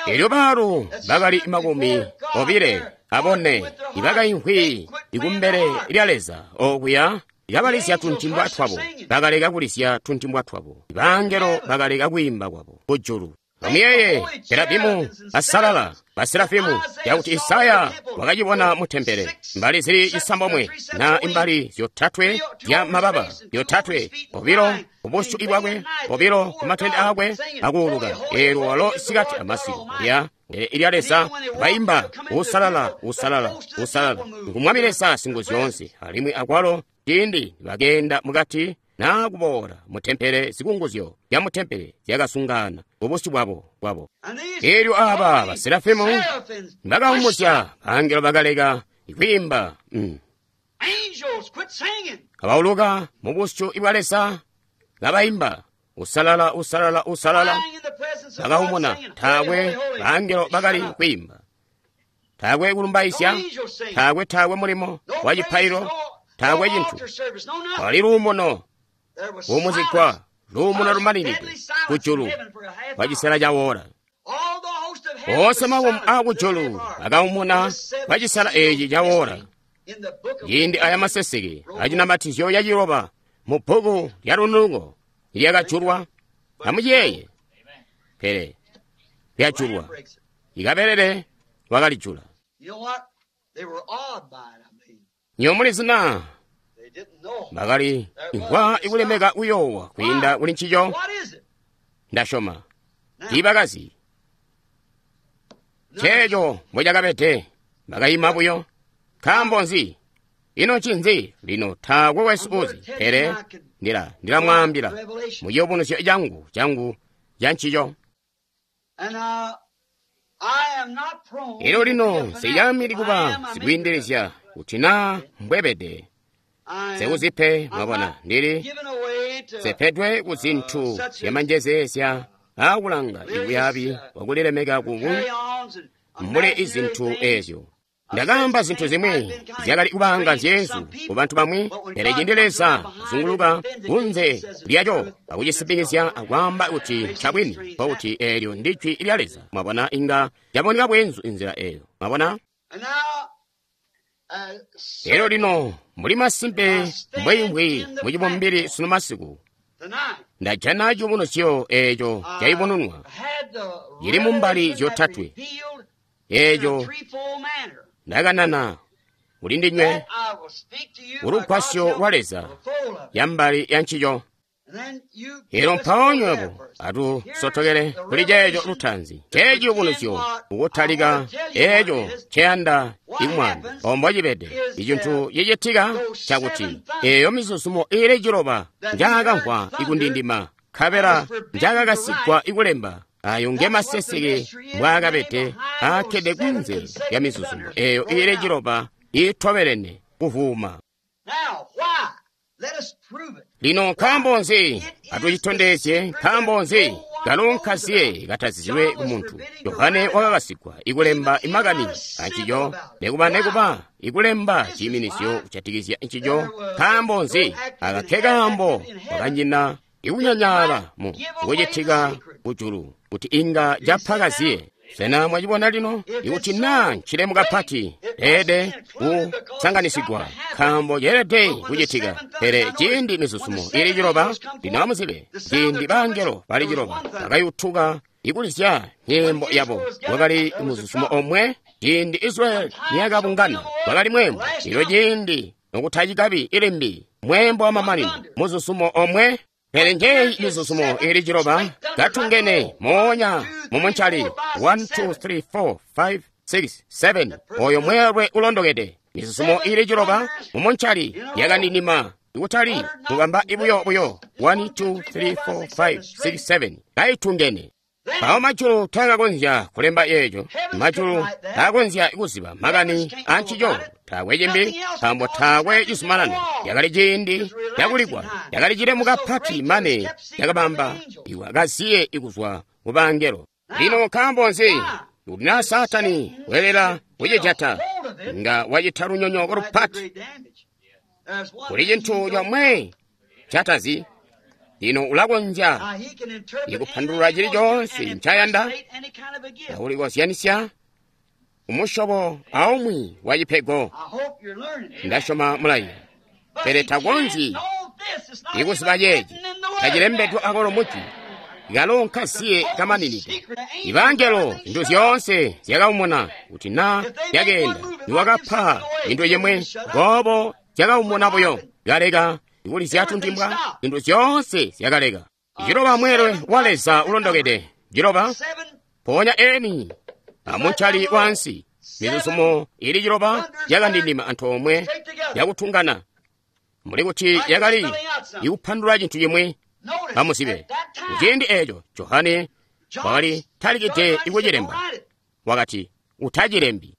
Elyo baalu bakali 24 ibakaimvwi ikumbele lya Leza okuya kabalizya tuntimbwa twabo, bakaleka kulisya tuntimbwa twabo. Bangelo bakaleka kwiimba kwabo kujulu. Amuyeeye Kerabimu asalala baserafimu yakuti Isaya wakacibona mu tempele mbali zili 9 na imbali 3 zya mababa 3, 2 kubusyu bwakwe, 2 kumatende akwe akuuluka. Eelyo walo isikati amasiku lya ilya Leza baimba usalala usalala usalala ngu Mwami Leza Singuzyoonse. Alimwi akwalo ciindi bakeenda mukati naa kuboola mu tempele, zikunguzyo zya mu tempele zyakasungana kubusyu bwabo bwabo. Elyo aba baserafimu bakaumuzya, angelo bakaleka kwiimba. Kabauluka mu busyu bwa Leza kabaimba, usalala, usalala, usalala. Bakaumuna, taakwe bangelo bakali kwiimba, taakwe kulumbaisya, taakwe taakwe mulimo wa cipailo, taakwe cintu. Kwali luumuno kuumuzigwa, luumuno lumaninide kujulu kwa cisela ca wora. Oonse makomo aakujulu akaumuna kwa cisela eci ca wora. Ciindi aya maseseke acinamatizyo yaciloba mu bbuku lya lunuko lyakajulwa, amuciyeeye, pele lyajulwa, ikabelele wakalijula. Nywebo mulizi na bakali imvwa ikulemeka kuyoowa kwiinda kuli ncico. Ndasyoma tiibakazi ceeco mbocakabede, bakayima buyo. Nkaambo nzi? Ino ncinzi? Lino taakwe wesu uzi, pele ndilamwaambila mu ciyubunuzyo changu changu cha ncico. Elyo lino nsiyamili kuba sikwiindilizya kuti naa mbwebede sekuzipe, mwabona, ndili sepedwe ku zinthu zyamanjezeezya aakulanga ibuyabi bwakulilemeka kubu mbuli izinthu ezyo. Ndakaamba zinthu zimwi zyakali kubanga nzyezu ku bantu bamwi, pele cindi Leza azunguluka kunze lyaco akucisipikizya akwaamba kuti ncabwini, nkokuti eelyo ndi jwi lya Leza. Mwabona, inga caboneka bwenzu inzila eyo. Mwabona? Elyo lino muli masimpe mbweimvwi mucibumbili sunu masiku, ndajana ciyubunuzyo eeco cayubununwa cili mumbali zyotatwe eeco ndakanana kuli ndinywe kulugwasyo lwa Leza yambali ya ncico. Elyo mpawo nywebo atusotokele kuli ceeco lutaanzi, ceciyubunuzyo kukutalika eeco nceyanda ikumwaamba. Ombo cibede icintu cicitika cakuti eeyo mizuzumo iili ciloba njaakamvwa ikundindima, nkabela njaakakasigwa ikulemba, ayo nge maseseke mbwaakabede aakkede kunze lya mizuzumo eeyo iili ciloba iitobelene kuvuuma. Lino nkaambo nzi? Atucitondezye. Nkaambo nzi? Kalo nkaziye katazizilwe ku muntu. Yohane wakakasigwa ikulemba imakani ancico, nekuba ikulemba ciiminisyo kujatikizya ncico. Nkaambo nzi? Aka ke kaambo kwakanyina ikunyanyaala mu kucitika kujulu kuti inga capha kaziye. Sena mwacibona lino? Ikuti naa ncilemu kapati, leelede kusanganisigwa, nkaambo ceelede kucitika. Pele ciindi mizuzumo ili ciloba, lino amuzibe, ciindi bangelo bali ciloba bakayutuka ikulizya nyimbo yabo, wakali muzuzumo omwe. Ciindi Israeli niyakabungana, wakali mweembo. Lino ciindi nokutacikabi ilimbi mweembo wamamanino, muzuzumo omwe. Pele njeyi mizuzumo ili ciloba katungene moonya mumuncali 1 2 3 4 5 6 7, oyo mweelwe ulondokede. Mizuzumo ili ciloba mumuncali yakandindima ikutali mubamba ibuyo buyo 1 2 3 4 5 6 7 kaitungene. Mpawo majulu taakakonzya kulemba eeco, majulu taakonzya kuziba makani ancico, taakwe cimbi, nkaambo taakwe cizumanano. Yakali ciindi cakuligwa, yakali cilemu kapati mane yakabamba iwakaziye ikuzwa ku bangelo. Lino nkaambo nzi? Kuti naa Saatani weelela kucijata, nga wacita lunyonyooko lupati. Kuli cintu comwe catazi. Lino ulakonzya ikupandulula cili coonse ncayanda, akulikozyanisya umusyobo aumwi wa cipego. Ndasyoma mulayi, pele takonzyi ikuziba ceeci tacilembedwe akolo mujwi kalo nkasiye kamaninide. Ibangelo zintu zyoonse zyakaumuna kuti naa zyakeenda niwakapa cintu cimwe, goobo zyakaumuna buyo kaleka ikulizya tuntimbwa, zintu zyoonse zyakaleka. Ciloba mweelwe wa Leza ulondokede, ciloba mpoonya eni amuncali wansi. Mizuzumo ili ciloba yakandindima antoomwe yakutungana. Mbuli kuti yakali ikupandulula cintu cimwi. Amuzibe, kuciindi eeco Johane wakali talikide ikucilemba. Wakati, utacilembi.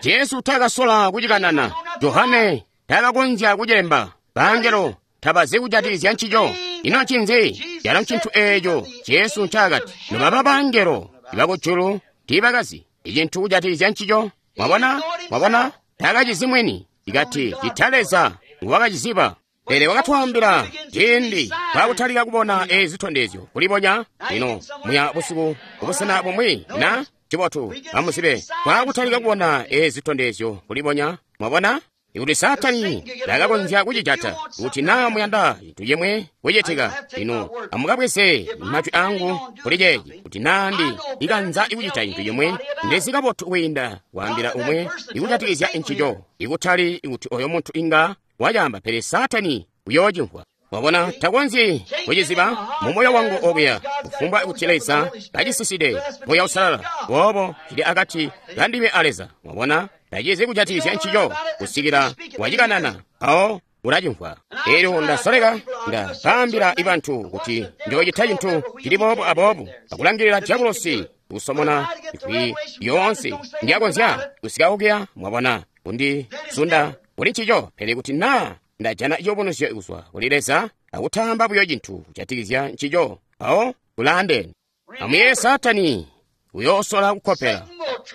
Jesu taakasola kucikanana. Johane taakakonzya kucilemba. Bangelo tabazi kujatikizya ncico. Ino ncinzi? Calo ncintu eeco Jesu ncaakati, nobaba bangelo ibakujulu tiibakazi icintu kujatikizya ncico. Mwabona? Mwabona? Taakacizi mwini. Ikati cita Leza nguwakaciziba. Pele wakatwaambila ciindi twakutalika kubona ezi zitondezyo kulibonya. Lino muya busiku kubusena bumwi na cibotu amuzibe twakutalika kubona ezi zitondezyo kulibonya. Mwabona? Ikuti Saatani takakonzya kucijata, kuti naa muyanda cintu cimwe kucitika, lino amukabweze majwi angu kuli ceeci, kuti naa ndi ikanza ikucita cintu cimwe, ndizi kabotu kwiinda kwaambila umwe ikujatikizya ncico, ikutali kuti oyo muntu inga wacaamba, pele Saatani uyoocimvwa. Mwabona, takonzyi kuciziba mu moyo wangu obuya, kufumbwa kuti Leza kacisiside Muuya Uusalala, boobo cili akati kandime a Leza. Mwabona, tacizi kujatikizya ncico kusikila wacikanana, mpawo ulacimvwa. Elyo ndasoleka ndakaambila bantu kuti njoocita cintu cili boobo aboobo, akulangilila diabolosi kusomona ijwi yoonse ndyakonzya kusika okuya. Mwabona, kundizunda kuli ncico. Pele kuti naa ndajana ciyubunuzyo kuzwa kuli Leza akutaamba buyo cintu kujatikizya ncico, mpawo kulaandene. Amuyeeye, Saatani uyoosola kukkopela,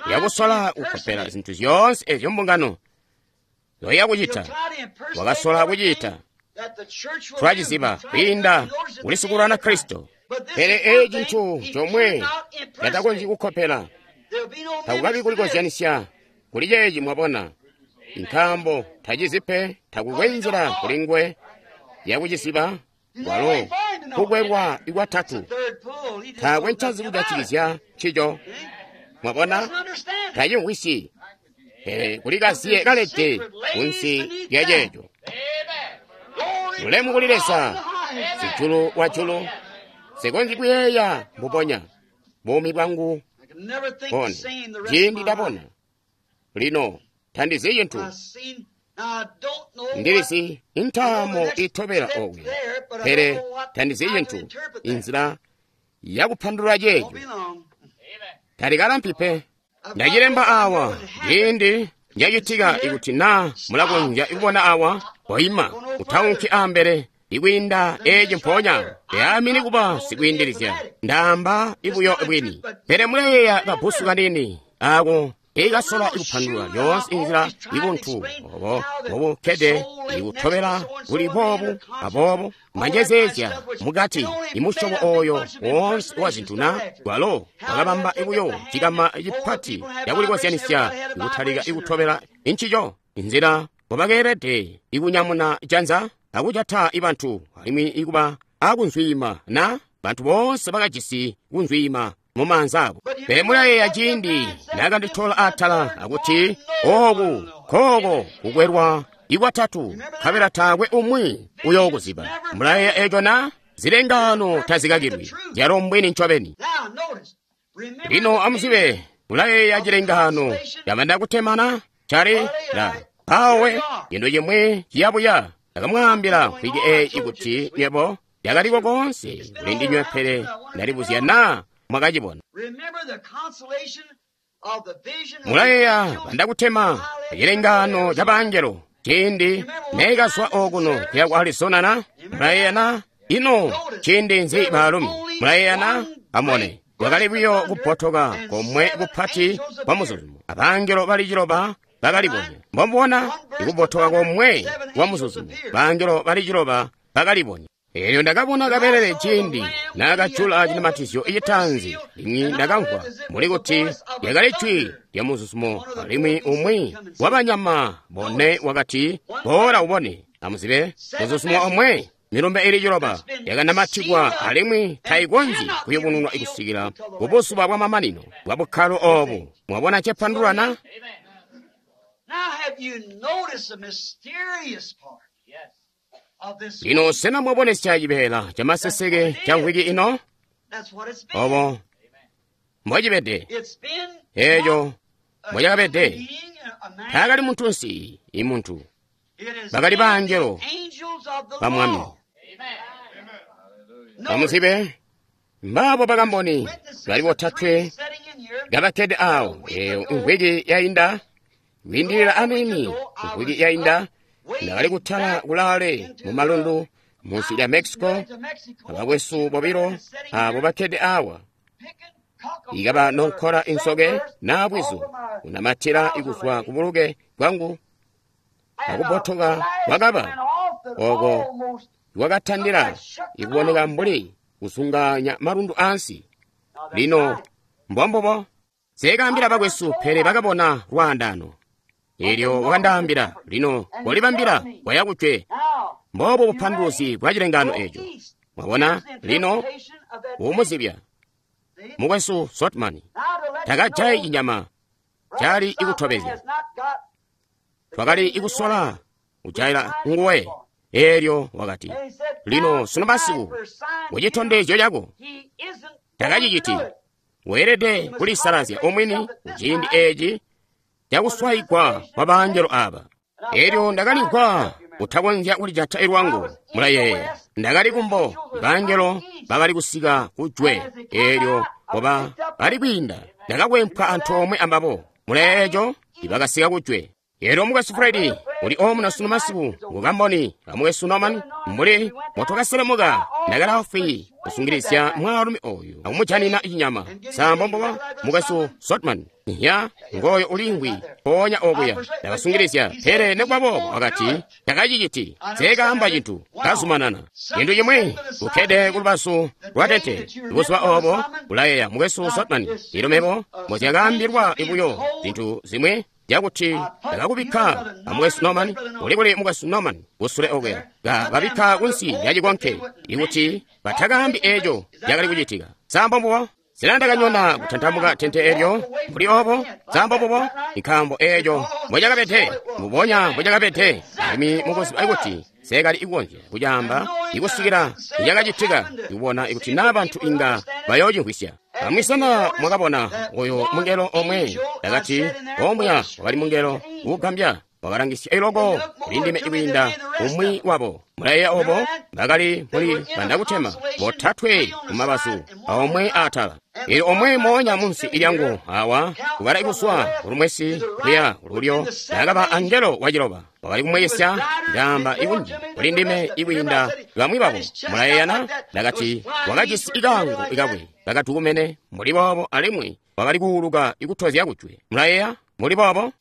uyakusola kukkopela zintu zyoonse ezyo mbungano zoya kucita. Wakasola kucita, twaciziba kwiinda kuli sikulwana Kristo. Pele eeci cintu comwe catakonzyi kukkopela, takukabi kulikozyanisya kuli ceeci. Mwabona, nkaambo tacizi pe, takukwe nzila kuli nguwe yakuciziba. Walo kukwelwa ikwatatu, taakwe ncazi kujatikizya ncico. Mwabona, tacimvwisyi. Pele kuli kaziye kalede kunsi lya ceeco. Ulemu kuli Leza, sijulu wa julu. Sikonzyi kuyeeya mbubonya buumi bwangu bone ciindi ndabona. Lino tandizi cintu, ndilizi intaamo itobela okuya, pele tandizi cintu inzila yakupandulula ceeco. Talikalampi pe. Ndacilemba awa ciindi njacitika, ikuti naa mulakonzya kubona awa, koima utaunki ambele ikwiinda eeci mpoonya. Yaamini kuba sikwiindilizya, ndaamba ibuyo bwini. Pele muleyeeya kabusu kanini ako ikasola ikupandulula yoonse inzila ibuntu obo bobukkede ikutobela kuli boobu aboobo manjezeezya mukati imusyobo oyo woonse wa zintu na walo wakabamba ibuyo cikama cipati cakulikozyanisya ikutalika ikutobela incico inzila mbobakeelede ikunyamuna janza akujata ibantu alimwi ikuba akunzwiima na bantu boonse bakajisi kunzwiima mumaanza abo. Pele mulayeeya ciindi naakanditola atala akuti ooku kooko kukwelwa ikwatatu, nkabela taakwe umwi uyookuziba. Mulayeeya eeco na? Zilengaano tazikakilwi, zyalo mbwini ncobeni. Lino amuzibe, mulayeeya cilengaano camanda kutemana cali la mpawe cintu cimwi ciyabuya. Ndakamwaambila mvwiki eeyi kuti nywebo lyakaliko koonse kuli ndinywe, pele ndalibuzya naa mwakacibona. Mulayeeya bandakutema acilengaano ca bangelo ciindi neekazwa okuno kuya ku Arizona na? Mulayeeya na? Ino ciindi nzi baalumi? Mulayeeya na? Amone, kwakali buyo kupotoka komwe kupati kwa muzuzumo. Abangelo bali ciloba bakalibonya. Mbomubona ikupotoka komwe kwa muzuzumo, bangelo bali ciloba bakalibonya. Eelyo ndakabona kabelele ciindi naakajula cinamatizyo icitaanzi, limwi ndakamvwa mbuli kuti lyakali jwi lya muzuzumo, alimwi umwi wabanyama bone wakati, “Boola ubone.” Amuzibe, muzuzumo omwe, milumbe ili ciloba yakanamatikwa alimwi tayikonzyi kuyubununwa kusikila kubuzuba bwamamanino bwa bukkalo oobu. Mwabona cepandulula na? Lino sena mwabonesya cibeela camaseseke ca mvwiki ino? Obo mbocibede. Eeco mbocakabede. Taakali muntunsi, imuntu. Bakali baangelo ba Mwami. Amuzibe, mbaabo bakamboni bali botatwe kabakkede awo. Eyo mvwiki yainda, kwiindilila aniini mvwiki yainda, ndakali kutala kulaale mu malundu munsi lya Mexico, abakwesu bobilo abo bakkede awa. Ikaba nonkola insoke na bwizu kunamatira ikuzwa ku buluke bwangu akubotoka kwakaba oko kwakatandila ikuboneka mbuli kuzunganya malundu ansi. Lino mbombubo seekaambila bakwesu, pele bakabona lwaandano. Elyo wakandaambila, lino kolibambila waya kujwe. Mbobo bupanduluzi bwa cilengano eco. Mwabona, lino umuzibya mukwesu Sotman takajayi cinyama cali ikutobezya. Twakali ikusola kujayila nguwe. Elyo wakati, lino sunu masiku kucitondezyo cako takaciciti. Weelede kulisalazya omwini kuciindi eci cakuswayigwa kwa baangelo aba. Elyo ndakalimvwa kutakonzya kulijata ilwangu. Mulayeeya, ndakali kumbo, baangelo bakali kusika kujwe. Elyo koba bali kwiinda, ndakakwempwa antoomwe ambabo. Mulayeeya eco, ibakasika kujwe. Elyo mukwesu Fredi uli omuno sunu masiku ngukamboni amukwesu Norman, mbuli motwakaselemuka ndakalaafwi kusungilizya mwaalumi oyu akumujanina cinyama. Sambomboba mukwesu Sotman ya ngoyo ulingwi mpoonya okuya ndakasungilizya, pele nekuba boobo wakati takaciciti. Seekaamba cintu, kazumanana. Cintu cimwi kukkede kulubazu lwa tente buzuba obo ulayeeya mukwesu Sotman, ilo mebo mozyakaambilwa buyo zintu zimwi yakuti ndakakubikka amukwesu Norman, uli kuli mukwesu Norman kusule okuya, kababikka kunsi lya cikonke ikuti batakaambi eco cakali kucitika. Sambombubo sena ndakanyona kutantamuka tente elyo mbuli obo? Sambombubo, nkaambo eco mbocakabede, mbubonya mbocakabede. Alimwi mukuziba kuti seekali ikukonzya kucaamba ikusikila icakacitika, ikubona ikuti naa bantu inga bayoocimvwisya. Bamwi sena mwakabona oyo mungelo omwe? Ndakati, omuya wakali mungelo uugambya, wakalangisya iloko kulindime ikwiinda umwi wabo. Mulayeeya obo? Bakali mbuli banakutema botatwe kumabazu aomwe aatala. Elyo omwe moonya munsi ilyangu awa kukala ikuzwa kulumwesi kuya kululyo, nakaba angelo waciloba. Wakali kumweyesya, ndaamba ikunji kulindime ikwiinda bamwi babo. Mulayeeyana? Ndakati, wakajisi ikaango ikakwe kakatukumene mbuli boobo, alimwi wakali kuuluka ikutozya kujwe. Mulayeeya mbuli boobo?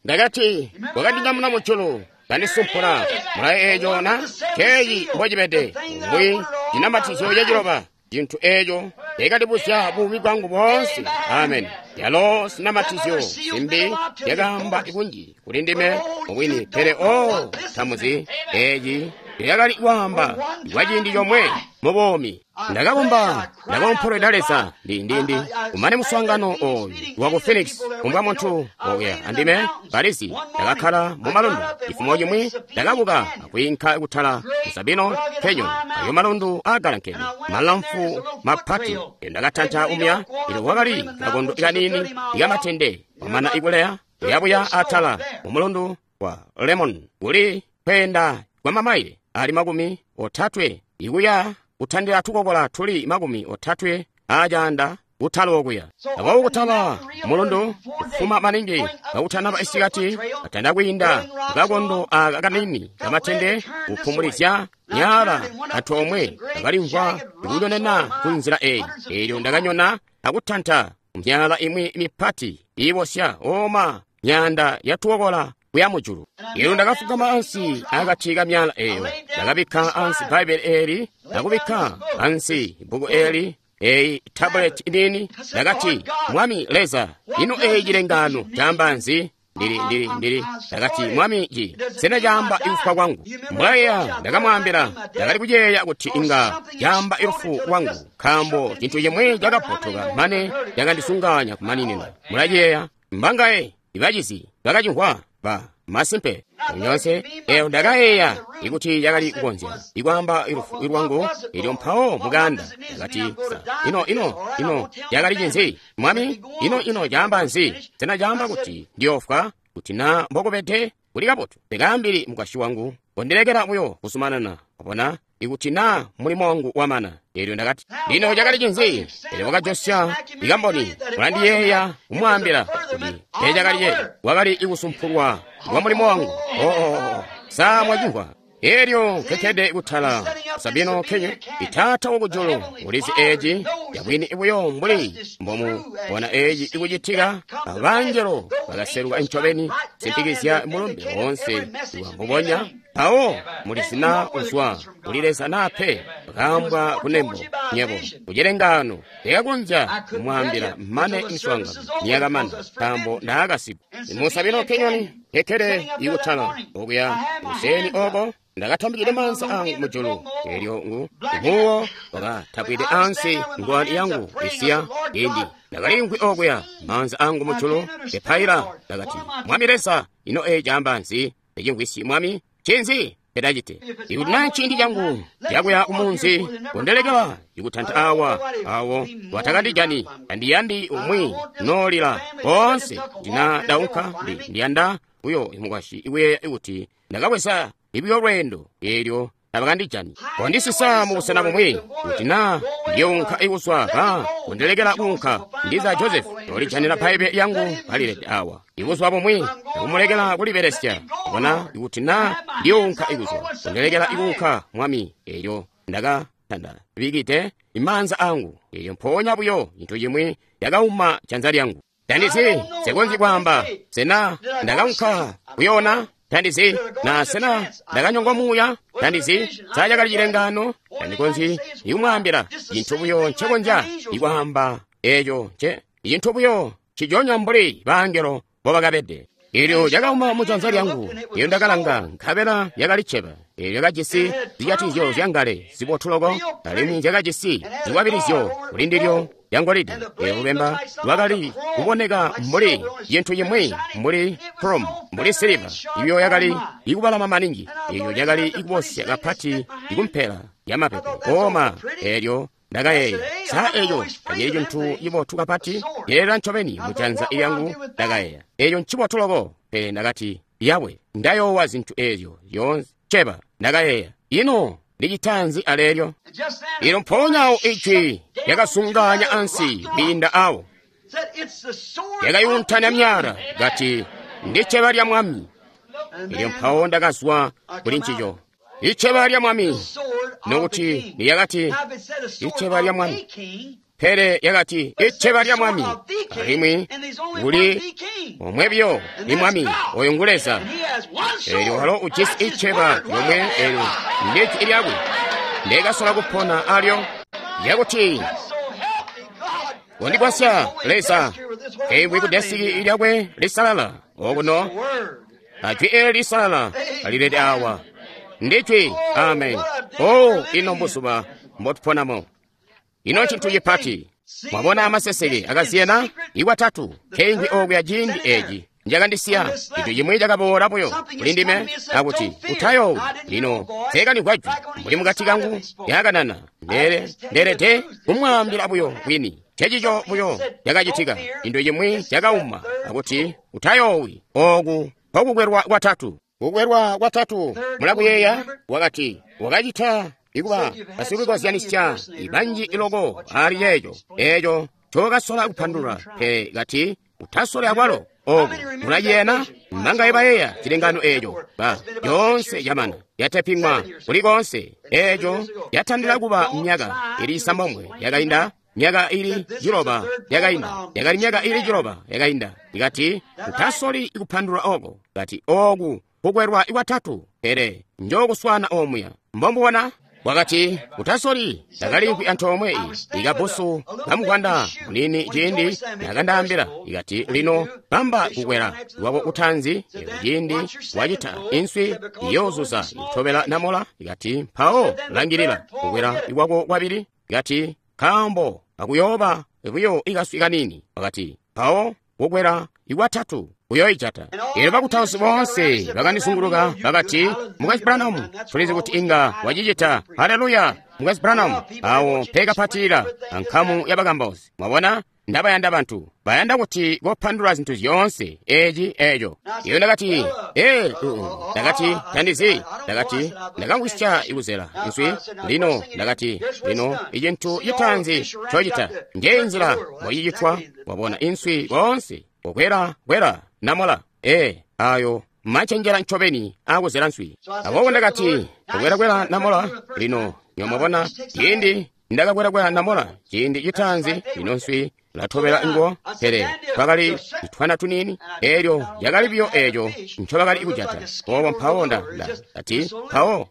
Ndakati, wakandinyamuna mujulu kandisumpula. Mulayeeya eco na? Ceeci mbocibede mbwi cinamatizyo caciloba, cintu eco cakandibuzya buumi bwangu boonse. Amen. Yalo sinamatizyo zimbi zyakaamba kunji kuli ndime mubwini, pele o tamuzi eci yakali kwaamba kwa ciindi comwe mu buumi. Ndakakomba, ndakoompolweda Leza ndi kumane muswaangano oyu waku Phoenix, kumbwa muntu okuya andime balizi. Ndakakkala mu malundu cifumo cimwi, ndakabuka akwiinka kutala mu Sabino Canyon, ayo malundu aagalankene malamfu mapati. Ndakatanta umuya, ilo kwakali kakondo kaniini ikamatende kwamana ikuleya kuyabuya atala mu mulundu wa Lemon, kuli kweenda kwa mamaile ali 30 ikuya kutandila tukokola tuli 30 acaanda kutala okuya. Aboobo kutala mulundu kufuma maningi kakutanaba isikati, katanda kwiinda kakondo aka kanini kamatende kupumulizya nyaala antoomwe, ndakalimvwa kunyonena ku nzila eyi. Elyo ndakanyona akutanta myala imwi mipati iibosya oma myanda yatukokola kuya mujulu. Elyo ndakafugama ansi akati ka myala eyo, ndakabikka ansi Bbaibele eli, ndakubikka ansi bbuku eli, eyi tabuleti inini. Ndakati, Mwami Leza, ino eyi cilengano caamba nzi? Ndili ndakati, Mwami, ci sena caamba ikufwa kwangu? Mulayeeya ndakamwaambila, ndakali kuyeeya kuti inga caamba ilufu lwangu, nkaambo cintu cimwi cakabbotoka mane cakandisunganya kumaninina. Mulayeeya mbangaye ibacizi bakacimvwa ba Masimpe. Nyoonse, eyo ndakayeeya ikuti yakali kukonzya ikwaamba lufu lwangu, elyo mpawo muganda ndakati, ino ino ino yakali cinzi, Mwami? Ino ino caamba nzi? Sena caamba kuti ndiyofwa? Kuti na mbokubede kuli kabotu, ndikaambili mukwasyi wangu, kondilekela buyo kuzumanana, wabona, ikuti na mulimo wangu wamana. Elyo ndakati, lino cakali cinzi? Elyo wakajosya ikamboni, ulandiyeeya kumwaambila kuti teecakali ceeco, wakali ikusumpulwa kwa mulimo wangu. Oo, sa mwacimvwa? Elyo nkekkede kutala Sabino Canyon, Itaata wakujulu ulizi eeci yabwini buyo mbuli mbomubona eeci ikucitika. Abangelo bakaseluka ncobeni simpikizya mulumbe woonse mbubonya. Mpawo mulizi na uzwa kuli Leza naa pe, bakaambwa kunembo nyebo kucilengaano. Ndikakonzya kumwaambila mane miswaangano niyakamana, nkaambo ndaakasigwa. Mu Sabino Canyon nkekkede ikutala okuya kuseni oko, ndakatambikide maanza angu mujulu, elyo ngu muwo wakatapwide ansi ngwani yangu isiya indi. Ndakaliimvwi okuya maanza angu mujulu, nkepaila. Ndakati, Mwami Leza, ino eeci caamba nzi? Ndicimvwisyi, Mwami, ncinzi ndidacite? Ikuti naa nciindi cangu cakuya kumunzi, kondilekela ikutanta awa awo watakandijani. Tandiyandi umwi noolila koonse. Kuti naa ndaunka, ndiyanda buyo mukwasyi ikuyeeya kuti ndakabweza ibiyo lweendo, eelyo tabakandijani. Kondisisa mubusena bumwi, kuti naa ndiyounka ikuzwa ba kundilekela kuunka. Ndiza Joseph yolijanira Bbaibele lyangu kalilede awa ibuzuba bumwi, akumulekela kulibelesya. Bona, ikuti naa ndiyounka ikuzwa, kundilekela ikuunka, Mwami. Eelyo ndakatanda bikide imaanza angu, eelyo mpoonya buyo cintu cimwi cakauma janza lyangu. Tandizi, nsikonzyi kwaamba, sena ndakaunka kuyoona? Tandizi, na sena ndakanyongwa muuya? Tandizi, sa cakali cilengaano? Tandikonzyi ikumwaambila cintu buyo ncekonzya ikwaamba eeco nce cintu buyo cijonya mbuli bangelo mbobakabede. Eelyo cakauma mujanza lyangu, eelyo ndakalanga, nkabela yakali cceba. Eelyo yakajisi zijatizyo zyangale zibotu loko, alimwi zyakajisi zikwabilizyo kulindilyo yangolide. Eelyo lubemba lwakali kuboneka mbuli cintu cimwi mbuli chrome, mbuli siliva, iyo yakali ikubalama maningi. Eelyo lyakali ikubosya kapati ikumpela yamapepe kooma. Eelyo ndakayeeya, sa eeco tacili cintu cibotu kapati? Yelela ncobeni mujanza lyangu. Ndakayeeya, eeco ncibotu loko. Pele ndakati, Yawe, ndayoowa zintu eezyo zyoonse cceba. Ndakayeeya, ino ndicita nzi aleelyo? Ilo mpoonya awo ijwi lyakazungaanya ansi kwiinda awo, lyakayuntanya myala, kati, ndi cceba lya Mwami. Elyo mpawo ndakazwa kuli ncico. Icceba lya Mwami, nokuti niyakati icceba lya Mwami, pele yakati icceba lya Mwami, alimwi kuli omwe biyo ni Mwami, oyo ngu Leza. Eelyo walo ujisi icceba lyomwe, eelyo ndijwi lyakwe ndekasola kupona alyo, lyakuti kondigwasya Leza, keimvwi ku desiki lyakwe lisalala okuno, ajwi eli lisalala alilede awa. Ndijwi, amen. Oh, ino mbuzuba mbotuponamo. Ino ncintu cipati. Mwabona amaseseke akasiyana ikwatatu keimvwi okuya ciindi eci njakandisiya. Cintu cimwi cakaboola buyo kuli ndime akuti utayoowi. Lino nseekanimvwa jwi mbuli mukati kangu lyakanana. Ndeelede kumwaambila buyo bwini. Ncencico buyo cakacitika. Cintu cimwi cakauma akuti utayoowi. Ooku nkokukwelwa kwatatu. Kukwelwa kwatatu, mulakuyeeya? Wakati wakacita ikuba basikukozyanisya banji loko ali ceeco eeco ncokasola kupandulula, pele kati utasole akwalo. Oku mulaciyena? Mangaye bayeeya cilengaano eeco? Ba yoonse yamana yateping'wa kuli koonse. Eeco yatandila kuba myaka ili 9 yakainda, myaka ili 9 yakainda, yakali myaka ili 9 yakainda. Ikati utasoli kupandulula oko, kati oku kukwelwa ikwatatu, pele njokuswana omuya. Mbombubona? Wakati utasoli. Ndakaliimvwi antoomwe ikabusu kamugwanda munini ciindi nakandaambila, ikati lino bamba kukwela lwako kutanzi. Ciindi wacita inswi iyoozuza itobela namola. Ikati mpawo langilila kukwela ikwako kwabili. Ikati nkaambo akuyooba buyo ikaswi kanini. Wakati mpawo kukwela ikwatatu. Uyoijata. Elyo bakutausi boonse bakandizunguluka bakati, Mukwesu Branham, tulizi kuti inga wacicita. Haleluya! Mukwesu Branham, awo mpekapatilila ankamu ya bakambausi. Mwabona? Ndabayanda bantu. Bayanda kuti kopandulula zintu zyoonse eci eco. Iyo ndakati, ndakati, tandizi. Ndakati, ndakamvwisya ikuzela nswi. Lino, ndakati, lino, icintu citaanzi ncocita. Nje nzila mbocicitwa. Wabona inswi koonse. Kokwela, kwela, namola. Ayo machenjera ncobeni akuzela nswi. Aboobo ndakati, kokwela, namola. Lino, nyomwabona, ciindi ndakakwelakwela namola, ciindi citaanzi, lino nswi latobela ngo, pele twakali twana tunini, elyo yakali biyo eco ncobakali kujata. Obo mpawo ndati, mpawo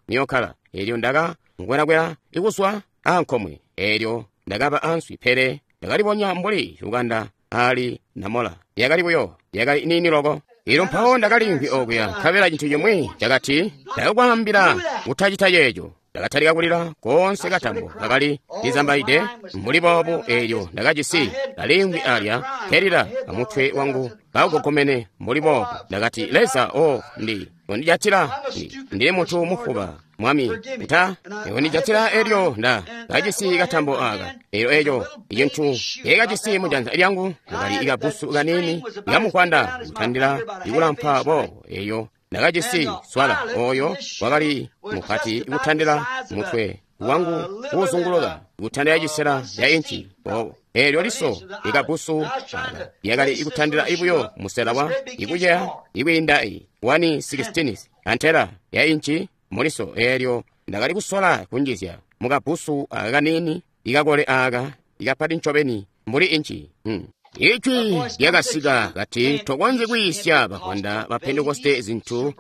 muyokkala. Elyo ndaka nkwelakwela ikuswa ankomwe, elyo ndakaba answi, pele ndakalibonya mbuli lukanda ali namola. Yakali buyo, yakali nini loko. Elyo mpawo ndakalimvwi okuya, nkabela cintu cimwi cakati, ndakakwaambila kutacita ceeco. Ndakatalika kulila koonse katambo kakali lizambaide mbuli boobu. Elyo ndakajisi kalimvwi alya kelila amutwe wangu kagogomene mbuli boobu. Ndakati, Leza, undijatila, ndili munthu mufuba, Mwami, nta undijatila. Elyo nda kajisi katambo aka. Elyo eco icintu ekajisi mujanza lyangu kakali ikabusu kanini ikamukwanda kutandila ikulampa boobo. Eyo ndakajisi swala oyo wakali mupati kutandila mutwe wangu kuuzunguluka kutandila cisela ya inci boobo. Elyo liso ikabusu aka lyakali ikutandila ibuyo musela wa ikuceya ikwiinda i 1/16 antela ya inci muliso. Elyo ndakali kusola kunjizya mukabusu aka kanini ikakole aka ikapati ncobeni mbuli inci. Ijwi lyakasika kati, tokonzyi kwiisya bavwanda ba Pentekoste zintu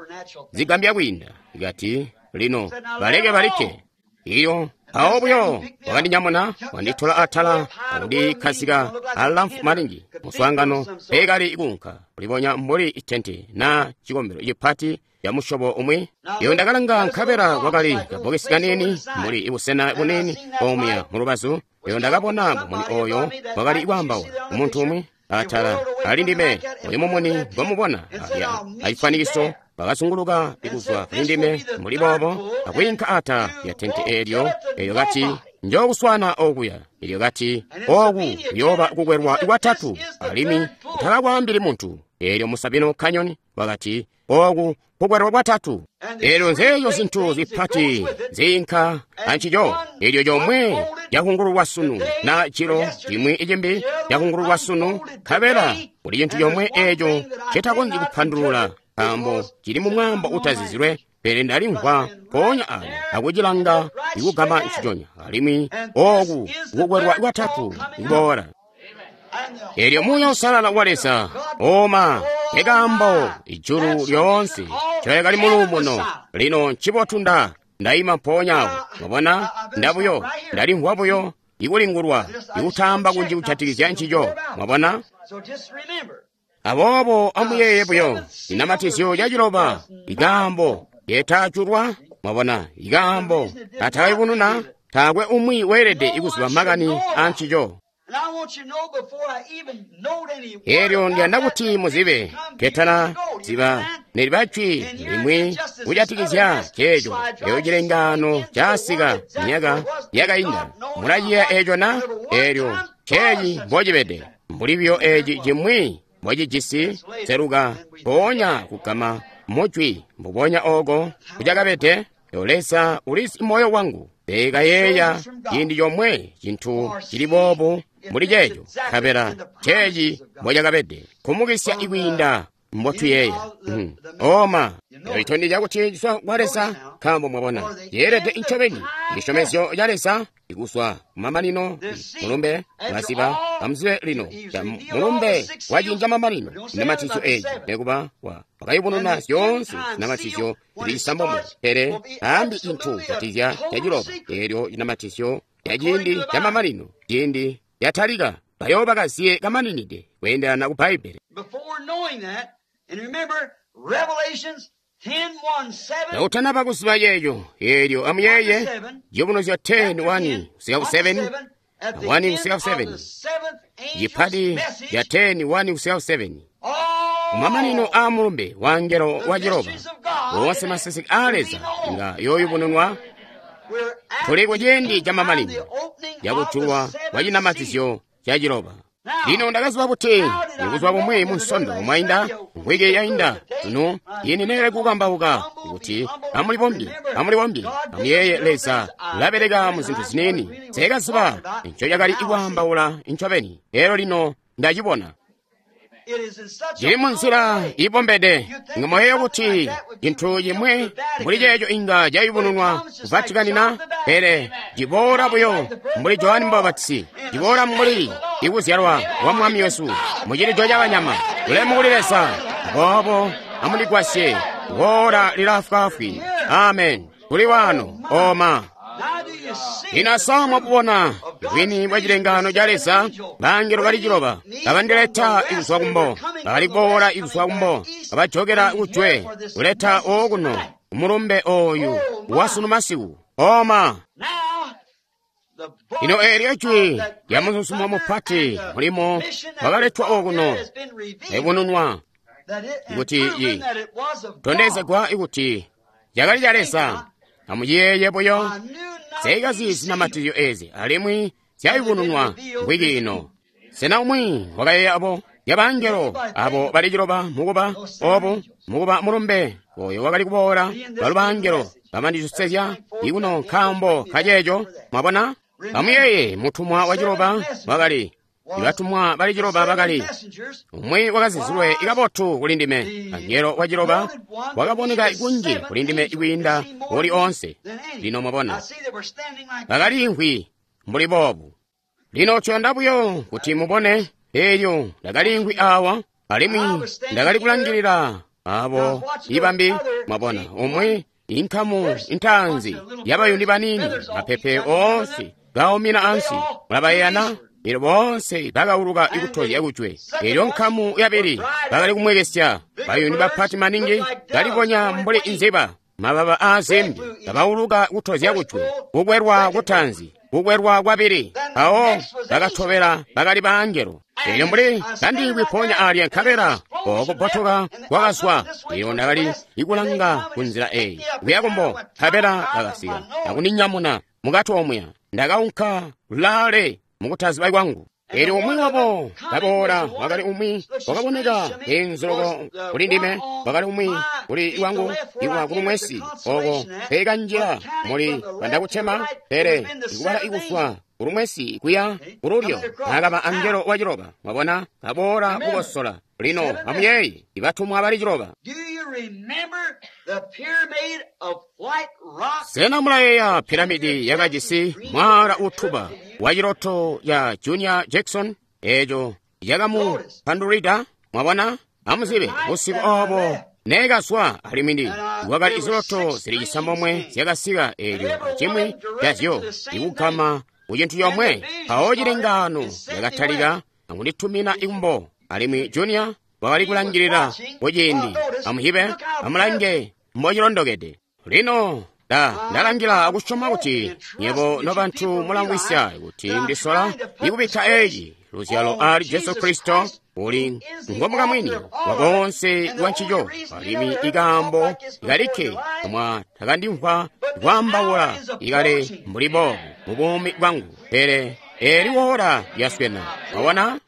zigambya kwiinda. Kati, lino baleke balikke. Iyo awo buyo wakandinyamuna wanditola atala akundikhazika alamfu maningi. Muswaangano peekali kuunka kulibonya mbuli itente na cikombelo cipati ya musyobo umwi. Iyo ndakalanga nkabela kwakali kabokesi kanini mbuli ibusena bunini omuya mulubazu. Iyo ndakabona mumuni oyo wakali kwaambaula umuntu umwi atala ali ndime. Oyu mumuni ngomubona alya acifwanikiso bakazunguluka ikuzwa kuli ndime mbuli boobo akwiinka atala lya tente eelyo. Elyo kati, njookuswana okuya. Elyo kati, oku kuyooba kukwelwa kwatatu, alimwi utakakwaambili muntu. Elyo mu Sabino Canyon wakati, oku kukwelwa kwatatu. Elyo nzeeyo zintu zipati ziinka ancico. Elyo comwe cakungululwa sunu na cilo cimwi icimbi cakungululwa sunu, nkabela kuli cintu comwe eco citakonzyi kupandulula nkaambo cili mu mwambo utazizilwe. Pele ndalimvwa mpoonya ano akucilanga ikugama nciconya, alimwi oku kukwelwa kwatatu kuboola. Elyo Muuya Uusalala wa Leza oma ekaambo ijulu lyoonse coyakali muluumuno. Lino ncibotu ndaima mpoonya awo. Mwabona, ndabuyo ndalimvwa buyo ikulingulwa ikutamba kunji kujatikizya ncico. Mwabona? Aboobo amuyeeye buyo inamatizyo yaciloba ikaambo yetaculwa. Mwabona, ikaambo atakayubununa, taakwe umwi weelede ikuziba makani ancico. Elyo ndiyanda kuti muzibe ketana ziba neliba jwi limwi kujatikizya ceeco. Eyo cilengano casika myaka yakainda. Mulaciya eco na? Elyo ceeci mbocibede mbuli biyo eci cimwi mbocijisi seluka mpoonya kugama mujwi mbubonya oko kucakabede. Eyo Leza ulizi moyo wangu. Pekayeeya ciindi comwe cintu cili boobu mbuli ceeco, nkabela ceeci mbocakabede kumukisya ikwiinda mbotuyeeya. Oma itondezya kuti ciswa kwa Leza, nkaambo mwabona yeelede ncobeni cisyomezyo ca Leza ikuzwa kumamanino. Mulumbe mwaziba amuzibe lino mulumbe wacinja mamanino inamatizyo eeci nekuba wakayubununa zyoonse zinamatizyo zili cisambomwe, pele aambi cintu catizya caciloba. Eelyo cinamatizyo ca ciindi ca mamanino, ciindi yatalika, bayooba kaziye kamaninide kweendelana ku Bbaibele. Nautanaba kuziba yeeyo, eelyo amuyeeye ciyubunuzyo 10:1 kusika ku 7, 1 kusika ku 7, cipati ca 10:1 kusika ku 7. Kumamanino aa mulumbe wa angelo wa ciloba, woonse maseseke aa Leza nga yooyubununwa. Tuli ku ciindi camamanino cakujulwa kwa cinamatizyo ca ciloba. Lino ndakaziba buti ibuzuba bumwi mu Nsondo mwainda, mvwiki yainda sunu ini neele kukambauka kuti amulibombye, amulibombye, amuyeeye Leza ulabeleka mu zintu ziniini. Nseekaziba ncocakali kwaambaula ncobeni, elyo lino ndacibona. Cili munzila ibombede. Inga mwayeeya kuti cintu cimwi mbuli ceeco inga cayubununwa ku Vatican na, pele ciboola buyo mbuli Johani Mbapatizi, ciboola mbuli ikuzyalwa kwa Mwami wesu mu cilido ca banyama. Bulemu kuli Leza. Aboobo amundigwasye, woola lilaafwaafwi. Amen. Kuli wano oma. Lino asa mwabubona bwini bwa cilengano ca Leza, bangelo bali ciloba kabandileta kuzwa kumbo, bakali kuboola kuzwa kumbo, kabajokela kujwe, kuleta okuno kumulumbe oyu wasunu masiku. Oma. Lino eelyo jwi lya muzuzumo mupati mulimo wakaletwa okuno ayubununwa kuti tondezegwa kuti cakali ca Leza. Amuyeeye buyo, nseekazi zinamatizyo ezi alimwi zyayubununwa mvwiki ino. Sena umwi wakayeeya abo yabangelo abo bali ciloba mukuba obu mukuba mulumbe oyo wakali kuboola balu bangelo bamandisosezya ikuno nkaambo kaceeco. Mwabona, amuyeeye mutumwa wa ciloba wakali ibatumwa bali ciloba bakali umwi wakazizilwe kabotu kuli ndime. Angelo wa ciloba wakaboneka kunji kuli ndime kwiinda uli oonse. Lino mwabona bakaliimvwi mbuli boobu. Lino tuyanda buyo kuti mubone eelyo ndakaliimvwi awa alimwi ndakali kulangilila abo ibambi. Mwabona umwi inkamu intaanzi yabayuni baniini, mapepe oonse gaumina ansi, mulabayeyana. Elyo boonse bakauluka ikutozya kujwe. Elyo nkamu yabili bakali kumwekesya bayuni bapati maningi, kalibonya mbuli inziba, mababa aazimbi, kabauluka kutozya kujwe. Kukwelwa kutaanzi, kukwelwa kwabili, mpawo bakatobela bakali baangelo. Elyo mbuli kandiimvwi mpoonya alya, nkabela okubbotoka kwakazwa. Elyo ndakali ikulanga ku nzila eyi kuya kumbo, nkabela bakasika akundinyamuna mukati omuya. Ndakaunka kulaale mukutaziba kwangu. Elyo umwi wabo kaboola wakali umwi wakaboneka enzoloko kuli ndime, wakali umwi kuli wangu iwa kulumwesi oko pekanjila muli bandakutema, pele ikubala ikuzwa kulumwesi kuya kululyo akaba angelo wa ciloba. Mwabona, kaboola kukosola. Lino amuyeeye ibatumwa bali ciloba. Sena mulayeeya piramidi yakajisi mwaala utuba wa ciloto ya Junior Jackson eeco yakamupandulwida? Mwabona, amuzibe busiku obo neekazwa alimwi ndi kwakali iziloto zili cisambomwe zyakasika, eelyo acimwi cazyo ikugama ku cintu comwe. Mpawo cilengano yakatalika akunditumina ikumbo, alimwi Junior wakali kulangilila kuciindi. Amuhibe, amulange mbocilondokede. Lino ndalangila akusyoma kuti nyebo nobantu mulamvwisya kuti ndisola ikubikka eci luzyalo ali Jesu Kristo uli ngomukamwini wa boonse wa ncico, alimwi ikaambo kalikke mwa takandimvwa kwaambaula ikale mbuli boobu mu buumi bwangu, pele eli woola lyaswena. Mwabona,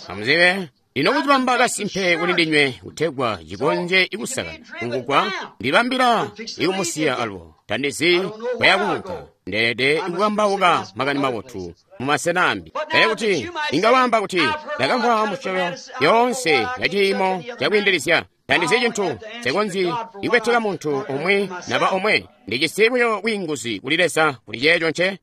amuzibe lino kucibamba kasimpe kuli ndinywe kutegwa cikonzye ikusakana kungugwa ndibambila ikumusiya alwo. Tandizi kwayakuunka, ndeelede ikukambauka makani mabotu mu masena ambi. Pele kuti inga waamba kuti ndakamvwa musyobo yoonse ya ciimo cakwiindilizya, tandizi cintu, nsekonzyi ikubeteka muntu umwi naba omwe. Ndijisi buyo bwiinguzi kuli Leza kuli ceeco nce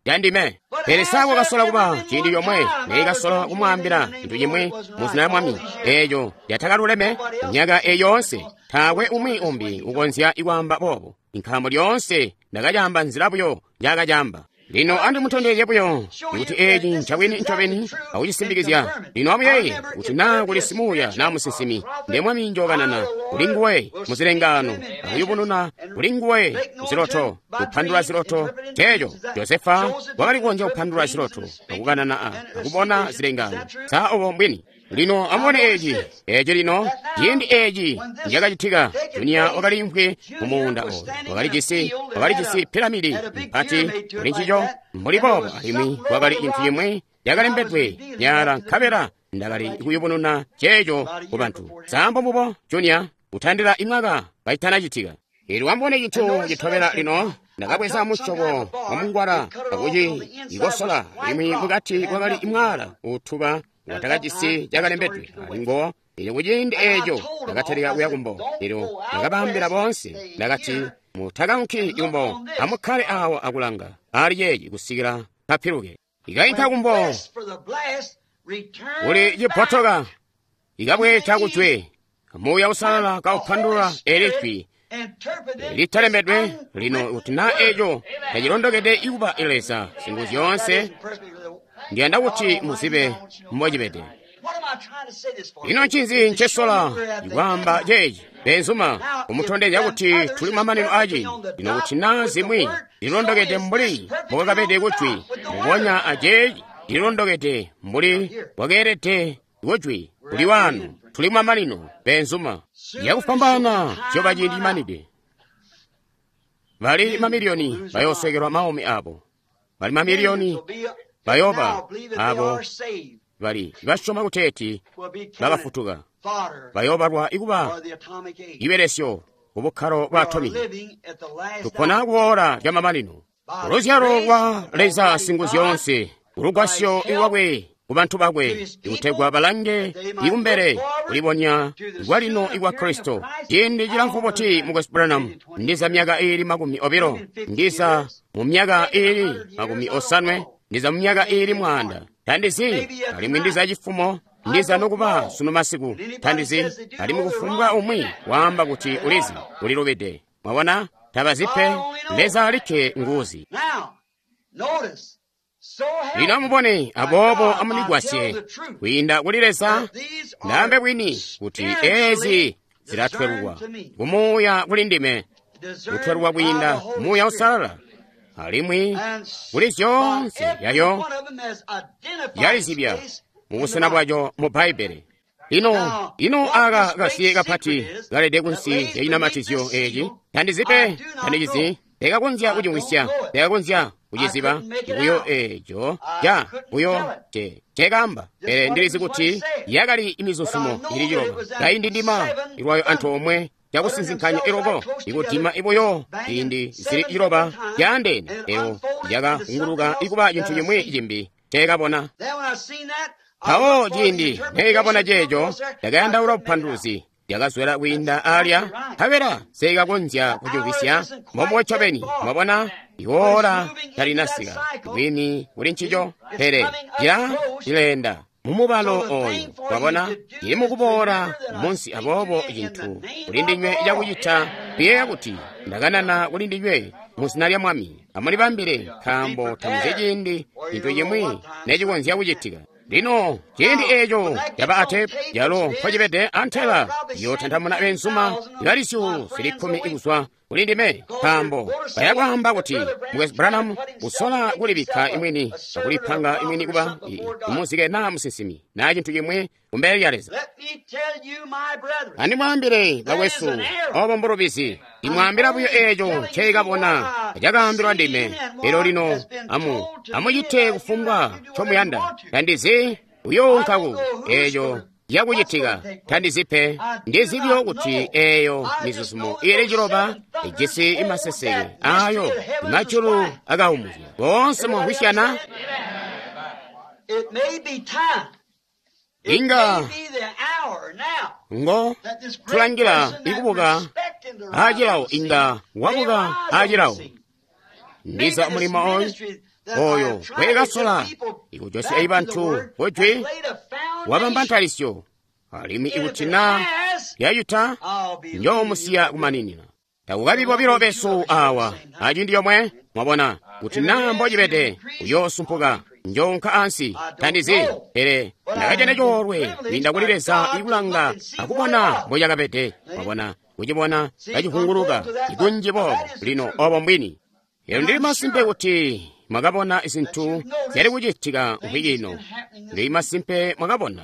candime. Pele sa kwakasola kuba ciindi comwe neikasola kumwaambila cintu cimwi mu zina lya Mwami eeco lyatakaluleme? Myaka eyi yoonse taakwe umwi umbi ukonzya ikwaamba boobo, nkaambo lyoonse ndakacaamba nzila buyo njaakacaamba. Lino andimutondezye buyo kuti eeci ncabwini ncobeni akucisimbikizya. Lino amuyeeye kuti naa kuli simuuya naa musinsimi, nde Mwami njookanana kuli nguwe muzilengaano akuyubununa kuli nguwe muziloto, kupandula ziloto. Ceeco Josefa wakali kukonzya kupandula ziloto akukanana akubona zilengaano. Sa obo mbwini? Lino amubone eci, eci lino, ciindi eci cakacitika, Junior wakaliimvwi mu muunda oyo. Wakali jisi piramidi mpati kuli ncico, mbuli boobo, alimwi kwakali cintu cimwi cakalembedwe nyaala, nkabela ndakali kuyubununa ceeco ku bantu. Sambo mbubo, Junior, kutandila imwaka kacitanacitika. Elyo amubone cintu citobela lino. Ndakabweza musyobo wa mungwala akuci ikosola, alimwi mukati kwakali mwaala utuba watakajisi cakalembedwe alingo. Elyo kuciindi eeco ndakatalika kuya kumbo. Elyo ndakabaambila boonse, ndakati, mutakaunki kumbo, amukkale awa akulanga ali ceeci kusikila kapiluke. Ikainka kumbo kuli cibbotoka, ikabweeta kujwe, Muuya Uusalala kaupandulula eli jwi litalembedwe. Lino kuti naa eco tacilondokede ikuba Leza Singuzyoonse, ndiyanda kuti muzibe mbocibede. Ino ncinzi ncesola ikwaamba ceeci, beenzuma? Kumutondezya kuti tuli mamanino aaciindi. Lino kuti naa zimwi zilondokede mbuli mbokakabede kujwi, mbubonya aceeci cililondokede mbuli bwakeelede kujwi kuli wanu. Tuli mamanino, beenzuma. Yakufwambaana cioba ciindi cimanide. Bali mamiliyoni bayoosekelwa maumi abo. Bali mamiliyoni bayooba abo bali basyoma kuteeti bakafutuka, bayoobalwa ikuba ibelesyo ku bukkalo bwa atomiki. Tupona kuola lya mamanino. Luzyalo lwa Leza Singuzyoonse, ulugwasyo lwakwe ku bantu bakwe, ikutegwa balange ikumbele kulibonya kwalino ikwa Kristo. Ciindi cilamfu buti, Mukwesu Branham? Ndiza myaka iili 20, ndiza mu myaka iili 80, ndiza mu myaka iili 1000. Tandizi, alimwi ndiza cifumo, ndiza nokuba sunu masiku. Tandizi, alimwi kufumbwa umwi waamba kuti ulizi, ulilubide. Mwabona, tabazi pe, Leza alikke nguzi. Lino amubone, aboobo amundigwasye kwiinda kuli Leza, ndaambe bwini kuti ezi zilatwelwa kumuuya kuli ndime, kutwelwa kwiinda Muuya Uusalala, alimwi kuli zyoonse yayo yalizibya mubusena bwaco mu Bbaibbele. Lino, ino aka kasiye kapati kalede kunsi ya cinamatizyo eci, tandizi pe, tandicizi, tekakonzya kucimvwisya, tekakonzya kuciziba buyo eco ca buyo cekamba. Pele ndilizi kuti yakali imizuzumo ili ciloba kaindi ndima ilwayo antoomwe cakusinzinkanya iloko ikudima ibuyo ciindi zili ciloba caandeene, eyo yakahunguluka ikuba cintu cimwi cimbi tekabona. Mpawo ciindi neikabona ceeco, ndakayandaula bupanduluzi lyakazwela kwiinda alya, nkabela seikakonzya kucimvwisya. Mbombubo ncobeni, mwabona, iwoola talinasika bwini kuli ncico, pele cileenda mumubalo oyu, mwabona, cili mukuboola munsi. Aboobo cintu kuli ndinywe cakucita kuyeeya kuti ndakanana kuli ndinywe mu zina lya Mwami. Amulibambile, nkaambo tamuzi ciindi cintu cimwi necikonzya kucitika. Lino ciindi eeco caba atepu yalo mpocibede antela yootantamuna beenzuma ibali 10,000 kuzwa kuli ndime, nkaambo bayakwaamba kuti Mukwesu Branham usola kulibikka imwini akulipanga imwini kuba imuzike naa musinsimi naa cintu cimwi kumbele lya Leza. Andimwaambile bakwesu, obo mbulubizi. Ndimwaambila buyo eeco nceikabona cakaambilwa ndime. Elyo lino amucite kufumbwa ncomuyanda. Tandizi uyounka ku eeco yakucitika, tandizi pe. Ndizi buyo kuti eeyo mizuzumo ili ciloba ijisi imaseseke ayo majulu akaumuzya. Boonse mwamvwisyana? Inga ngo tulangila ikubuka acilawo, inga wabuka acilawo. Ndiza mulimo oyu oyo weekasola ikujosya ibantu kujwi wabamba ntalisyo, alimwi ikuti naa yayuta njoomusiya kumaninina. Takukabi bobilo besu awa aciindi yomwe, mwabona, kuti naa mbocibede uyoosumpuka, njoonka ansi. Tandizi, pele ndakajana coolwe kwiinda kuli Leza ikulanga akubona mbocakabede, mwabona, kucibona kacivunguluka ikunji boobo. Lino obo mbwini. Lero ndili masimpe kuti mwakabona zintu zyali kucitika mvwiki ino. Ndili masimpe mwakabona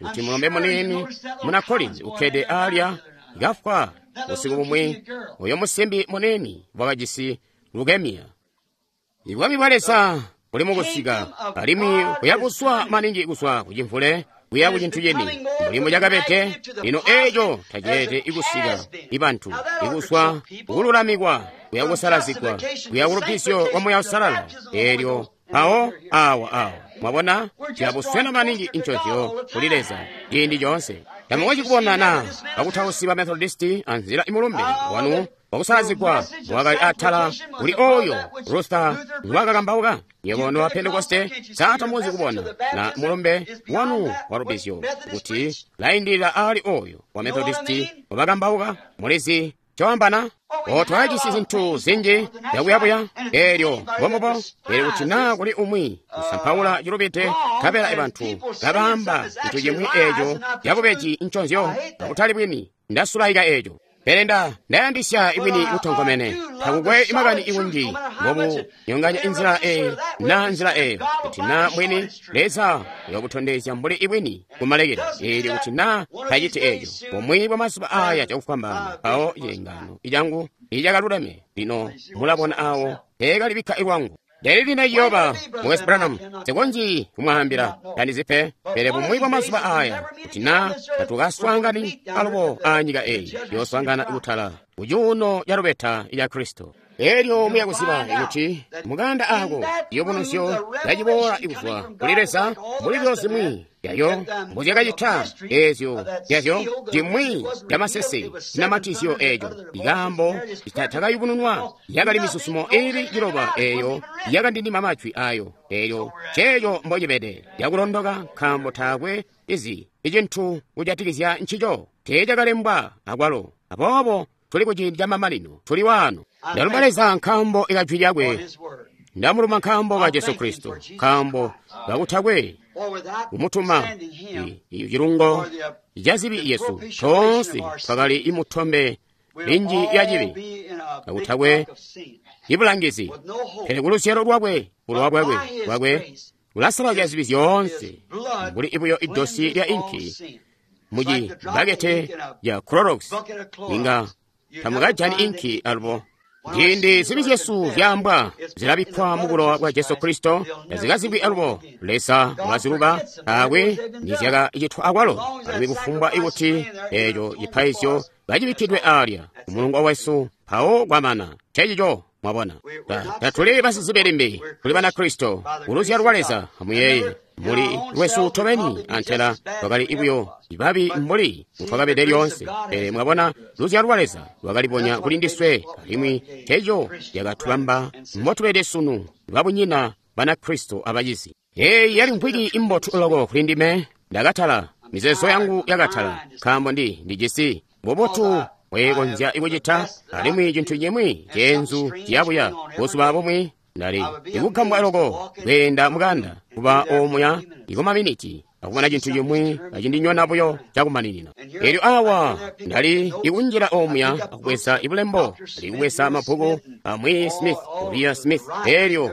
kuti mulombe muniini muna Collins ukkede alya kafwa busiku bumwi, uyo musimbi muniini wakajisi leukemia. Ibwami bwa Leza buli mukusika, alimwi kuyabuswa maningi kuzwa kucimvule kuya kucintu cini mbuli mucakabede. Lino eco taceete ikusika ibantu ikuswa kukululamikwa kuya kusalazigwa kuya kulubisyo kwa Muuya Uusalala. Eelyo mpawo awa mwabona tuyabuswena maningi incozyo kuli Leza ciindi coonse. Tamukonzyi kubona na bakutausi ba Methodisti anzila imulumbe wanu wakusalazigwa wakali atala kuli oyo Luther ngwakakambauka. Nywebo noba Pentekoste satamukonzyi kubona na mulumbe wanu wa lubizyo kuti laindilila ali oyo wa Methodisti wabakambauka. Mulizi cowambana otwajisi zintu zinji zyakuyabuya eelyo mbombubo. Pele kuti naa kuli umwi usampaula cilubide, nkabela bantu kabaamba cintu cimwi eeco cabubeji nconzyo akutali bwini, ndasulaika eeco. Pele ndayandisya ibwini butonkomene. Takukwe makani ikunji mbobu nyonganya inzila eyi na nzila eyo, kuti naa bwini Leza uyakutondezya mbuli ibwini kumalekelo. Eelyo kuti naa taciti eeco, bumwi bwa mazuba aya cakufwambaana, mpawo cilengano icangu icakaluleme. Lino mulabona awo teekalibikka ilwangu. Ndeli lino ciyooba Mukwesu Branham, nsikonzyi kumwaambila, tandizi pe. Pele bumwi bwa mazuba aya, kuti naa tatukaswaangani alubo aanyika eyi, yooswaangana kutala kucuuno ca lubeta ca Kristo. Eelyo muya kuziba kuti mukanda ako ciyubunuzyo caciboola kuzwa kuli Leza mbuli lyo zimwi yayo mbuzyakacita eezyo yazyo cimwi camasese cinamatizyo eeco ikaambo takayubununwa yakali misusumo iili ciloba eeyo yakandindima majwi ayo. Eelyo ceeco mbocibede yakulondoka, nkaambo taakwe izi icintu kujatikizya ncico teecakalembwa akwalo. Aboobo tuli kuciindi camamanino, tuli waano. Ndalumba Leza nkaambo ikajwi lyakwe, ndamulumba nkaambo ka Jesu Kristo, nkaambo kakutakwe kumutuma cilungo ca zibi yesu toonse twakali imutombe linji ya cibi, kakutakwe ibulangizi. Pele kuluzyalo lwakwe, bulowa bwakwe bulasalazya zibi zyoonse mbuli ibuyo idosi lya inki muci bakete ya Clorox, inga tamukajani inki alubo. Ciindi zibi zyesu zyaambwa zilabikkwa mu bulowa bwa Jesu Kristo, tazikazibwi alubo. Leza wakaziluba, taakwe nizyakacitwa akwalo. Alimwi kufumbwa ikuti eeco cipaizyo kacibikkidwe alya kumulungo wesu, mpawo kwamana. Ncencico mwabona. Tatuli basizibi limbi, tuli Banakristo kuluzyalo lwa Leza. Amuyeeye, muli lwesu tobeni antela twakali ibuyo ibabi mbuli mutwakabede lyoonse. Pele mwabona, luzyalo lwa Leza lwakalibonya kuli ndiswe, alimwi nceco cakatubamba mbotubede sunu, babunyina Banakristo abacizi. Eeyi yali mvwiki imbotu loko kuli ndime. Ndakatala, mizeezo yangu yakatala, nkaambo ndijisi bubotu bwekonzya kucita, alimwi cintu cimwi ceenzu ciyabuya. Buzuba bumwi ndali ndikugambwa loko kweenda mukanda kuba omuya ikumaminiti akubona cintu cimwi acindinyona buyo cakumaninina. Eelyo awa ndali ikunjila omuya akubweza ibulembo, ndikubweza mabbuku amwi Smith, Uriah Smith. Eelyo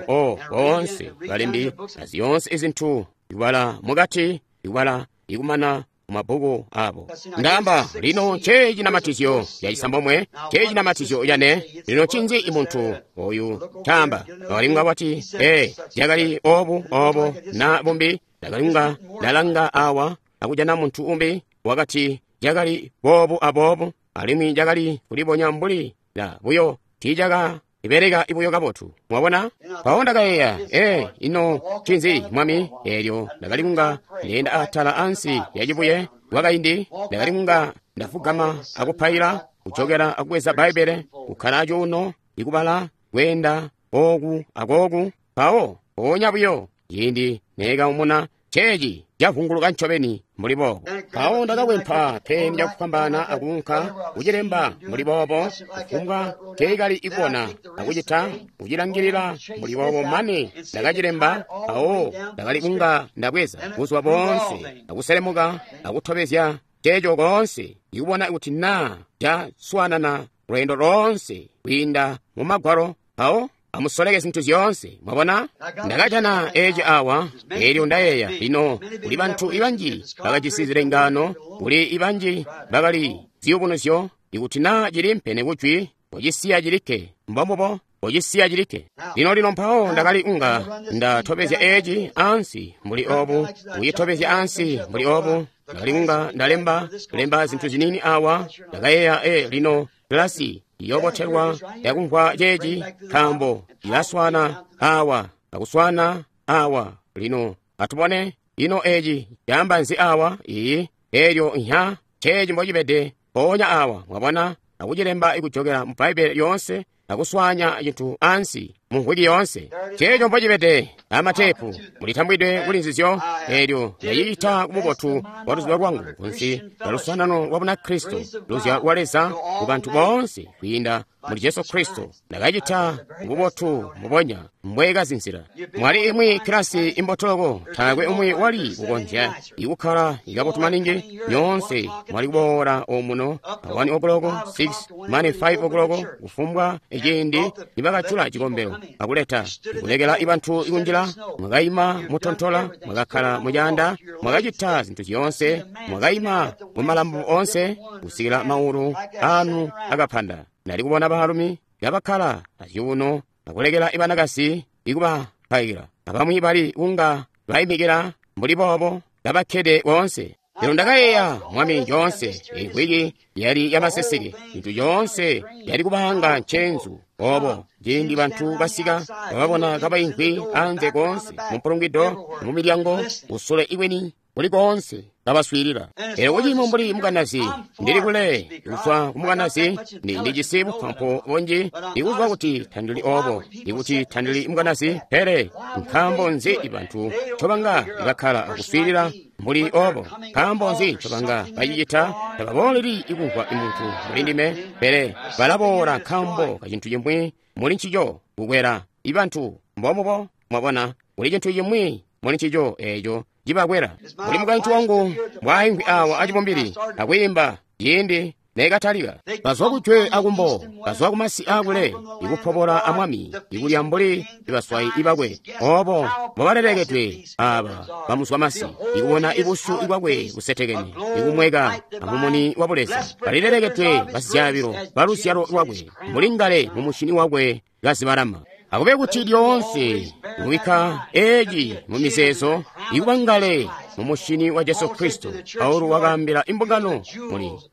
boonse balembi azyoonse izintu ikubala mukati, ikubala ikumana mabbuku abo. Ndamba lino nceecinamatizyo cacisambomwe, nceecinamatizyo cane. Lino ncinzi imuntu oyu caamba? Wakalinga wati, ee, zyakali obu obo na bumbi. Ndakalinga ndalanga awa akujana muntu umbi wakati zyakali boobu aboobu, alimwi zyakali kulibonya mbuli la buyo tiicaka ibeleka ibuyo kabotu. Mwabona? Mpawo ndakayeeya, ee, ino ncinzi Mwami? Eelyo ndakali kunga ndeenda atala ansi yacibuye kwakaindi, ndakali kunga ndafugama akupaila, kujokera akubweza Bbaibbele, kukkala acuuno, ikubala, kweenda ooku akooku. Mpawo mpoonya buyo ciindi neekaumuna, ceeci cavunguluka ncobeni mbuli boobo. Mpawo ndakakwempa peni cakufwambaana akuunka kucilemba mbuli boobo, kufumbwa teekali ikubona akucita kucilangilila mbuli boobo mane ndakacilemba. Mpawo ndakali kunga ndabweza buzuba boonse akuselemuka akutobezya ceeco koonse, ikubona kuti naa caswaanana lweendo loonse kwiinda mu Magwalo. Mpawo Amusoleke zintu zyoonse. Mwabona? Ndakajana eci awa, elyo ndayeeya, lino kuli bantu ibanji bakajisi zilengaano, kuli ibanji bakali ziyubunuzyo. Ikuti na cilimpene kujwi, kocisiya cilikke. Mbombubo, kocisiya cilikke. Lino lino mpawo ndakali unga ndatobezya eci ansi mbuli obu, kuyitobezya ansi mbuli obu. Ndakali unga ndalemba lemba zintu zinini awa. Ndakayeeya, lino kilasi iyobotelwa yakumvwa ceeci, nkaambo ilaswana awa akuswana awa. Lino atubone ino eci caamba nzi awa. Iyi elyo nya ceeci mbocibede mpoonya awa, mwabona, akucilemba ikujokera mu Bbaibele lyonse akuswanya cintu ansi mu mvwiki yoonse. Ceeco mbocibede amatepu mulitambwidwe kuli nzizyo. Elyo ndacicita kububotu bwa luzibo lwangu kunsi lya luswaanano lwa Bunakristo, luzyalo lwa Leza ku bantu boonse kwiinda muli Jesu Kristo. Ndakacita kububotu mbubonya mbwekazinzila. Mwali imwi kilasi imbotoloko, taakwe umwi wali kukonzya ikukkala ikabotu maningi. Nyoonse mwali kuboola omuno a 1 o'clock, 6 mane 5 o'clock, kufumbwa ciindi nibakajula cikombelo akuleta kulekela ibantu ikunjila. Mwakaima mutontola, mwakakkala mucaanda, mwakacita zintu zyoonse, mwakaima mumalambo onse kusikila maulu anu akapanda. Ndali kubona baalumi kabakkala azyuuno akulekela ibanakasi ikubapaila, abamwi bali kunga baimikila mbuli boobo kabakkede boonse. Lino ndakayeeya, Mwami, yoonse imvwiki yali yamaseseke, zintu zyoonse yali kubanga ncenzu obo. Ciindi bantu basika bababona kabaimvwi anze koonse mumpulungwido, mumilyango, kusule ikweni kuli koonse kabaswiilila. Elyo kuciimo mbuli mukanazi, ndili kule kuzwa kumukanazi, ndijisi bupampu bunji ikuzwa kuti tandili obo, ikuti tandili mukanazi. Pele nkaambo nzi bantu ncobanga bakkala akuswiilila mbuli obo? Nkaambo nzi ncobanga bacicita? Tababooleli ikumvwa muntu muli ndime, pele balaboola nkaambo kacintu cimwi muli ncico kukwela ibantu. Mbomubo, mwabona, kuli cintu cimwi muli ncico eeco cibakwela. Muli mukaintu wangu mbwaimvwi awa acibumbili akwiimba ciindi nekatalika. Bazwa kujwe akumbo, bazwa kumasi akule, ikupobola amwami, ikulya mbuli ibaswayi ibakwe. Obo mbobalelekedwe aba bamuzwa masi, ikubona ibusyu bwakwe busetekene, ikumweka amumuni wa buleza. Balilelekedwe basizyabilo baluzyalo lwakwe, mbuli ngale mumushini wakwe kazibalama. Akube kuti lyoonse kubikka eci mu mizeezo, ikuba ngale mu mushini wa Jesu Kristo. Paulo wakaambila imbungano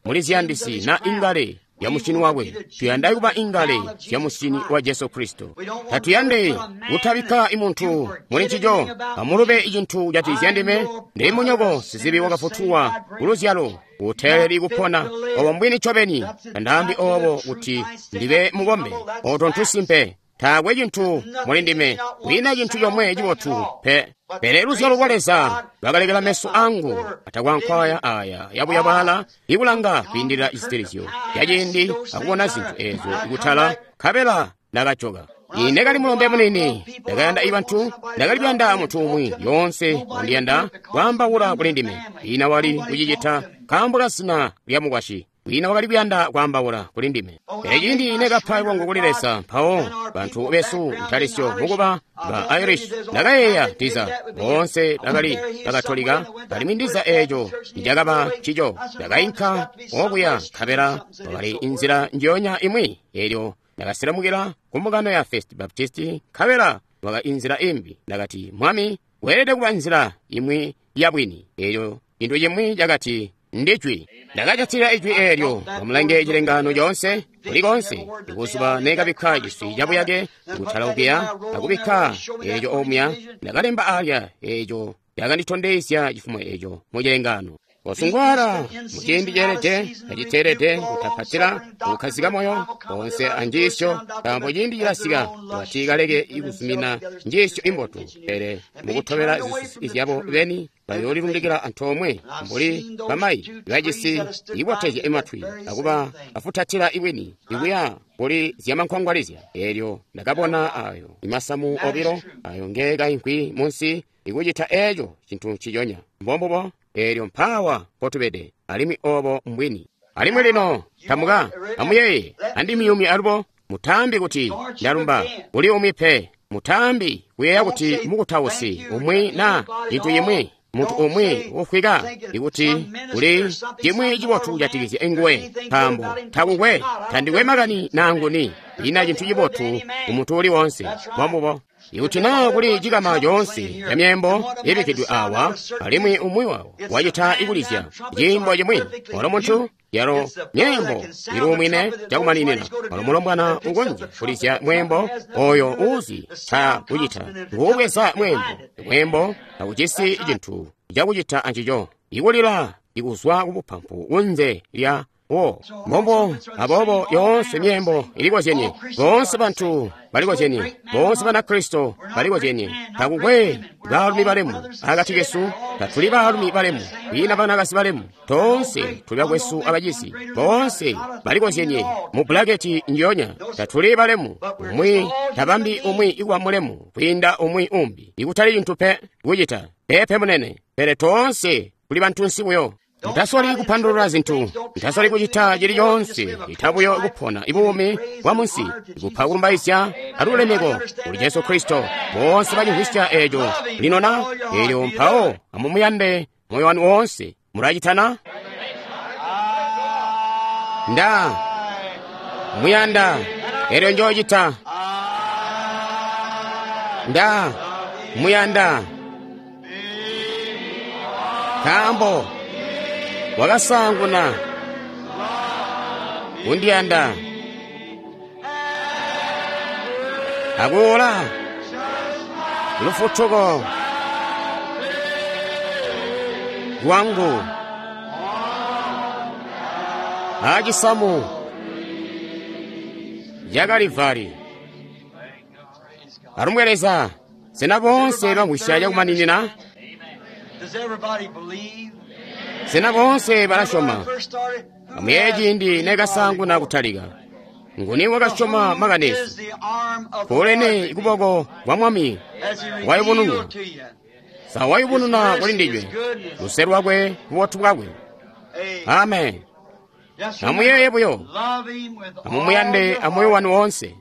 muli ziyandisi na ingale ya mushini wakwe. Tuyanda kuba ingale ya mushini wa Jesu Kristo. Tatuyande kutabikka imuntu muli ncico. Amulube icintu cati ndime ndi munyoko sizibi wakafutulwa kuluzyalo uteeleli kupona obo mbwini ncobeni. Tandaambi obo kuti ndibe mukombe, oto ntusimpe. Taakwe cintu muli ndime, kwiina cintu comwe cibotu pe. Pele luzyalo lwa Leza lwakalekela meso angu atakwankwaya aya yabuyabwala ikulanga kwiindilila cisitilizyo yaciindi akubona zintu ezo ikutala, nkabela ndakajoka. Ine kali mulombe munini, ndakayanda ibantu, ndakali kuyanda muntu umwi yoonse wandiyanda kwaambaula kuli ndime. Ina wali kucicita nkaambo ka zina lya mukwasyi. Wina wakali kuyanda kwaambaula kuli ndime. Pele ciindi nekapa ibongo kuli Leza, mpawo bantu besu ntalisyo mukuba ba Irish, ndakayeeya ndiza boonse bakali bakatolika, alimwi ndiza eeco nicakaba ncico. Ndakainka okuya nkabela wakali inzila njiyonya imwi. Elyo ndakasilamukila ku mbungano ya First Baptist, nkabela waka inzila imbi. Ndakati, Mwami, weelede kuba nzila imwi yabwini. Elyo cintu cimwi cakati, ndijwi. Ndakacatila ijwi eelyo. Amulange cilengano coonse kuli konse. Ikuzuba nekabikka ciswi cabuyake kutalaukila akubikka eeco omuya, ndakalemba alya eeco cakanditondezya cifumo eeco mu cilengano. Kosungwala muciindi ceelede aciteelede, kutapatila, kukkazika moyo konse anjiisyo, nkaambo ciindi cilasika kuti kaleke ikuzumina njiisyo imbotu, pele mukutobela zisusi zyabo beni bayoolilundikila antoomwe mbuli bamayi bajisi ibotezya imatwi akuba afutatila ibwini ikuya kuli zyamankwangwalizya. Eelyo ndakabona ayo imasamu obilo ayo ngeekaimvwi munsi ikucita eeco cintu nciconya. Mbombubo. Eelyo mpaawa mpotubede, alimwi obo mbwini. Alimwi lino tamuka amuyeeye andimiyumye alubo. Mutaambi kuti ndalumba kuli umwi pe. Mutaambi kuyeeya kuti mukutausi umwi na cintu cimwi, muntu umwi ufwika ikuti kuli cimwi cibotu kujatikizya nguwe, nkaambo takukwe, tandikwe makani nanguni, ina cintu cibotu ku muntu uli wonse. Mbombubo. Ikuti naa kuli cikama coonse ca myeembo ibikkidwe awa, alimwi umwi wawo wacita ikulizya ciimbo cimwi, walo muntu yalo myeembo iluumwine cakumaninina, walo mulombwana ukonzya kulizya mweembo oyo uuzi ca kucita, nguubweza mweembo. Mweembo taujisi cintu cakucita ancico, ikulila ikuzwa kubupampu kunze lya wo. Mbombo, aboobo yoonse myeembo ilikozyenye, boonse bantu balikozyenye, boonse Banakristo balikozyenye. Takukwe baalumi balemu akati kesu, tatuli baalumi balemu, kwiina banakazi balemu, toonse tuli bakwesu abacizi, boonse balikozyenye mu bulaketi njonya. Tatuli balemu, umwi tabambi umwi ikuba mulemu kwiinda umwi umbi, ikutali cintu pe kucita pepe munene, pele toonse tuli bantunsi buyo. Mutasoli kupandulula zintu, mutasoli kucita cili coonse, ita buyo kupona ibuumi bwa munsi, kupa kulumbaizya alulemeko kuli Jesu Kristo. Boonse bacimvwisya eeco lino na eelyo, mpawo amumuyande moyo wanu woonse. Mulacitana? Nda muyanda, eelyo njoocita. Nda muyanda, nkaambo wakasaanguna kundiyanda akuula lufutuko lwangu acisamu ca Kalivari. Alumbwe Leza. Sena boonse bamvwisya cakumaninina? Sena boonse balasyoma? Amuyeeye ciindi nekasaanguna kutalika. Nguni wakasyoma makani esu? Kuulene kuboko kwa Mwami wayubununwa. Sa wayubununa kuli ndinywe luse lwakwe, bubotu bwakwe. Amen. Amuyeeye buyo, amumuyande amoyo wanu woonse.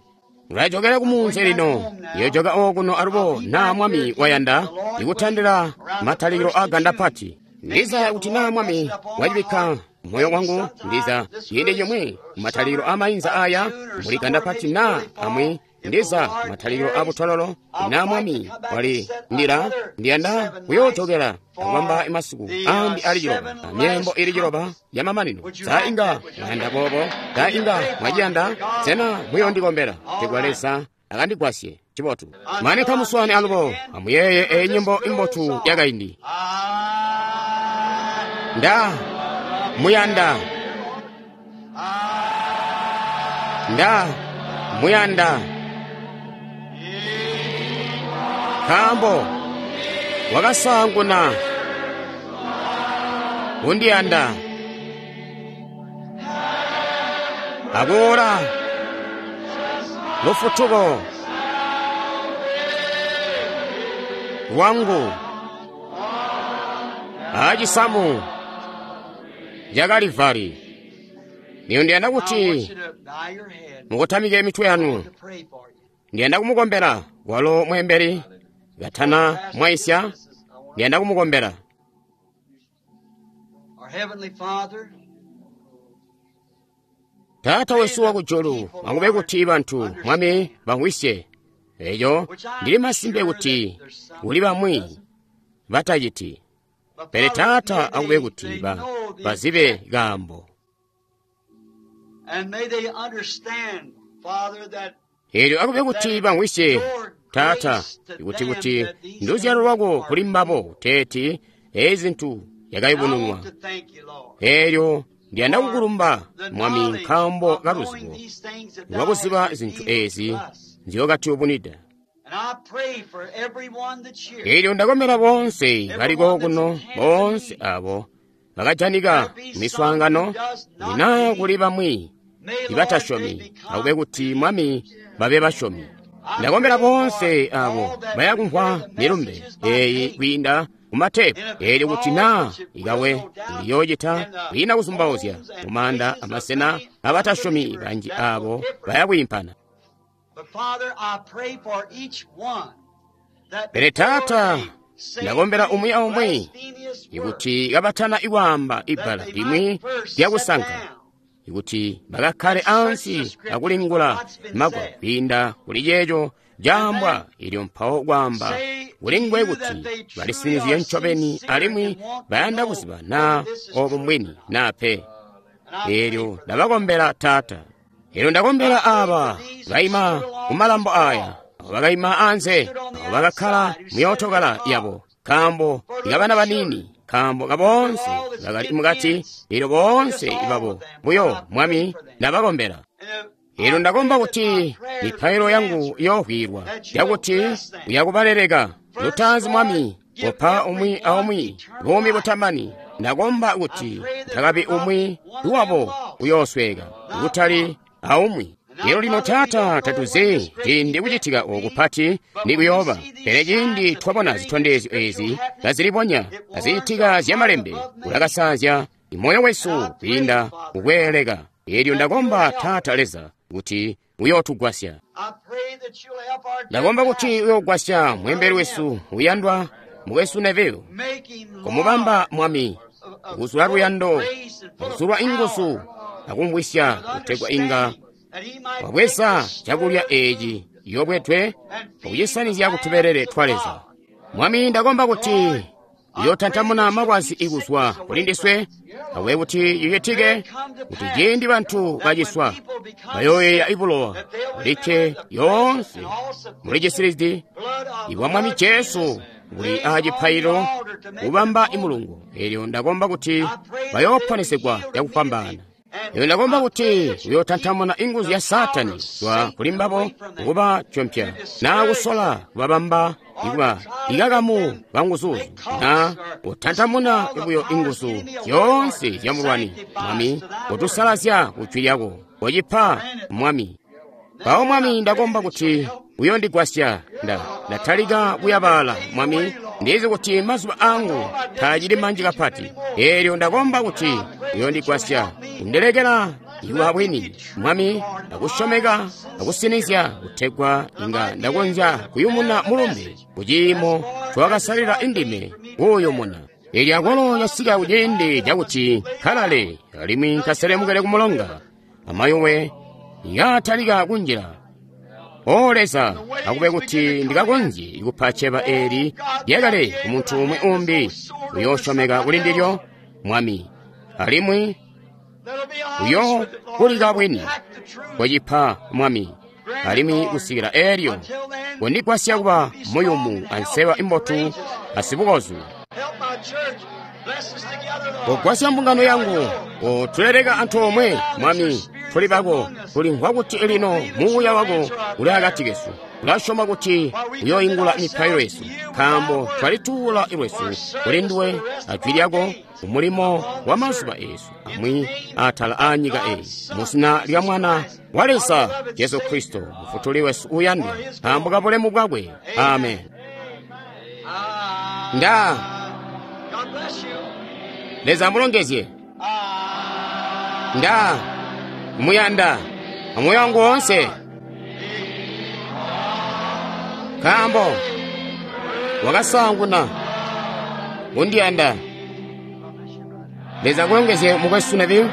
Mulajokera kumunzi lino, yojoka okuno alubo naa Mwami wayanda ikutandila matalikilo a ganda pati. Ndiza kuti naa Mwami wacibikka moyo wangu, ndiza ciindi cimwi matalikilo a mainza aya muli ganda pati naa amwi, ndiza matalikilo a butololo naa Mwami wali ndila ndiyanda kuyoojokera akubamba masiku ambi ali ciloba, amyeembo ili ciloba ya mamanino. Sa inga mwayanda boobo? Sa inga mwaciyanda? Sena muyondikombela tegwa Leza akandigwasye? Cibotu. Mane kamuswaane alubo, amuyeeye eyi nyimbo imbotu yakaindi. Nda muyanda, nda muyanda, nkaambo wakasaanguna kundiyanda akuula lufutuko lwangu acisamu ca Kalivari. Lino ndiyanda kuti mukotamike mitwe yanu. Ndiyanda kumukombela walo mweembeli katana mwaisya. Ndiyanda kumukombela. Taata wesu wakujulu, akube kuti bantu Mwami bamvwisye eco. Ndili masimpe kuti kuli bamwi bataciti, pele Taata akube kuti bazibe kaambo. Eelyo akube kuti bamvwisye Taata, kuti nduzyalo lwako kuli mbabo kuteeti ezi zintu yakayubununwa. Eelyo ndiyanda kukulumba Mwami nkaambo ka luzibo lwakuziba zintu ezi nzyokatuyubunwida. Eelyo ndakombela boonse baliko kuno, boonse abo bakajanika miswaangano, naa kuli bamwi ibatasyomi, akube kuti Mwami babe basyomi. Ndakombela boonse abo bayakumvwa milumbe eyi kwiinda kumatepu. Eelyo kuti naa ikawe liyoocita kwiina kuzumbauzya mumaanda amasena abatasyomi banji aabo bayakwiimpana. Pele Taata, ndakombela umwi aumwi ikuti kabatana ikwaamba ibbala limwi lyakusanka, ikuti bakakkale ansi akulingula magwalo kwiinda kuli ceeco caambwa, ilyo mpawo kwaamba kulingwe kuti balisinizye ncobeni alimwi bayanda kuziba naa obo mbwini naa pe. Eelyo ndabakombela Taata. Eelyo ndakombela aaba baima kumalambo aya, abo bakaima anze, abo bakakkala muyootokala yabo, nkaambo ikabana baniini, nkaambo kaboonse bakali mukati, eelyo boonse babo buyo Mwami ndabakombela. Eelyo ndakomba kuti mipailo yangu iyoovwiilwa, yakuti uyakubaleleka. Lutaanzi Mwami, kopa umwi aumwi buumi butamani. Ndakomba kuti ntakabi umwi wabo uyoosweka, kutali aumwi. Lero lino Taata, tatuzi ciindi kucitika oku kupati nikuyooba, pele ciindi twabona zitondezyo ezi kazilibonya kaziitika zyamalembe, kulakasaazya moyo wesu kwiinda kukweeleka. Eelyo ndakomba Taata Leza kuti uyootugwasya. Ndakomba kuti uyoogwasya mweembeli wesu uyandwa mukwesu Neville, kumubamba Mwami kuzula luyando, kuzulwa inguzu akumvwisya, kutegwa inga wabweza cakulya eeci yobwetwe akucisanizya kutubelele twa Leza. Mwami, ndakomba kuti uyootantamuna malwazi ikuzwa kuli ndiswe, akube kuti cicitike kuti ciindi bantu baciswa bayooyeeya ibulowa bulikke yoonse muli cisilizi ibwa Mwami Jesu buli aacipaililo kubamba imulungo. Eelyo ndakomba kuti bayooponesegwa cakufwambaana. Eelyo ndakomba kuti uyootantamuna inguzu ya Saatani kuzwa kuli mbabo kuba tyompya, naa kusola kubabamba ikuba ikakamu kanguzuzu, naa kutantamuna buyo inguzu zyoonse zyamulwani. Mwami, kotusalazya kujwi lyako, kocipa Mwami. Mpawo Mwami, ndakomba kuti uyondigwasya. Ndatalika kuyabaala Mwami, ndizi kuti mazuba angu taacili manji kapati. Eelyo ndakomba kuti uyondigwasya kundilekela ikuba bwini Mwami, akusyomeka akusinizya, kutegwa inga ndakonzya kuyumuna mulumbe kuciimo ncowakasalila indime kuuyumuna. Eelyo akwalo yasika kuciindi cakuti nkalale alimwi nkaselemukele kumulonga, amayowe yatalika kunjila. O Leza, akube kuti ndikakonzye kupa ceba eeli lyakale kumuntu umwi umbi uyoosyomeka kuli ndilyo, Mwami, alimwi uyokulika bwini kocipa Mwami, alimwi kusikila eelyo kondigwasya kuba muyumu anseba imbotu asibukozu. Kogwasya mbungano yangu, kotuleleka antoomwe Mwami, tuli bako, tulimvwa kuti lino muuya wako uli akati kesu. Tulasyoma kuti uyoingula mipailo yesu, nkaambo twalituula lwesu kuli nduwe ajwi lyako kumulimo wa mazuba eesu amwi atala aanyika eyi, muzina lya Mwana wa Leza Jesu Kristo, Mufutuli wesu uyandwa, nkaambo ka bulemu bwakwe. Amen. Nda Leza amulongezye. Nda muyanda amoyo wangu woonse, nkaambo wakasaanguna kundiyanda. Leza akulongezye mukwesu Neville.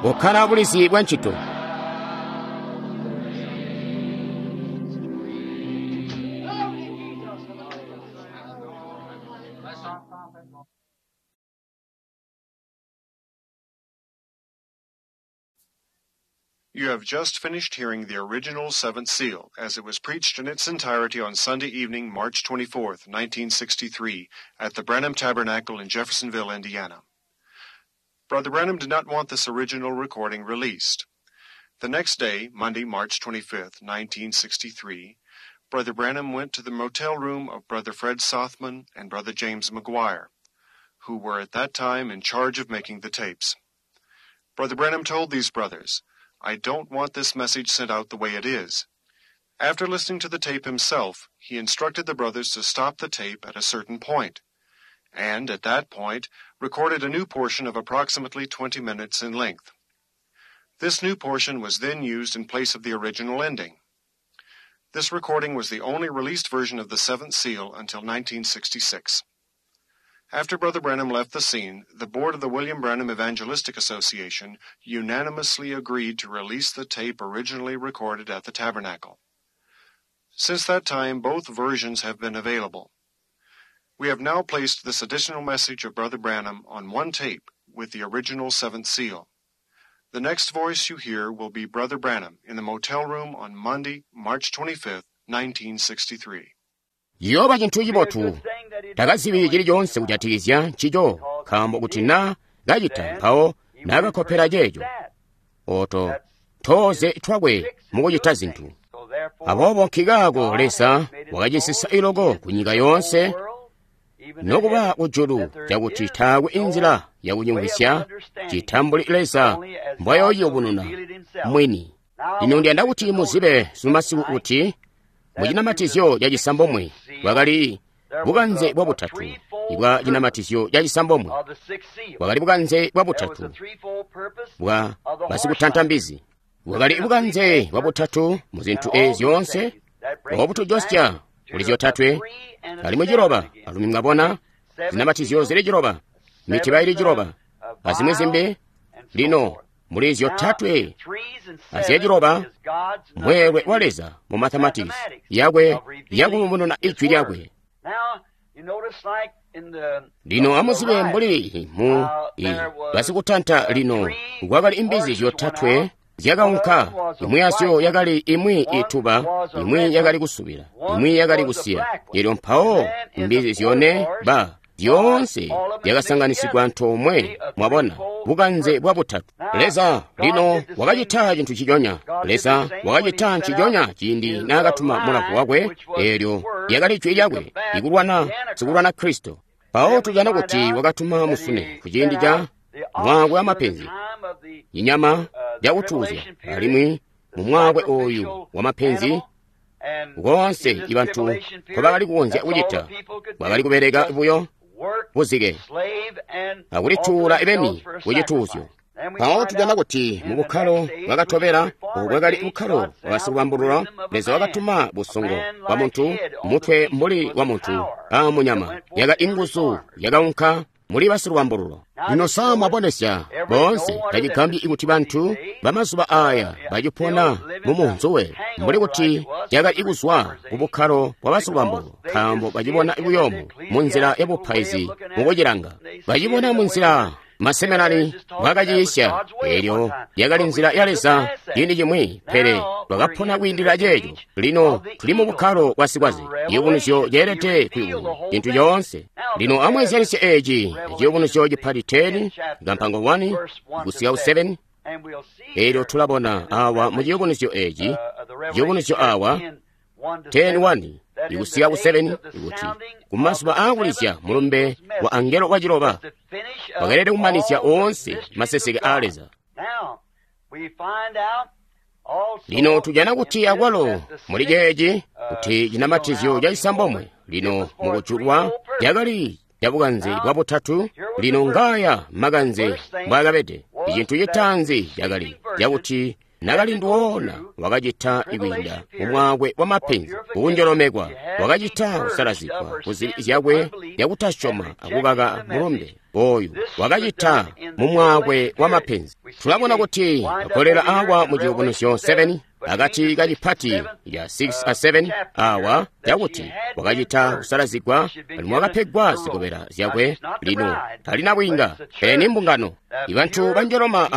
Bukkala bulizi bwa ncito. You have just finished hearing the original Seventh Seal as it was preached in its entirety on Sunday evening, March 24th, 1963, at the Branham Tabernacle in Jeffersonville, Indiana. Brother Branham did not want this original recording released. The next day, Monday, March 25th, 1963, Brother Branham went to the motel room of Brother Fred Sothman and Brother James McGuire, who were at that time in charge of making the tapes. Brother Branham told these brothers, I don't want this message sent out the way it is. After listening to the tape himself, he instructed the brothers to stop the tape at a certain point, and at that point recorded a new portion of approximately 20 minutes in length. This new portion was then used in place of the original ending. This recording was the only released version of the Seventh Seal until 1966. After Brother Branham left the scene, the board of the William Branham Evangelistic Association unanimously agreed to release the tape originally recorded at the tabernacle. Since that time, both versions have been available. We have now placed this additional message of Brother Branham on one tape with the original Seventh Seal. The next voice you hear will be Brother Branham in the motel room on Monday, March 25th, 1963. Ciyooba cintu cibotu takazibi chilichonse kujatikizya ncico nkaambo kuti na kacita mpawo nakakkopera ceeco oto tooze twakwe mukucita zinthu. Aboobo nkikaako Leza wakacisisa iloko ku nyika yoonse nokuba kujulu cakuti taakwe inzila yakucimvwisya citambuli Leza mbwayooyubununa mwini. Lino ndiyanda kuti muzibe sumasiku kuti mucinamatizyo ca cisambomwe bwakali bukanze bwa butatu bwa cinamatizyo ca cisambomwe bwakali bukanze bwa butatu bwa basikutanta mbizi bwakali bukanze bwa butatu mu zinthu ezi zyoonse obutujosya kuli zyotatwe alimwi ciloba alumi mwabona zinamatizyo zili ciloba mitiba ili ciloba azimwi zimbi. Lino muli zyotatwe azyaciloba mweelwe wa Leza mu mathematics yakwe yakuyubununa ijwi lyakwe. Lino amuzibe mbuli mu basikutanta lino kwakali imbizi zyotatwe zyakaunka, imwi yazyo yakali imwi ituba, imwi yakali kusubila, imwi yakali kusiya. Elyo mpawo imbizi zyone ba zyoonse zyakasanganisigwa antoomwe, mwabona bukanze bwa butatu. Leza lino wakacita cintu ciconya. Leza wakacita nciconya ciindi naakatuma mulavu wakwe, eelyo lyakali jwi lyakwe ikulwana sikulwana Kristo. Mpawo tujana kuti wakatuma musune ku ciindi ca mwaakwe wa mapenzi, inyama yakutuuzya, alimwi mu mwaakwe oyu wa mapenzi koonse ibantu nkobakali kukonzya kucita bwakali kubeleka buyo buzike akulituula ibeni kucituuzyo. Mpawo tujana kuti mu bukkalo bwakatobela, obu bwakali bukkalo bwa basikubambulula, Leza wakatuma busongo bwa muntu, mutwe mbuli wa muntu a munyama, yaka inguzu yakaunka muli basilubambululo. Lino sa mwabonesya boonse tacigambyi kuti bantu bamazuba aya bacipona mu munzuwe mbuli kuti yakali kuzwa ku bukkalo bwa basilubambululo, nkaambo bacibona buyomu mu nzila ya bupaizi mukucilanga, bacibona mu nzila maseminari bwakaciisya. Eelyo yakali nzila ya Leza ciindi cimwi, pele lwakapona kwiindilila ceeco. Lino tuli mu bukkalo bwa sikwaze, ciyubunuzyo ceelede kuyubununwa cintu coonse. Lino amweezyanisye eci ciyubunuzyo cipati 10 kampango 1 kusika ku 7. Eelyo tulabona awa mu ciyubunuzyo eci, ciyubunuzyo awa 10:1 ikusika ku 7 ikuti kumazuba aakulizya mulumbe wa angelo wa ciloba wakalede kumanizya oonse maseseke a Leza. Lino tujana kuti akwalo muli ceeci kuti cinamatizyo ca cisambomwe lino mukujulwa cakali ca bukanze bwa butatu. Lino ngaya makanze mbwaakabede. Icintu citaanzi cakali cakuti nakalindu wakacita ikwiinda mumwaakwe wa mapenzi kukunjolomekwa, wakacita kusalazigwa kuzibi zyakwe yakutasyoma akukaka mulumbe oyu, wakacita mumwaakwe wa mapenzi. Tulabona kuti agolela awa mu ciyubunuzyo 7 akati kacipati ya 6 a 7 awa cakuti wakacita kusalazigwa alimwi wakapegwa zikobela zyakwe. Lino talina bwiinga, pele ni mbungano. Ibantu banjoloma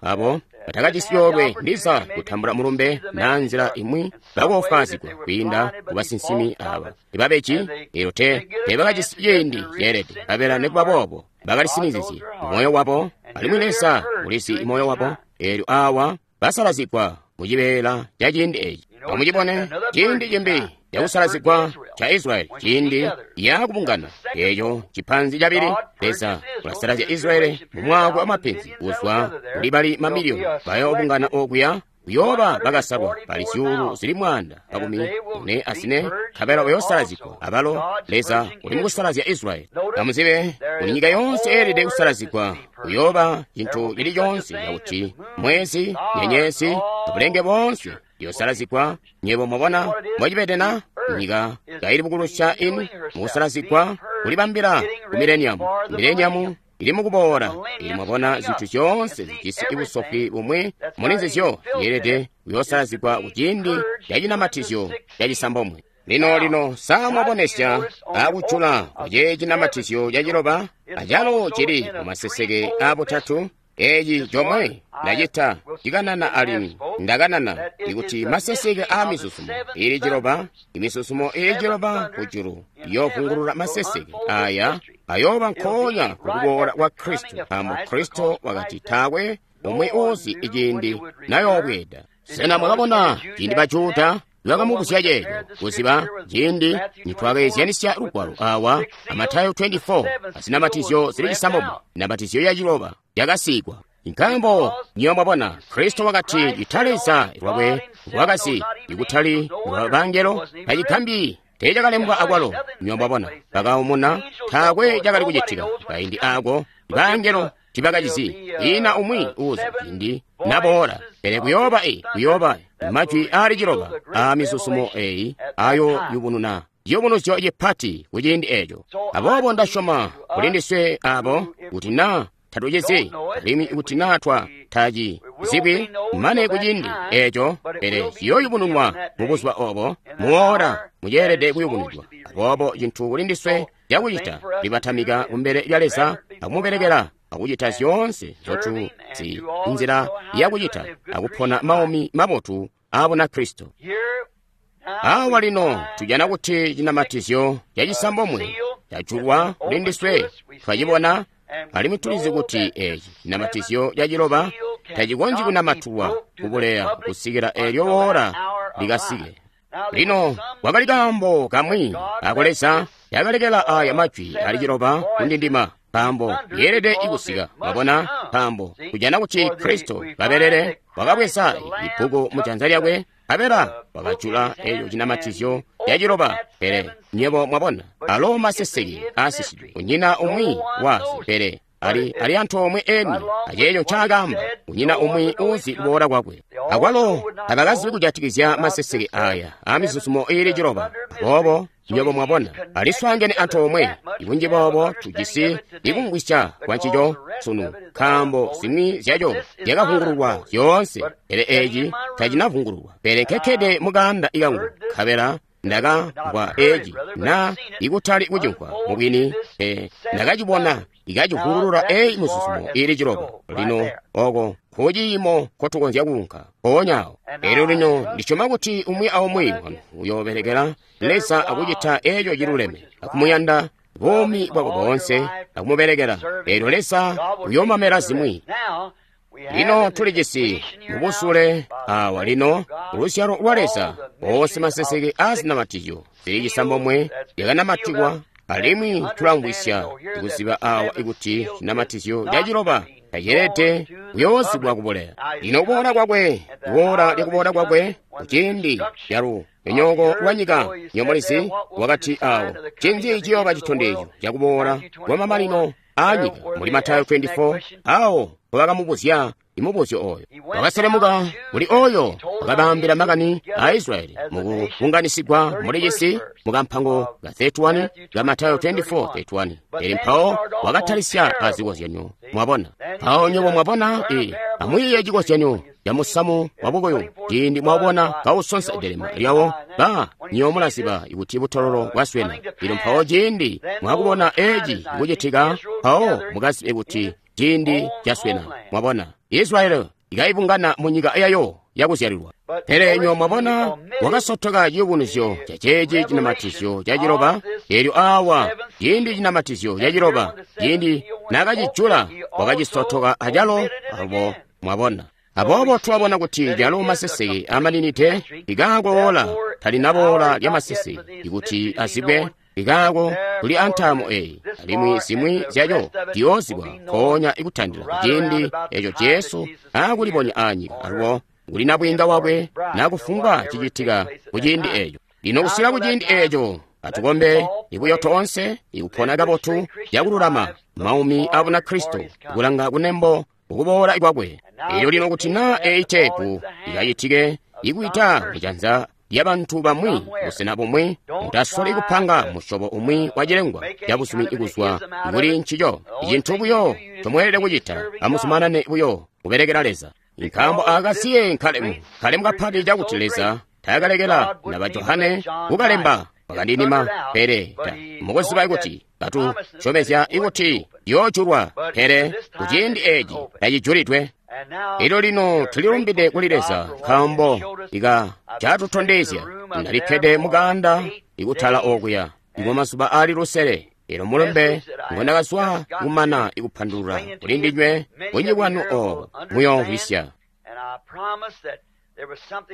abo batakajisi coolwe ndiza kutambula mulumbe na nzila imwi bakoofwaazigwa kwiinda ku basinsimi aba ibabeji. Eelyo teebakajisi ciindi ceelede, nkabela nikuba boobo bakalisinizizye moyo wabo, alimwi Leza ulizi moyo wabo. Eelyo awa basalazigwa mu cibeela ca ciindi eci. Amucibone ciindi cimbi cakusalazigwa ca Israyeli, ciindi yakubungana eeco cipanzi cabili. Leza ulasalazya Israyeli mu mwaka wa mapenzi kuzwa kuli bali mamiliyoni bayoobungana okuya kuyooba bakasalwa bali zyuulu zili 144, nkabela bayoosalazigwa abalo. Leza uli mukusalazya Israyeli. Amuzibe kuti nyika yoonse eelede kusalazigwa. Kuyooba cintu cili coonse cakuti mwezi, nyenyezi, abulenge boonse yosalazigwa. Nyebo mwabona mbocibede na? Nyika kaili bukulusya inu mukusalazigwa, kulibambila ku mileniamu. Mileniamu ili mukuboola. Ili mwabona zinthu zyoonse zijisi busofwi bumwi muli nzizyo yeelede kuyoosalazigwa kuciindi ca cinamatizyo cacisambomwe. Lino lino samwabonesya akujula kwace cinamatizyo caciloba, acalo cili mumaseseke abutatu. Eeci comwe ndacita cikanana alimwi ndakanana ikuti maseseke a misusumo ili ciloba, imisusumo ili ciloba kujulu iyovungulula maseseke aya ayooba nkoonya kukuboola kwa Kristo, nkaambo Kristo wakati taakwe umwi uzi iciindi nayoobweeda. Sena mwakabona ciindi ba Juda bakamubuzya ceeco kuziba ciindi nitwakeezyanisya lugwalo awa a Matayo 24 azinamatizyo zili cisambomwe, inamatizyo yaciloba yakasigwa. Nkaambo nyiyo mwabona Kristo wakati cita Leza lwakwe lwakazi ikutali lwa bangelo, tacigambi teecakalembwa akwalo. Nyiyo mwabona bakaumuna, taakwe cakali kucitika kaindi ako bangelo tibakacizi. Ina umwi uzi ciindi naboola, pele kuyooba kuyooba majwi aali ciloba a misusumo eyi ayo yubununa ciyubunuzyo cipati kuciindi eco. Aboobo ndasyoma kuli ndiswe abo kuti na tatucizi alimwi kuti na twa taci zibwi mane kuciindi eco, pele ciyooyubununwa mu buzuba obo muoora muceelede kuyubunudwa. Aboobo cintu kuli ndiswe cakucita libatamika kumbele lya Leza akumubelekela akucita zyoonse nzotu zi nzila yakucita akupona maumi mabotu a Bunakristo. Awa lino tujana kuti cinamatizyo cacisambomwe cajulwa kuli ndiswe, twacibona alimwi tulizi kuti eci cinamatizyo caciloba tacikonzyi kunamatulwa kubuleya kusikila eelyo woora likasike. Lino kwakali kaambo kamwi ako Leza yakalekela aya majwi ali ciloba kundindima, nkaambo yeelede ikusika. Mwabona, nkaambo kujana kuti Kristo kabelele wakabweza ibbuku mujanza lyakwe, nkabela wakajula eco cinamatizyo caciloba. Pele nyebo mwabona alo maseseke asisidwe, kunyina umwi wazi, pele ali antoomwe eni aceeco ncaakamba, kunyina umwi uzi kuboola kwakwe. Akwalo tabakazibi kujatikizya maseseke aya a misusumo iili ciloba. Aboobo nywebo mwabona aliswaangene antoomwe. Ibunji boobo tujisi ikumvwisya kwancico sunu, nkaambo zimwi zyaco zyakavungululwa zyoonse, pele eci tacinavungululwa. Pele nkekkede mukaanda ikangu, nkabela ndakamvwa eci na ikutali kucimvwa mubwini, ndakacibona ikacivungulula eyi misusumo ili ciloba. Lino oko nkuciimo nkotukonzya kuunka mpoonya awo. Elyo lino ndisyoma kuti umwi aumwi wanu uyoobelekela Leza akucita eco ciluleme, akumuyanda buumi bwako boonse, akumubelekela. Elyo Leza uyoomamela zimwi. Lino tulijisi mubusule awa lino uluzyalo lwa Leza oonse maseseke azinamatizyo zili cisambomwe lyakanamatikwa, alimwi tulamvwisya kuziba awa ikuti cinamatizyo caciloba taceelede kuyoozibwa kubuleya. Lino kuboola kwakwe, kuboola lyakuboola kwakwe kuciindi calunyonyooko lwa nyika, nyomulizi wakati awo cinzi ciyooba citondezyo cakuboola kwa mamanino a nyika muli Matayo 24, awo mpobakamubuzya imubuzyo oyo. Wakaselemuka kuli oyo wakabaambila makani a Israyeli mukubunganisigwa muli cisi mukampango ka 31 ka Matayo 24:31. Pele mpawo wakatalisya azikozyanyo, mwabona. Mpawo nywebo mwabona, amwiiye cikozyanyo ca musamu wa bukuyu. Ciindi mwabona kausonsa delema lyawo, ba nywebo mulaziba kuti butololo bwaswena. Lino mpawo ciindi mwakubona eci kucitika, mpawo mukazibe kuti ciindi caswena. Mwabona, Israyeli ikaibungana mu nyika yayo yakuzyalilwa. Pele nywebo mwabona wakasotoka ciyubunuzyo ca ceeci cinamatizyo caciloba. Eelyo awa ciindi cinamatizyo caciloba ciindi nakacijula wakacisotoka acalo. Alubo mwabona. Aboobo twabona kuti calo maseseke amaninide ikaakoola talinaboola lya maseseke ikuti azibwe ikaako kuli antaamo eyi alimwi zimwi zyaco ziyoozibwa mpoonya ikutandila kuciindi eco Jesu aakulibonya aanyika alubo kuli nabwiinga wakwe nakufumbwa cicitika kuciindi eco. Lino kusika kuciindi eco atukombe ibuyo toonse ikupona kabotu yakululama maumi a Bunakristo kulanga kunembo ukuboola kwakwe. Elyo lino kuti naa eyi teepu ikacitike ikuita mujanza lyabantu bamwi busena bumwi, mutasoli kupanga musyobo umwi wa cilengwa cabusumi ikuzwa kuli ncico. Icintu buyo comweelede kucita, amuzumanane buyo kubelekela Leza. Nkaambo akasiye nkalemu, kalemu kapati cakuti Leza taakalekela naba Johane kukalemba wakandinima, pele ta mukuziba kuti katu syomezya ikuti yoojulwa, pele kuciindi eci tacijulidwe. Elyo lino tulilumbide kuli Leza nkaambo ika catutondezya. Ndalikkede mukaanda ikutala okuya ikwa mazuba aali lusele. Elyo mulumbe ngondakazwa kumana ikupandulula kuli ndinywe bunji bwanu obo muyoomvwisya.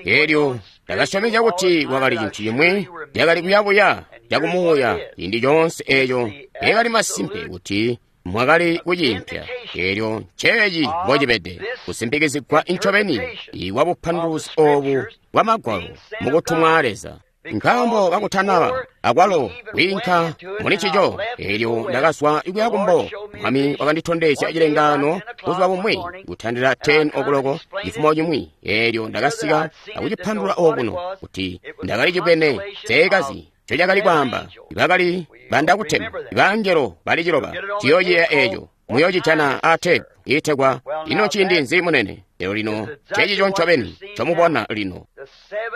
Elyo ndakasyomezya kuti kwakali cintu cimwi cakali kuyabuya cakumuuya ciindi coonse eeco yakali masimpe kuti mwakali kuciimpya. Elyo nceeci mbocibede kusimpikizigwa incobeni ikwa bupanduluzi oobu bwa Magwalo mukutumwa Leza. Nkaambo kakutanaba akwalo kwiinka muli ncico, elyo ndakazwa ikuya kumbo. Mwami wakanditondezya cilengaano buzuba bumwi kutandila 10 o'clock cifumo cimwi. Elyo ndakasika akucipandulula okuno kuti ndakali cibwene seekazi ncocakali kwaamba. Bakali bandakutema bangelo bali ciloba. Ciyoociyeeya eeco muyoocicana a teepu iitegwa Ino Ciindi Nzi Munene. Lero lino cecico ncobeni comubona lino.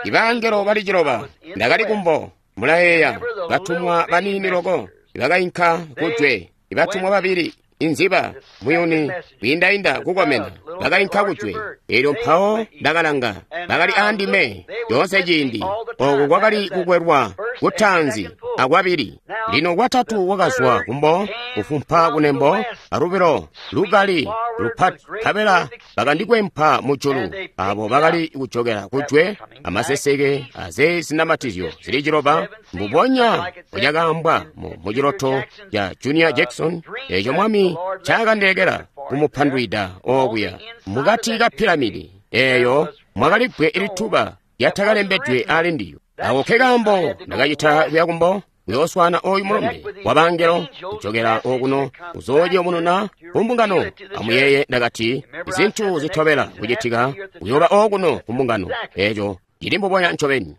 Ibangelo bali ciloba ndakali kumbo, mulayeeya, batumwa baniini loko ibakainka kujwe, ibatumwa babili inziba muyuni kwiindainda kukomena bakainka kujwe. Elyo mpawo ndakalanga, bakali aandime yoonse ciindi. Oku kwakali kukwelwa kutaanzi akwabili. Lino kwatatu wakazwa kumbo kufumpa kunembo alubilo lukali lupati, nkabela bakandikwempa mujulu. Abo bakali kujokela kujwe amaseseke aze zinamatizyo zili ciloba, mbubonya mbocakaambwa muciloto ca Junior Jackson eco Mwami ncaakandilekela kumupandwida okuya mukati ka piramidi eeyo mwakali bbwe lituba lyatakalembedwe ali ndiyo. Ako ke kaambo ndakacita kuya kumbo kuyooswana oyu mulumbe wa bangelo kujokela okuno kuzoociyubununa kumbungano. Amuyeeye ndakati izintu zitobela kucitika kuyooba okuno kumbungano. Eco cili mbubonya ncobeni.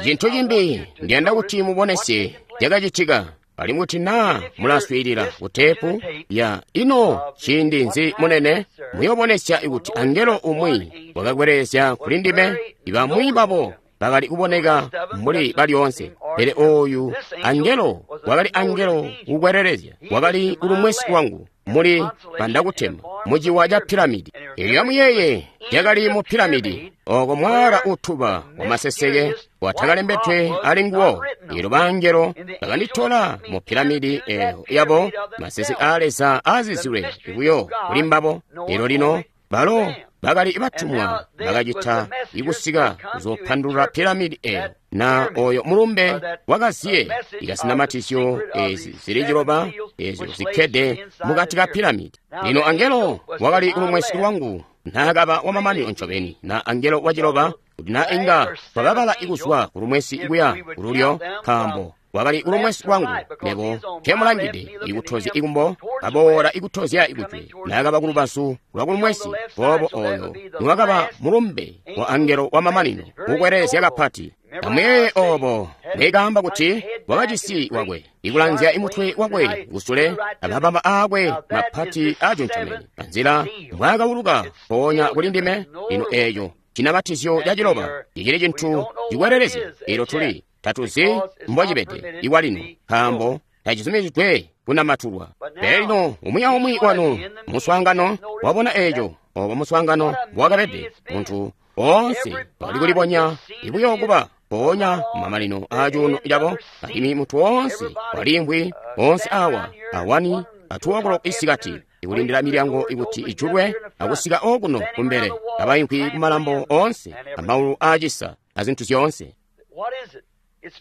Cintu cimbi ndiyanda kuti mubonesye cakacitika. Alimwi kuti naa mulaswiilila kuteepu ya Ino Ciindi Nzi Munene, muyoobonesya kuti angelo umwi wakakwelelezya kuli ndime. Ibamwi babo bakali kuboneka mbuli balyoonse, pele oyu angelo wakali angelo kukwelelezya, wakali kulumwesi wangu muli bandakutema muciwa ca piramidi. Elyo amuyeeye cakali mu piramidi oko mwala utuba wamaseseke watakalembedwe ali nguwo. Elyo bangelo bakanditola mu piramidi eyo yabo maseseke a Leza azizilwe buyo kuli mbabo. Elyo lino balo bakali batumwa bakacita ikusika kuzopandulula piramidi eyo na oyo mulumbe wakaziye ikazinamatizyo ezi zili ciloba ezyo zikkede mukati ka piramidi. Lino angelo wakali kulumwesi lwangu naakaba wamamanino ncobeni na angelo waciloba, kuti na inga twakabala ikuzwa kulumwesi kuya kululyo, nkaambo wakali kulumwesi lwangu mebo nkemulangide ikutozya ikumbo, aboola ikutozya ikujwe. Naakaba kulubazu lwa kulumwesi, boobo oyo niwakaba mulumbe wa angelo wamamanino kukwelelezya kapati. Amuyeeye obo mbwekaamba kuti wakajisi wakwe ikulanzya imutwe wakwe kusule amababa aakwe mapati aaconcomene anzila mbwaakawuluka mpoonya kuli ndime. Lino eeco cinamatizyo ca ciloba cicili cintu cikwelelezya. Elyo tuli tatuzi mbocibede ikwalino, nkaambo tacizumizidwe kunamatulwa. Pele lino umwi aumwi wanu muswaangano wabona eeco obo muswaangano mbowakabede. Muntu oonse wakali kulibonya ibuyo kuba mpoonya kumamanino aacuuno cabo, alimwi muntu woonse waliimvwi oonse awa awani atuokolo isikati. ikulindila milyango ikuti ijulwe akusika okuno kumbele, kabaimvwi kumalambo oonse, amaulu aacisa, azintu zyoonse.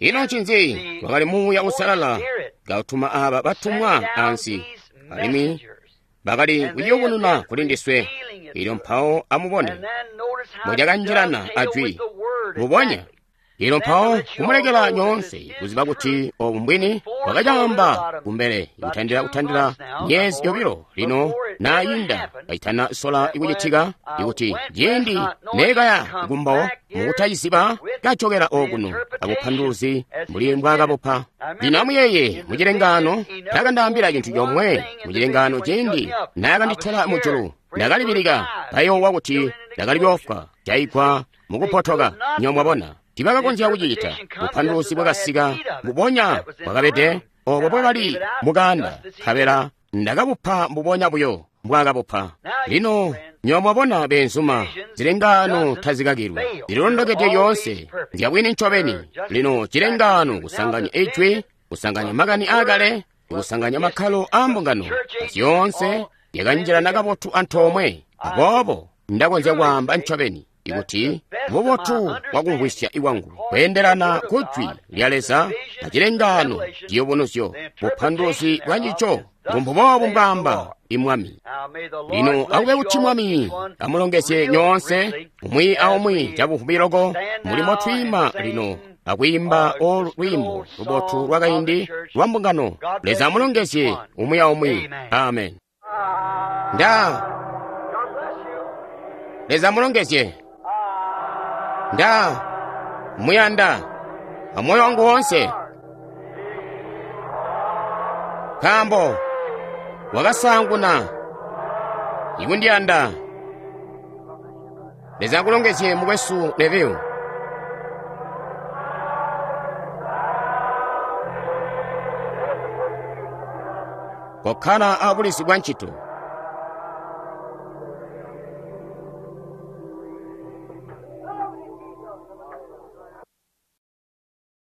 Ino ncinzi? Wakali Muuya Uusalala kautuma aaba batumwa ansi, alimwi bakali kuyubununa kuli ndiswe. Elyo mpawo amubone mbocakanjilana ajwi mubonya. Elyo mpawo kumulekela nyoonse kuziba kuti obu mbwini, wakacaamba kumbele kutandila myezi yobilo lino naayinda kaitana sola ikucitika, ikuti ciindi neekaya kumbo mukutaciziba kajokela okuno abupanduluzi mbuli mbwaakabupa. Lino amuyeeye mucilengaano taakandaambila cintu comwe mucilengaano ciindi naakanditola mujulu. Ndakalibilika, kayoowa kuti ndakali kuyoofwa jaigwa mukupotoka. Nyo mwabona, tibakakonzya kucicita. Bupanduluzi bwakasika mbubonya bwakabede obo bwakali mukanda, nkabela ndakabupa mbubonya buyo mbwaakabupa. Lino nyo mwabona beenzuma, zilengaano tazikakilwi, zililondokede lyoonse, nzyabwini ncobeni. Lino cilengaano kusanganya ijwi, kusanganya makani aakale, kusanganya makkalo aa mbungano, zyoonse zyakanjilana kabotu antoomwe. Aboobo ndakonzya kwaamba ncobeni ikuti bubotu bwakumvwisya kwangu kweendelana ku Jwi lya Leza acilengaano ciyubunuzyo, bupanduluzi bwancico mbumbuboobu mbwaamba Mwami. Lino akube kuti Mwami amulongezye nyoonse umwi aumwi cabuvubi loko mulimo twiima lino akwiimba olu lwiimbo lubotu lwakaindi lwa mbungano. Leza amulongezye umwi aumwi. Amen. Nda Leza amulongezye. Nda muyanda amoyo wangu woonse, nkaambo wakasaanguna ikundiyanda. Leza akulongezye mukwesu Neville. Kokkala abulizi bwa ncito.